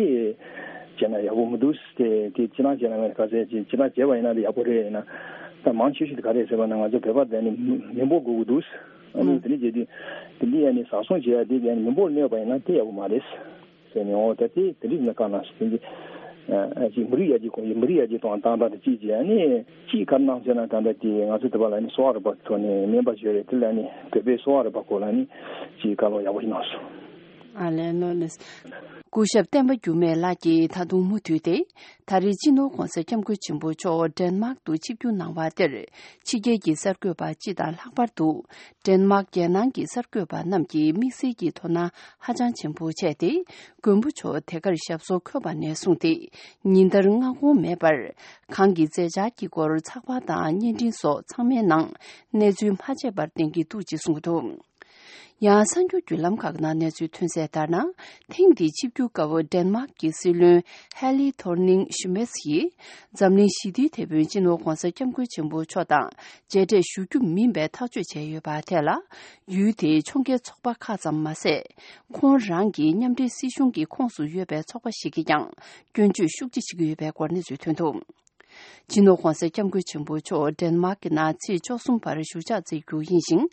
བྱས་ན་ཡག་པོ་མི་འདུག་དེ་དེ་སྤྱིར་བཏང་བྱས་ན་ང་ག་ཚད་ཅིག་སྤྱིར་བཏང་བྱས་པ་ཡིན་ན་དེ་ཡག་པོ་རེད། ཡིན་ན་ད་མང་ཆེ་ཤོས་དེ་ག་རེད་ཟེར་བ་ན་ང་ཚོ་བོད་པ་དེ་ཨ་ནི་མི་འབོར་དགོས་ཀྱི་འདུག་ཨ་ནི་དེ་འདྲ་བྱས་དུས་དེ་འདི་ཨ་ནི་བཟའ་ཚང་བྱེད་ཡ་དེ་གི་ཨ་ནི་མི་འབོར་གནོད་པ་ཡིན་ན་དེ་ཡག་པོ་མ་རེད། ཟེར་ནས། འོ་ད་དེ་དེ་འདྲ་ཡིན་ན་དཀའ་ན་ཟེར་གྱི། ཅིག་མི་རིགས་ཡར་རྒྱས་གོང་འཕེལ། མི་རིགས་ཡར་རྒྱས་གཏོང་བ་དང་དང་དེ་གཅིག་བྱས་ནས་ཅིག་ག་རེ་གནང་ཟེར་ན། ད་ལྟ་དེ་ང་ཚོ་དེ་བ་ལ་ནི་གསོ་བ་རིག་པ་ཐོག་ནས་སྨན་པ་བྱས་རེད། དེ་ལ་ནི་བོད་པའི་གསོ་བ་རིག་པ་སྐོར་ལ་ནི་ཅིག་བཀའ་སློབ་ཡག་པོ་ཞིག་གནང་སོང་། ཨ་ལས། ལོ་ལེགས། སྐུ་ཞབས་བསྟན་པ་འགྱུར་མེད་ལགས་ཀྱིས་ད་དུང་མུ་མཐུད་དེ། ད་རེས་སྤྱི་ནོར་༸གོང་ས་༸སྐྱབས་མགོན་ཆེན་པོ་མཆོག་ཌེན་མཱག་ཏུ་ཆིབས་བསྒྱུར་གནང་བ་དེར། ཕྱི་རྒྱལ་གྱི་གསར་འགོད་པ་སྤྱི་དང་ལྷག་པར་དུ། ཌེན་མཱག་རྒྱལ་ནང་གི་གསར་འགོད་པ་རྣམས་ཀྱིས་དམིགས་བསལ་གྱི་དོ་སྣང་ཧ་ཅང་ཆེན་པོ་བྱས་ཏེ། མགོན་པོ་མཆོག་དེ་གར་ཞབས་སོར་འཁོད་པ་ནས་བཟུང་སྟེ། ཉིན་ལྟར་སྔ་དགོང་མེད་པར། གང་གི་མཛད་འཆར་གྱི་སྐོར་ཚགས་པར་དང་བརྙན་འཕྲིན་སོགས་ཚང་མའི་ནང་གནས་ཚུལ་མ་ཆད་པར་བསྟན་གྱི་འདུག་ཅེས་གསུངས་འདུག། ཡང་། གསར་འགྱུར་བརྒྱུད་ལམ་ཁག་ནང་གནས་ཚུལ་ཐོན་གསལ་ལྟར་ན། ཐེངས་འདིའི་ཆིབས་བསྒྱུར་སྐབས་ཌེན་མཱག་གི་སྲིད་བློན་ཧེ་ལི་ཐོར་ནིང་ཤི་མེས་ཡིས། འཛམ་གླིང་ཞི་བདེའི་དེད་དཔོན་སྤྱི་ནོར་༸གོང་ས་༸སྐྱབས་མགོན་ཆེན་པོ་མཆོག་དང་མཇལ་འཕྲད་ཞུ་རྒྱུ་མིན་པའི་ཐག་གཅོད་བྱས་ཡོད་པ་དེ་ལ། ཡུལ་དེའི་ཕྱོགས་འགལ་ཚོགས་པ་ཁག་ཙམ་མ་ཟད། ཁོང་རང་གི་མཉམ་འབྲེལ་སྲིད་གཞུང་གི་ཁོངས་སུ་ཡོད་པའི་ཚོགས་པ་ཞིག་གིས་ཀྱང་སྐྱོན་བརྗོད་ཤུགས་ཆེ་བྱེད་ཀྱི་ཡོད་པའི་སྐོར་གནས་ཚུལ་ཐོན་འདུག། སྤྱི་ནོར་༸གོང་ས་༸སྐྱབས་མགོན་ཆེན་པོ་མཆོག་ཌེན་མཱག་གི་ནང་ཚེས་བཅུ་གསུམ་བར་བཞུགས་ཕྱག་འཚལ་རྒྱུ་ཡིན་ཞིང་།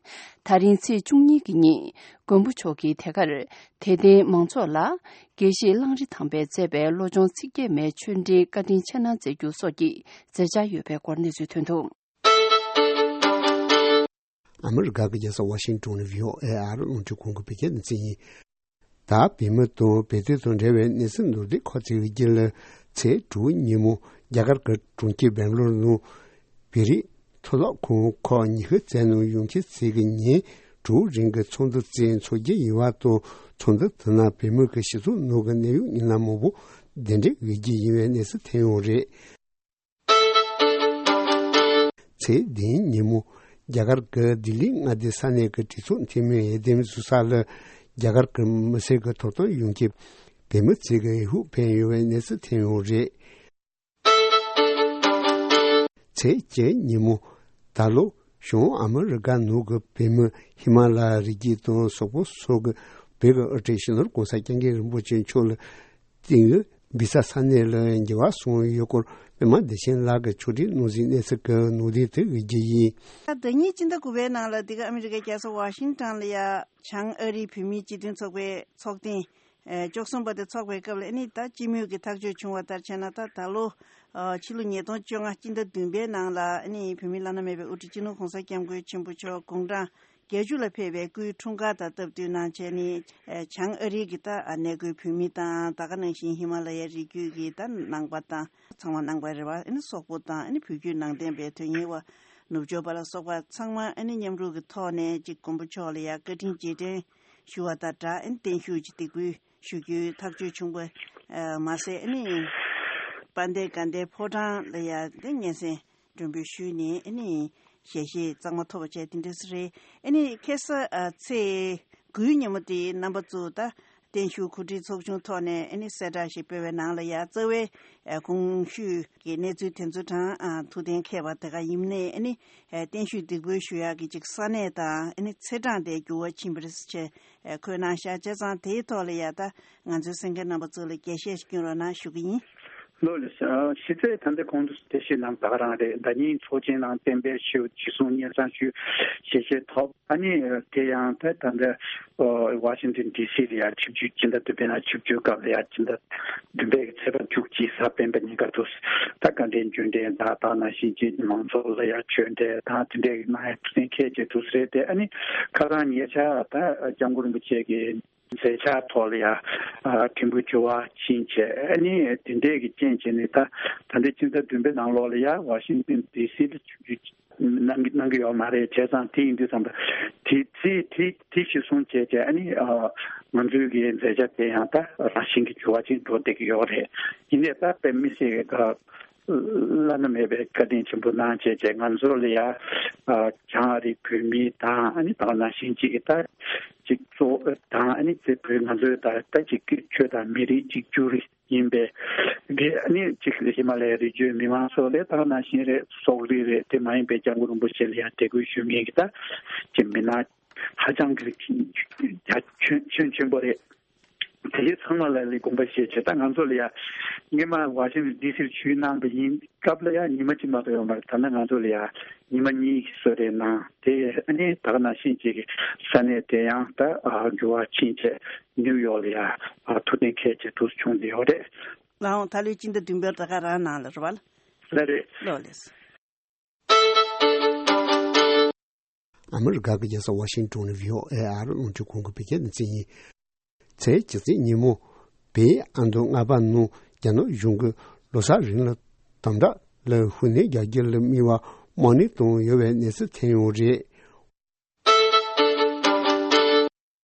ད་རིང་ཚེས་བཅུ་གཉིས་ཀྱི་ཉིན་མགོན་པོ་མཆོག་གིས་དེ་གར་དད་ལྡན་མང་ཚོགས་ལ་དགེ་བཤེས་གླང་རི་ཐང་པས་མཛད་པའི་བློ་སྦྱོང་ཚིག་བརྒྱད་མའི་ཆོས་འབྲེལ་བཀའ་དྲིན་ཆེ་གནང་མཛད་རྒྱུ་སོགས་ཀྱི་མཛད་འཆར་ཡོད་པའི་སྐོར་གནས་ཚུལ་ཐོན་འདུག། ཨ་མི་རི་ཀ་གི་རྒྱལ་ས་ཝ་ཤིང་ཏོན་ནས་བྷི་ཨོ་ཨེ་ཨ་རི་རླུང་འཕྲིན་ཁང་གི་བོད་སྐད་སྡེ་ཚན་ཡིན། ད་བོད་མི་དང་བོད་དོན་དང་འབྲེལ་བའི་གནས་ཚུལ་མདོར་བསྡུས་ཁག་ཅིག་རྒྱུད་ལ། ཚེས་དྲུག་ཉིན་མོ་རྒྱ་གར་གྱི་གྲོང་ཁྱེར་སྦེང་ལོར་ནང་བོད་རིགས་མཐུན་ལམ་ཁང་ཁག་ཉི་ཤུ་རྩ་ནང་ཡོང་ཁུལ་བྱེད་ཀྱི་ཉིན་དྲུག་རིང་གི་ཚོགས་འདུ་རྩིས་འཚོགས་རྒྱུ་ཡིན་པ་དང་། ཚོགས་འདུ་དེ་ནང་བོད་མི་གི་སྤྱི་ཚོགས་ནང་གི་གནད་ཡོད་མི་སྣ་མང་པོ་གདན་འདྲེན་འོས་རྒྱུ་ཡིན་པའི་གནས་ཚུལ་ཐོན་ཡོད་རེད། ཚེས་བདུན་ཉིན་མོ་རྒྱ་གར་གྱི་ལྡི་ལི་མངའ་སྡེ་ས་གནས་ཀྱི་གྲོས་ཚོགས་འཐུས་མི་འོས་འདེམས་ཞུ་ས་ལ་རྒྱ་གར་གྱི་མི་སེར་གྱི་ཐོབ་ཐང་ཡོང་ཁུལ་བོད་མི་ཚོས་ཀྱི་འོས་ཤོག་འཕེན་ཡོད་པའི་གནས་ཚུལ་ཐོན་ཡོད་རེད། ཚེས་བརྒྱད་ཉིན་མོ་ད་ལོ་བྱང་ཨ་མི་རི་ཀ་ནང་གི་བོད་མི་ཧི་མ་ལ་ཡའི་རི་རྒྱུད་དང་སོག་པོ་སོགས་ཀྱི་བོད་ཀྱི་དབུ་ཁྲིད་སྤྱི་ནོར་གོང་ས་སྐྱབས་མགོན་རིན་པོ་ཆེ་མཆོག་ལ་ཏིང་ཡུ་སྦི་ས་ས་གནས་ལ་འགྱུར་བ་སོང་ཡོད་སྐོར་པད་མ་བདེ་ཆེན་ལགས་ཀྱིས་ཕྱོགས་སྒྲིག་གནང་ཟིན་གནས་ཚུལ་གྱི་ནང་དོན་དེ་ཡོད་རྒྱུ་ཡིན། ད་ཟླ་ཉིན་སྤྱི་ཟླ་དགུ་པའི་ནང་ལ་འདི་ག་ཨ་མི་རི་ཀའི་རྒྱལ་ས་ཝ་ཤིང་ཊོན་ལ་ཡ་བྱང་ཨ་རིའི་བོད་མིའི་སྤྱི་མཐུན་ཚོགས་པའི་ཚོགས་ཐེངས་ཨེ་བཅུ་གསུམ་པ་དེ་ཚོགས་པའི་སྐབས་ལ་ཨ་ནི་ད་སྤྱི་མོས་ཀྱི་ཐག་གཅོད་བྱུང་བ་ལྟར་བྱས་ན། ད་ད་ལོ་ཨ་ཕྱི་ལོ་ཉིས་སྟོང་བཅོ་ལྔ་སྤྱི་ཟླ་བདུན་པའི་ནང་ལ་ཨ་ནི་བོད་མིའི་བླ་ན་མེད་པའི་དབུ་ཁྲིད་སྤྱི་ནོར་གོང་ས་སྐྱབས་མགོན་ཆེན་པོ་མཆོག་དགུང་གྲངས་བརྒྱད་ཅུ་ལ་ཕེབས་པའི་སྐུའི་འཁྲུངས་སྐར་དང་སྟབས་བསྟུན་གནང་བྱས་ནས། ཨེ་བྱང་ཨ་རིའི་གི་ད་ཨ་གནས་སྐོར་བོད་མི་དང་། ད་ག་ནང་བཞིན་ཧི་མ་ལ་ཡའི་རི་རྒྱུད་ཀྱི་ད་ནང་པ་དང་། ཚང་མ་ནང་པ་རེད་བ། ཨ་ནི་སོག་པོ་དང་། ཨ་ནི་བོད་བརྒྱུད་ནང་བསྟན་པའི་དོན་གཉེར་བ། ནུབ་ཕྱོགས་པ་ལ་སོགས་པ་ཚང་མ་ཨ་ནི་མཉམ་རུབ་ཀྱི་ཐོག་ནས་ཅིག་མགོན་པོ་མཆོག་ལ་ཡ་བཀའ་དྲིན་རྗེས་དྲན་ཞུ་བ་དང་སྦྲགས། ཨ་ནི་བརྟན་བཞུགས་ཀྱི་འདེགས་འབུལ་ཞུ་རྒྱུའི་ཐག་གཅོད་བྱུང་བ་མ་ཟད། ཨ་ནི་དཔལ་ལྡན་དགའ་ལྡན་ཕོ་བྲང་ལ་ཡ་དེ་སྙན་སེང་མགྲོན་འབོད་ཞུས་ནས། ཨ་ནི་ཞལ་བཞེས་གཙང་མ་ཐོབ་པ་བྱས། དེ་འདྲ་ཞིག་རེད། ཨ་ནི་ཁ་སང་ཨ་ཚེས་དགུའི་ཉིན་མོ་དེ་རྣམ་པ་ཚོ་ད་བརྟན་བཞུགས་གོ་སྒྲིག་ཚོགས་ཆུང་ཐོག་ནས་ཨ་ནི་གསལ་བསྒྲགས་ཤིག་སྤེལ་བའི་ནང་ལ་ཡ། རྩ་བའི་ཨ་གོང་ཞུས་ཀྱི་གནས་ཚུལ་དེ་ཚོ་དང་། ཨ་ཐུགས་གཏན་འཁེལ་བ་དེ་ག་ཡིན་ནའི། ཨ་ནི་ཨ་བརྟན་བཞུགས་འདེགས་འབུལ་ཞུ་ཡག་གི་ཅིག་ས་གནས་དང་། ཨ་ནི་ཚེས་གྲངས་དེ་འགྱུར་བ་ཕྱིན་པ་རེད་ཟེར་བྱས་ཨ་འཁོད་གནང་ཤག་བྱས་ཙང་། དེའི་ཐོག་ལ་ཡ་ད་ང་ཚོའི་གསན་མཁན་རྣམ་པ་ཚོ་ལ་རྒྱས་བཤད་ཞིག་སྐྱོན་རོགས་གནང་ཞུ་གི་ཡིན། ལོ་ལེགས། ཨ་ཕྱི་ཚེས་ད་ལྟ་གོང་དུ་དེ་བཞིན་ལམ་ད་ག་རང་རེད། ཟླ་ཉིན་ཚོགས་ཆེན་ནང་གཏན་འབེབས་ཞུས། ཅི་གསུང་སྙན་སེང་ཞུས། ཞལ་བཞེས་ཐོབ། ཨ་ནི་དེ་ཡང་ད་ད་ལྟ་ཝ་ཤིང་ཏོན་ཌི་སི་ལ་ཡ་ཆིབས་བསྒྱུར། སྤྱི་ཟླ་བདུན་པའི་ནང་ཆིབས་བསྒྱུར་སྐབས་ལ་ཡ། སྤྱི་ཟླ་བདུན་པའི་ཚེས་པ་བཅུ་གཅིག་གཟའ་སྤེན་པ་ཉིན་ཀ་དུ་ད་དགའ་ལྡན་རྒྱུན་གཏན་དང་། ད་ནང་བཞིན་གྱི་མང་ཚོགས་ལ་ཡ་ཆོས་འབྲེལ་དང་དེ་འདྲའི་གནང་ཡ་ཐུགས་གཏན་འཁེལ་བྱས་འདུག་ཟེར་ཏེ། ཨ་ནི་ཁ་སང་ཉེ་ཆར་ད་སྐྱབས་མགོན་རིན་པོ་ཆེ་གི་མཛད་འཆར་ཐོག་ལ་ཡ་ཨ་ཕྲན་བུ་འགྱུར་བ་ཕྱིན་བྱས། ཨ་ནི་དེ་འདྲས་ཀྱི་རྐྱེན་བྱས་ནས། ད་ད་ལྟའི་སྤྱི་ཟླ་བདུན་པའི་ནང་ལོགས་ལ་ཡ་ཝ་ཤིང་ཏོན་ཌི་སི་ལ་ཆིབས་བསྒྱུར་གནང་གི་གནང་གི་ཡོད་མ་རེད། བྱས་ཙང་དེ་ཡིན་དུས་ཙམ་པ་དེ་ཚེ་དེ་དེ་གཞིར་བཟུང་བྱས་བྱས། ཨ་ནི་ཨ་ང་ཚོའི་གི་མཛད་འཆར་དེ་ཡང་ད་རང་བཞིན་གྱིས་འགྱུར་བ་ཅིག་འགྲོ་བསྡད་ཀྱི་ཡོད་རེད། ཡིན་ནའི་ད་དཔེ་མི་སྲིད་ཀྱི་བླ་ན་མེད་པའི་བཀའ་དྲིན་ཆེན་པོ་གནང་བྱས་བྱས། ང་ཚོ་ལ་ཡ་ཨ་བྱང་ཨ་རིའི་བོད་མི་དང་། ཨ་ནི་ད་ག་ནང་བཞིན་ཅིག་ད་ཅིག་གཙོ་དང་། ཨ་ནི་དེ་བོད་ང་ཚོའི་ད་ད་ཅིག་ཆོས་དང་མི་རིགས་གཅིག་གྱུར་ཡིན་པའི་གི། ཨ་ནི་ཅིག་ཧི་མ་ལ་ཡའི་རི་རྒྱུད་མི་མང་ཚོ་ལ་ད་ག་ནང་བཞིན་རེད། སོག་རིགས་རེད། དེ་མ་ཡིན་པའི་སྐྱབས་མགོན་རིན་པོ་ཆེ་ལ་ཡ་དད་གུས་ཞུ་མཁན་གྱི་ད་ཅིག་མི་སྣ་ཧ་ཅང་གི་རྒྱ་ཁྱོན་ཁྱོན་ཆེན་པོ་རེད། དེ་ཚང་མ་ལ་ལས་དགོངས་པ་བཞེས་བྱས། ད་ང་ཚོ་ལ་ཡ་སྔོན་མ་ཝ་ཤིང་ཏོན་ཌི་སིར་ཆིབས་བསྒྱུར་གནང་བ་ཡིན་སྐབས་ལ་ཡ་ཉི་མ་གཅིག་མ་གཏོགས་ཡོད་མ་རེད། ད་ནི་ང་ཚོ་ལ་ཡ་ཉི་མ་གཉིས་ཀྱི་གསོལ་རས་གནང་། དེ་ཨ་ནི་ད་ག་ནང་བཞིན་ཅིག་གི་ས་གནས་དེ་ཡང་ད་ཨ་འགྱུར་བ་ཕྱིན་བྱས་ནིའུ་ཡོག་ལ་ཡ་ཨ་ཐུགས་གཏན་འཁེལ་བྱས་འདུག་བྱུང་བསྡད་ཡོད་རེད། ལའང་ད་ལོའི་སྤྱི་ཟླ་བདུན་པའི་ཟླ་དཀར་རང་ནང་ལ་རེད་བ། ལ་རེད། ལོ་ལེགས། ཨ་མི་རི་ཀ་གི་རྒྱལ་ས་ཝ་ཤིང་ཏོན་ནས་བྷི་ཨོ་ཨེ་ཨ་རི་རླུང་འཕྲིན་ཁང་གི་བོད་སྐད་སྡེ་ཚན་ཡིན། ཚེས་བཅུ་གཅིག་ཉིན་མོ། བལ་ཨ་མདོ་རྔ་པ་ནང་རྒྱ་ནག་གཞུང་གིས་ལོ་གསར་རིང་ལ་དམ་དྲག་ལ་ཧུར་སྣོན་རྒྱག་རྒྱུ་ལ་དམིགས་པ་དམག་མི་བཏང་ཡོད་པའི་གནས་ཚུལ་ཐོན་ཡོད་རེད།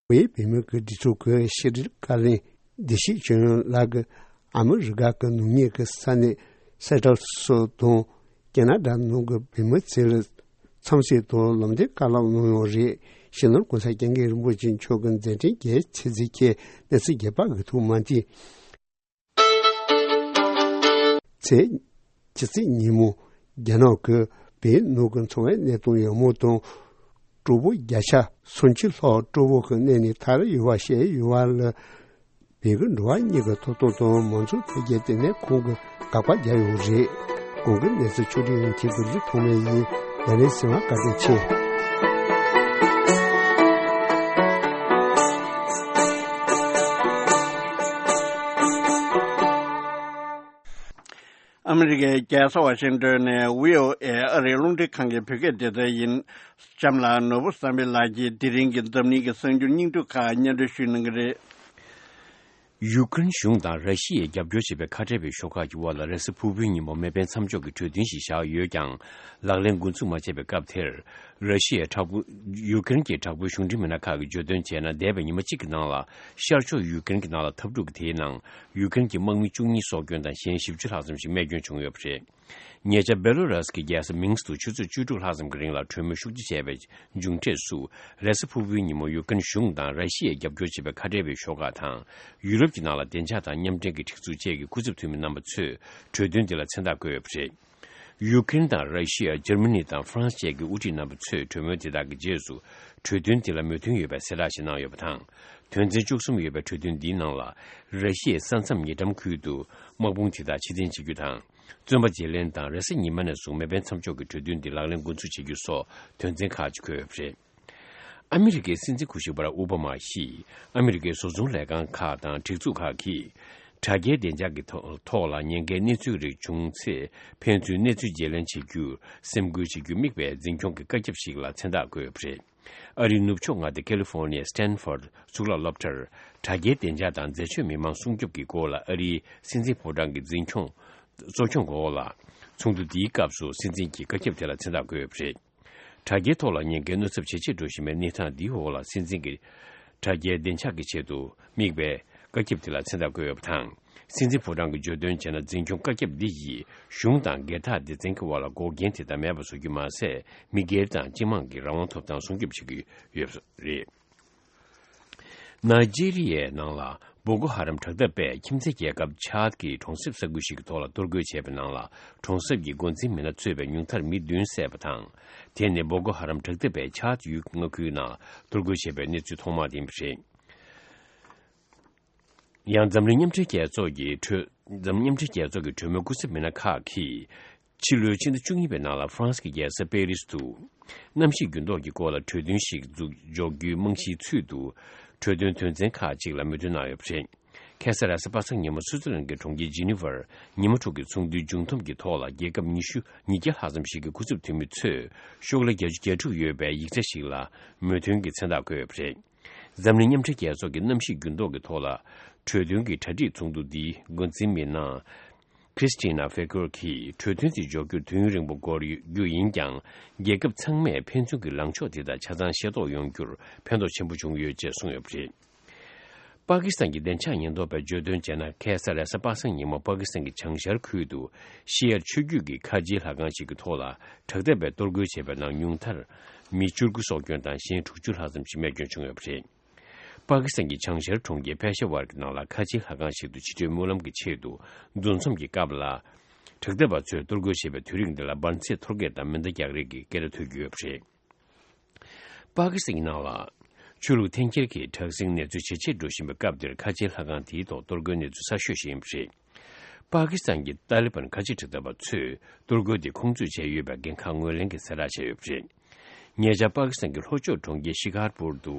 བལ་བོད་མི་གི་སྒྲིག་འཛུགས་ཀྱི་ཕྱི་དྲིལ་བཀའ་བློན་བདེ་སྐྱིད་ཆོས་དབྱངས་ལགས་ཀྱིས་ཨ་མི་རི་ཀ་གི་ནུབ་ངོས་ཀྱི་ས་གནས་སེ་ཊལ་སོགས་དང་ཁེ་ན་ཌ་ནང་གི་བོད་མི་ཚོ་ལ་འཚམས་གཟིགས་དང་ལམ་སྟོན་བཀའ་སློབ་གནང་ཡོད་རེད། སྤྱི་ནོར་༸གོང་ས་༸སྐྱབས་མགོན་རིན་པོ་ཆེ་མཆོག་གི་མཛད་འཕྲིན་རྒྱས་ཆེ་ཚིག་གི་གནས་ཚུལ་རྒྱས་པ་གི་ཐོག་མ་མཐུད། ཚེས་བཅུ་གཅིག་ཉིན་མོ་རྒྱ་ནག་གི་བོད་ནང་གི་འཚོ་བའི་གནས་སྟངས་ཡག་མོ་དང་། སྤྲོ་པོ་བརྒྱ་ཆ་སུམ་ཅུ་ལྷག་སྤྲོ་པོ་གི་གནས་ནས་ཐར་ཡོད་པ་བཤད་ཡོད་པ་ལ། བོད་ཀྱི་འགྲོ་བ་མིའི་ཐོབ་ཐང་དང་མང་གཙོ་འཕེལ་རྒྱས་ལྟེ་གནས་ཁང་གིས་དགག་པ་བརྒྱབ་ཡོད་རེད། གོང་གི་གནས་ཚུལ་ཕྱོགས་སྒྲིག་ཡོད་མཁན་གྱི་ལི་ཐོགས་མེད་ཡིན། ལ་ལན་གཟིགས་པར་བཀའ་དྲིན་ཆེ། ཨ་མི་རི་ཀའི་རྒྱལ་ས་ཝ་ཤིང་ཏོན་ནས་བྷི་ཨོ་ཨེ་ཨ་རིའི་རླུང་འཕྲིན་ཁང་གི་བོད་སྐད་སྡེ་ཚན་ཡིན། གཤམ་ལ་ནོར་བུ་བསམ་འཕེལ་ལགས་ཀྱིས་དེ་རིང་གི་འཛམ་གླིང་གི་གསར་འགྱུར་སྙིང་བསྡུས་ཁག་སྙན་སྒྲོན་ཞུ་གནང་གི་རེད། ཡུཀ་རེན་གཞུང་དང་ར་ཤི་ཡས་རྒྱབ་སྐྱོར་བྱེད་པའི་ཁ་བྲལ་བའི་ཤོག་ཁག་གི་དབར་ལ་རེས་གཟའ་ཕུར་བུའི་ཉིན་མོ་མེ་འཕེན་མཚམས་འཇོག་གི་གྲོས་མཐུན་ཞིག་བཞག་ཡོད་ཀྱང་། ལག་ལེན་འགོ་འཛུགས་མ་བྱས་པའི་སྐབས་དེར། ར་ཤི་ཡའི་དྲག་པོ། ཡུཀ་རེན་གྱི་དྲག་པོའི་གཞུང་འབྲེལ་མི་སྣ་ཁག་གིས་བརྗོད་དོན་བྱས་ན། འདས་པའི་ཉི་མ་གཅིག་གི་ནང་ལ་ཤར་ཕྱོགས་ཡུཀ་རེན་གྱི་ནང་ལ་འཐབ་འཁྲུག་གི་དེའི་ནང་ཡུཀ་རེན་གྱི་དམག་མི་བཅུ་གཉིས་སྲོག་སྐྱོན་དང་གཞན་བཞི་བཅུ་ལྷག་ཙམ་ཞིག་རྨས་སྐྱོན་བྱུང་ཡོད་པ་རེད། ཉེ་ཆར་སྦེ་ལོ་རུ་སི་གི་རྒྱལ་ས་མིན་སི་ཏུ་ཆུ་ཚོད་བཅུ་དྲུག་ལྷག་ཙམ་གྱི་རིང་ལ་གྲོས་མོལ་ཤུགས་ཆེ་བྱས་པའི་མཇུག་འབྲས་སུ། རེས་གཟའ་ཕུར་བུའི་ཉིན་མོ་ཡུཀ་རེན་གཞུང་དང་ར་ཤི་ཡས་རྒྱབ་སྐྱོར་བྱེད་པའི་ཁ་བྲལ་བའི་ཤོག་ཁག་དང་། ཡུ་རོབ་ཀྱི་ནང་ལ་བདེ་འཇགས་དང་མཉམ་འབྲེལ་གྱི་སྒྲིག་འཛུགས་བཅས་ཀྱི་སྐུ་ཚབ་འཐུས་མི་རྣམ་པ་ཚོས་གྲོས་མཐུན་འདི་ལ་མཚན་རྟགས་བཀོད་ཡོད་པ་རེད། ཡུཀ་རེན་དང་ར་ཤི་ཡ། འཇར་མ་ནི་དང་ཧྥ་རན་སི་བཅས་ཀྱི་དབུ་ཁྲིད་རྣམ་པ་ཚོས་གྲོས་མོལ་དེ་དག་གི་རྗེས་སུ་གྲོས་མཐུན་དེ་ལ་མོས་མཐུན་ཡོད་པའི་གསལ་བསྒྲགས་ཤིག་གནང་ཡོད་པ་དང་། དོན་ཚན་བཅུ་གསུམ་ཡོད་པའི་གྲོས་མཐུན་འདིའི་ནང་ལ། ར་ཤི་ཡའི་ས་མཚམས་ཉེ་འགྲམ་ཁུལ་དུ་དམག་དཔུང་དེ་དག་ཕྱིར་འཐེན་བྱེད་རྒྱུ་དང་། བཙོན་པ་བརྗེ་ལེན་དང་། རེས་གཟའ་ཉི་མ་ནས་བཟུང་མེ་འཕེན་མཚམས་འཇོག་གི་གྲོས་མཐུན་འདི་ལག་ལེན་འགོ་འཛུགས་བྱེད་རྒྱུ་སོགས་དོན་ཚན་ཁག་ཅིག་འཁོད་ཡོད་པ་རེད། ཨ་མི་རི་ཀའི་སྲིད་འཛིན་སྐུ་ཞབས་པ་རག་ཨོ་བྷ་མ་ཡིས། ཨ་མི་རི་ཀའི་བཟོ་ཚོང་ལས་ཁང་ཁག་དང་སྒྲིག་འཛུགས་ཁག་གིས། དྲ་རྒྱའི་བདེ་འཇགས་ཀྱི་ཐོག་ཐོག་ལ་ཉེན་ཁའི་གནས་ཚུལ་རིགས་བྱུང་ཚེ། ཕན་ཚུན་གནས་ཚུལ་བརྗེ་ལེན་བྱེད་རྒྱུར་སེམས་ཁུར་བྱེད་རྒྱུར་དམིགས་པའི་འཛིན་སྐྱོང་གི་བཀའ་ཁྱབ་ཞིག་ལ་མཚན་རྟགས་བཀོད་ཡོད་པ་རེད། ཨ་རིའི་ནུབ་ཕྱོགས་མངའ་སྡེ་ཀ་ལི་ཧྥོར་ནིའི་སི་ཊན་ཧྥོར་གཙུག་ལག་སློབ་གྲྭར། དྲ་རྒྱའི་བདེ་འཇགས་དང་འཛད་སྤྱོད་མི་མང་སྲུང་སྐྱོབ་ཀྱི་སྐོར་ལ་ཨ་རིའི་སྲིད་འཛིན་ཕོ་བྲང་གི་འཛིན་སྐྱོང་གཙོ་སྐྱོང་འོག་ལ། ཚོགས་འདུ་འདིའི་སྐབས་སུ་སྲིད་འཛིན་གྱིས་བཀའ་ཁྱབ་དེ་ལ་མཚན་རྟགས་བཀོད་ཡོད་པ་རེད། དྲ་རྒྱའི་ཐོག་ལ་ཉེན་ཁའི་གནོད་ཚབས་ཇེ་ཆེར་འགྲོ་བཞིན་པའི་གནས་སྟངས་འདིའི་འོག་ལ། སྲིད་འཛིན་གྱིས་དྲ་རྒྱའི་བདེ་འཇགས་ཀྱི་ཆེད་དུ་དམིགས་པའི་བཀའ་ཁྱབ་དེ་ལ་མཚན་རྟགས་བཀོད་ཡོད་པ་དང་། སྲིད་འཛིན་ཕོ་བྲང་གིས་བརྗོད་དོན་བྱས་ན། འཛིན་སྐྱོང་བཀའ་ཁྱབ་འདི་ཡིས་གཞུང་དང་སྒེར་བདག་སྡེ་ཚན་གྱི་དབར་ལ་འགོག་རྐྱེན་དེ་དག་མེད་པར་བཟོ་རྒྱུ་མ་ཟད། མི་སྒེར་དང་སྤྱི་དམངས་ཀྱི་རང་དབང་ཐོབ་ཐང་སྲུང་སྐྱོབ་བྱེད་ཀྱི་ཡོད་པ་རེད། ནཱི་ཇི་རི་ཡའི་ནང་ལ་བོ་ཀོ་ཧ་རམ་དྲག་འཐབ་པས་ཁྱིམ་མཚེས་རྒྱལ་ཁབ་ཆཱད་ཀྱི་གྲོང་གསེབ་ས་ཁུལ་ཞིག་གི་ཐོག་ལ་གཏོར་རྒོལ་བྱས་པའི་ནང་ལ། གྲོང་གསེབ་ཀྱི་འགོ་འཛིན་མི་སྣ་གཙོས་པའི་ཉུང་མཐར་མི་བདུན་བསད་པ་དང་། དེ་ནི་བོ་ཀོ་ཧ་རམ་དྲག་འཐབ་པས་ཆཱད་ཡུལ་མངའ་ཁུལ་ནང་གཏོར་རྒོལ་བྱས་པའི་གནས་ཚུལ་ཐོག་མ་དེ་ཡིན་པ་རེད། ཡང་འཛམ་གླིང་མཉམ་འབྲེལ་རྒྱལ་ཚོགས་ཀྱི་གྲོས། འཛམ་གླིང་མཉམ་འབྲེལ་རྒྱལ་ཚོགས་ཀྱི་གྲོས་མོལ་སྐུ་ཚབ་མི་སྣ་ཁག་གིས། ཕྱི་ལོའི་ཕྱི་ཟླ་བཅུ་གཉིས་པའི་ནང་ལ་ཧྥ་རན་སི་གི་རྒྱལ་ས་པེ་རིས་དུ། གནམ་གཤིས་འགྱུར་ལྡོག་གི་སྐོར་ལ་གྲོས་མཐུན་ཞིག་འཛུགས་འཇོག་རྒྱུའི་རྨང་གཞིའི་ཚུལ་དུ། གྲོས་མཐུན་དོན་ཚན་ཁག་ཅིག་ལ་མོས་མཐུན་གནང་ཡོད་པ་རེད། ཁ་སང་རེས་གཟའ་པ་སངས་ཉིན་མོ་སུའུ་ཙི་ལན་གྱི་གྲོང་ཁྱེར་ཇི་ནི་ཝར་ཉི་མ་དྲུག་གི་ཚོགས་འདུའི་མཇུག་བསྡོམས་ཀྱི་ཐོག་ལ། རྒྱལ་ཁབ་ཉི་ཤུ་ཉིས་བརྒྱ་ལྷག་ཙམ་ཞིག་གི་སྐུ་ཚབ་འཐུས་མི་ཚོས་ཤོག་ལྷེ་བརྒྱད་ཅུ་གྱ་དྲུག་ཡོད་པའི་ཡིག་ཆ་ཞིག་ལ་མོས་མཐུན་གྱི་མཚན་རྟགས་བཀོད་ཡོད་པ་རེད། འཛམ་གླིང་མཉམ་འབྲེལ་རྒྱལ་ཚོགས་ཀྱི་གནམ་གཤིས་འགྱུར་ལྡོག་གི་ཐོག་ལ་གྲོས་མཐུན་གྱི་གྲ་སྒྲིག་ཚོགས་འདུ་འདིའི་འགོ་འཛིན་མི་སྣ་Christina Figure གྱིས། གྲོས་མཐུན་དེ་འཇོག་རྒྱུར་དུས་ཡུན་རིང་པོ་འགོར་རྒྱུ་ཡིན་ཀྱང་། རྒྱལ་ཁབ་ཚང་མས་ཕན་ཚུན་གྱི་ལངས་ཕྱོགས་དེ་དག་ཆ་ཚང་ཤེས་རྟོགས་ཡོང་རྒྱུར་ཕན་ཐོགས་ཆེན་པོ་བྱུང་ཡོད་ཅེས་གསུངས་ཡོད་པ་རེད། པ་ཀི་སི་ཐན་གྱི་བདེ་འཇགས་ཉེན་རྟོག་པས་བརྗོད་དོན་བྱས་ན། ཁ་སང་རེས་གཟའ་པ་སངས་ཉིན་མོ་པ་ཀི་སི་ཐན་གྱི་བྱང་ཤར་ཁུལ་དུ་ཤི་ཡར་ཆོས་བརྒྱུད་ཀྱི་ཁ་ཆེའི་ལྷ་ཁང་ཞིག་གི་ཐོག་ལ་དྲག་འཐབ་པས་གཏོར་རྒོལ་བྱས་པའི་ནང་ཉུང་མཐར་མི་བཅུ་དགུ་སྲོག་སྐྱོན་དང་གཞན་དྲུག་ཅུ་ལྷག་ཙམ་ཞིག་རྨས་སྐྱོན་བྱུང་ཡོད་པ་རེད། པ་ཀི་སི་ཐན་གྱི་བྱང་ཤར་གྲོང་ཁྱེར་ཕེ་ཤ་ཝར་གྱི་ནང་ལ་ཁ་ཆེའི་ལྷ་ཁང་ཞིག་ཏུ་ཕྱི་དྲོའི་སྨོན་ལམ་གྱི་ཆེད་དུ་འདུ་འཛོམས་ཀྱི་སྐབས་ལ། དྲག་འཐབ་པ་ཚོས་གཏོར་རྒོལ་བྱས་པའི་དུས་རིང་འདི་ལ་འབར་རྫས་གཏོར་རྒོལ་དང་མེ་མདའ་རྒྱག་རེས་ཀྱི་སྐད་སྒྲ་ཐོས་ཀྱི་ཡོད་པ་རེད། པ་ཀི་སི་ཐན་གྱི་ནང་ལ་ཆོས་ལུགས་འཐེན་འཁྱེར་གྱི་དྲག་ཟིང་གནས་ཚུལ་ཇེ་ཆེར་འགྲོ་བཞིན་པའི་སྐབས་འདིར། ཁ་ཆེའི་ལྷ་ཁང་དེའི་ཐོག་གཏོར་རྒོལ་གནས་ཚུལ་གསར་ཤོས་ཤིག་ཡིན་པ་རེད། པ་ཀི་སི་ཐན་གྱི་ཏཱ་ལི་བན་ཁ་ཆེ་དྲག་འཐབ་པ་ཚོས་གཏོར་རྒོལ་དེ་ཁོང་ཚོས་བྱས་ཡོད་པའི་འགན་ཁག་ངོས་ལེན་གྱི་གསལ་བསྒྲགས་བྱས་ཡོད་པ་རེད། ཉེ་ཆར་པ་ཀི་སི་ཐན་གྱི་ལྷོ་ཕྱོགས་གྲོང་ཁྱེར་ཤི་ཁར་པུར་དུ་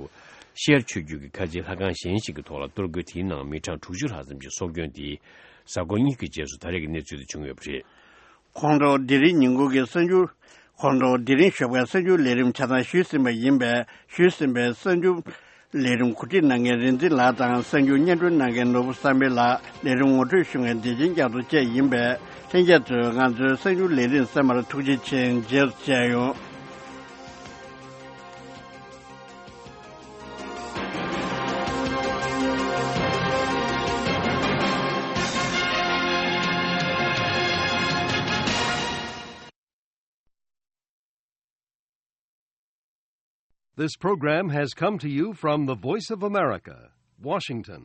ཤི་ཡར་ཆོས་བརྒྱུད་ཀྱི་ཁ་ཆེའི་ལྷ་ཁང་གཞན་ཞིག་གི་ཐོག་ལ་གཏོར་རྒོལ་དེའི་ནང་མི་གྲངས་དྲུག་ཅུ་ལྷག་ཙམ་ཞིག་སྲོག་སྐྱོན་དེ། གཟའ་འཁོར་གཉིས་ཀྱི་རྗེས་སུ་ད་རེས་ཀྱི་གནས་ཚུལ་དེ་བྱུང་ཡོད་པ་རེད། ཁོང་ཁྲོ་དེ་རིང་ཉིན་གུང་གི་གསར་འགྱུར། ཁོང་ཁྲོ་དེ་རིང་ཞོགས་པའི་གསར་འགྱུར་ལས་རིམ་ཆ་ཚང་ཞུས་ཟིན་པ་ཡིན་པས། ཞུས་ཟིན་པའི་གསར་འགྱུར་ལས་རིམ་གོ་སྒྲིག་གནང་མཁན་རིག་འཛིན་ལགས་དང་། གསར་འགྱུར་སྙན་སྒྲོན་གནང་མཁན་ནོར་བུ་བསམ་འཕེལ་ལགས། ལས་རིམ་ངོ་སྤྲོད་ཞུ་མཁན་བདེ་ཆེན་རྒྱ་མཚོ་བཅས་ཡིན་པས། ལྷན་རྒྱས་ཚོས་ང་ཚོའི་གསར་འགྱུར་ལས་རིམ་གསན་པར་ཐུགས་རྗེ་ཆེ། རྗེས་སུ་མཇལ་ཡོང་། This program has come to you from the Voice of America, Washington.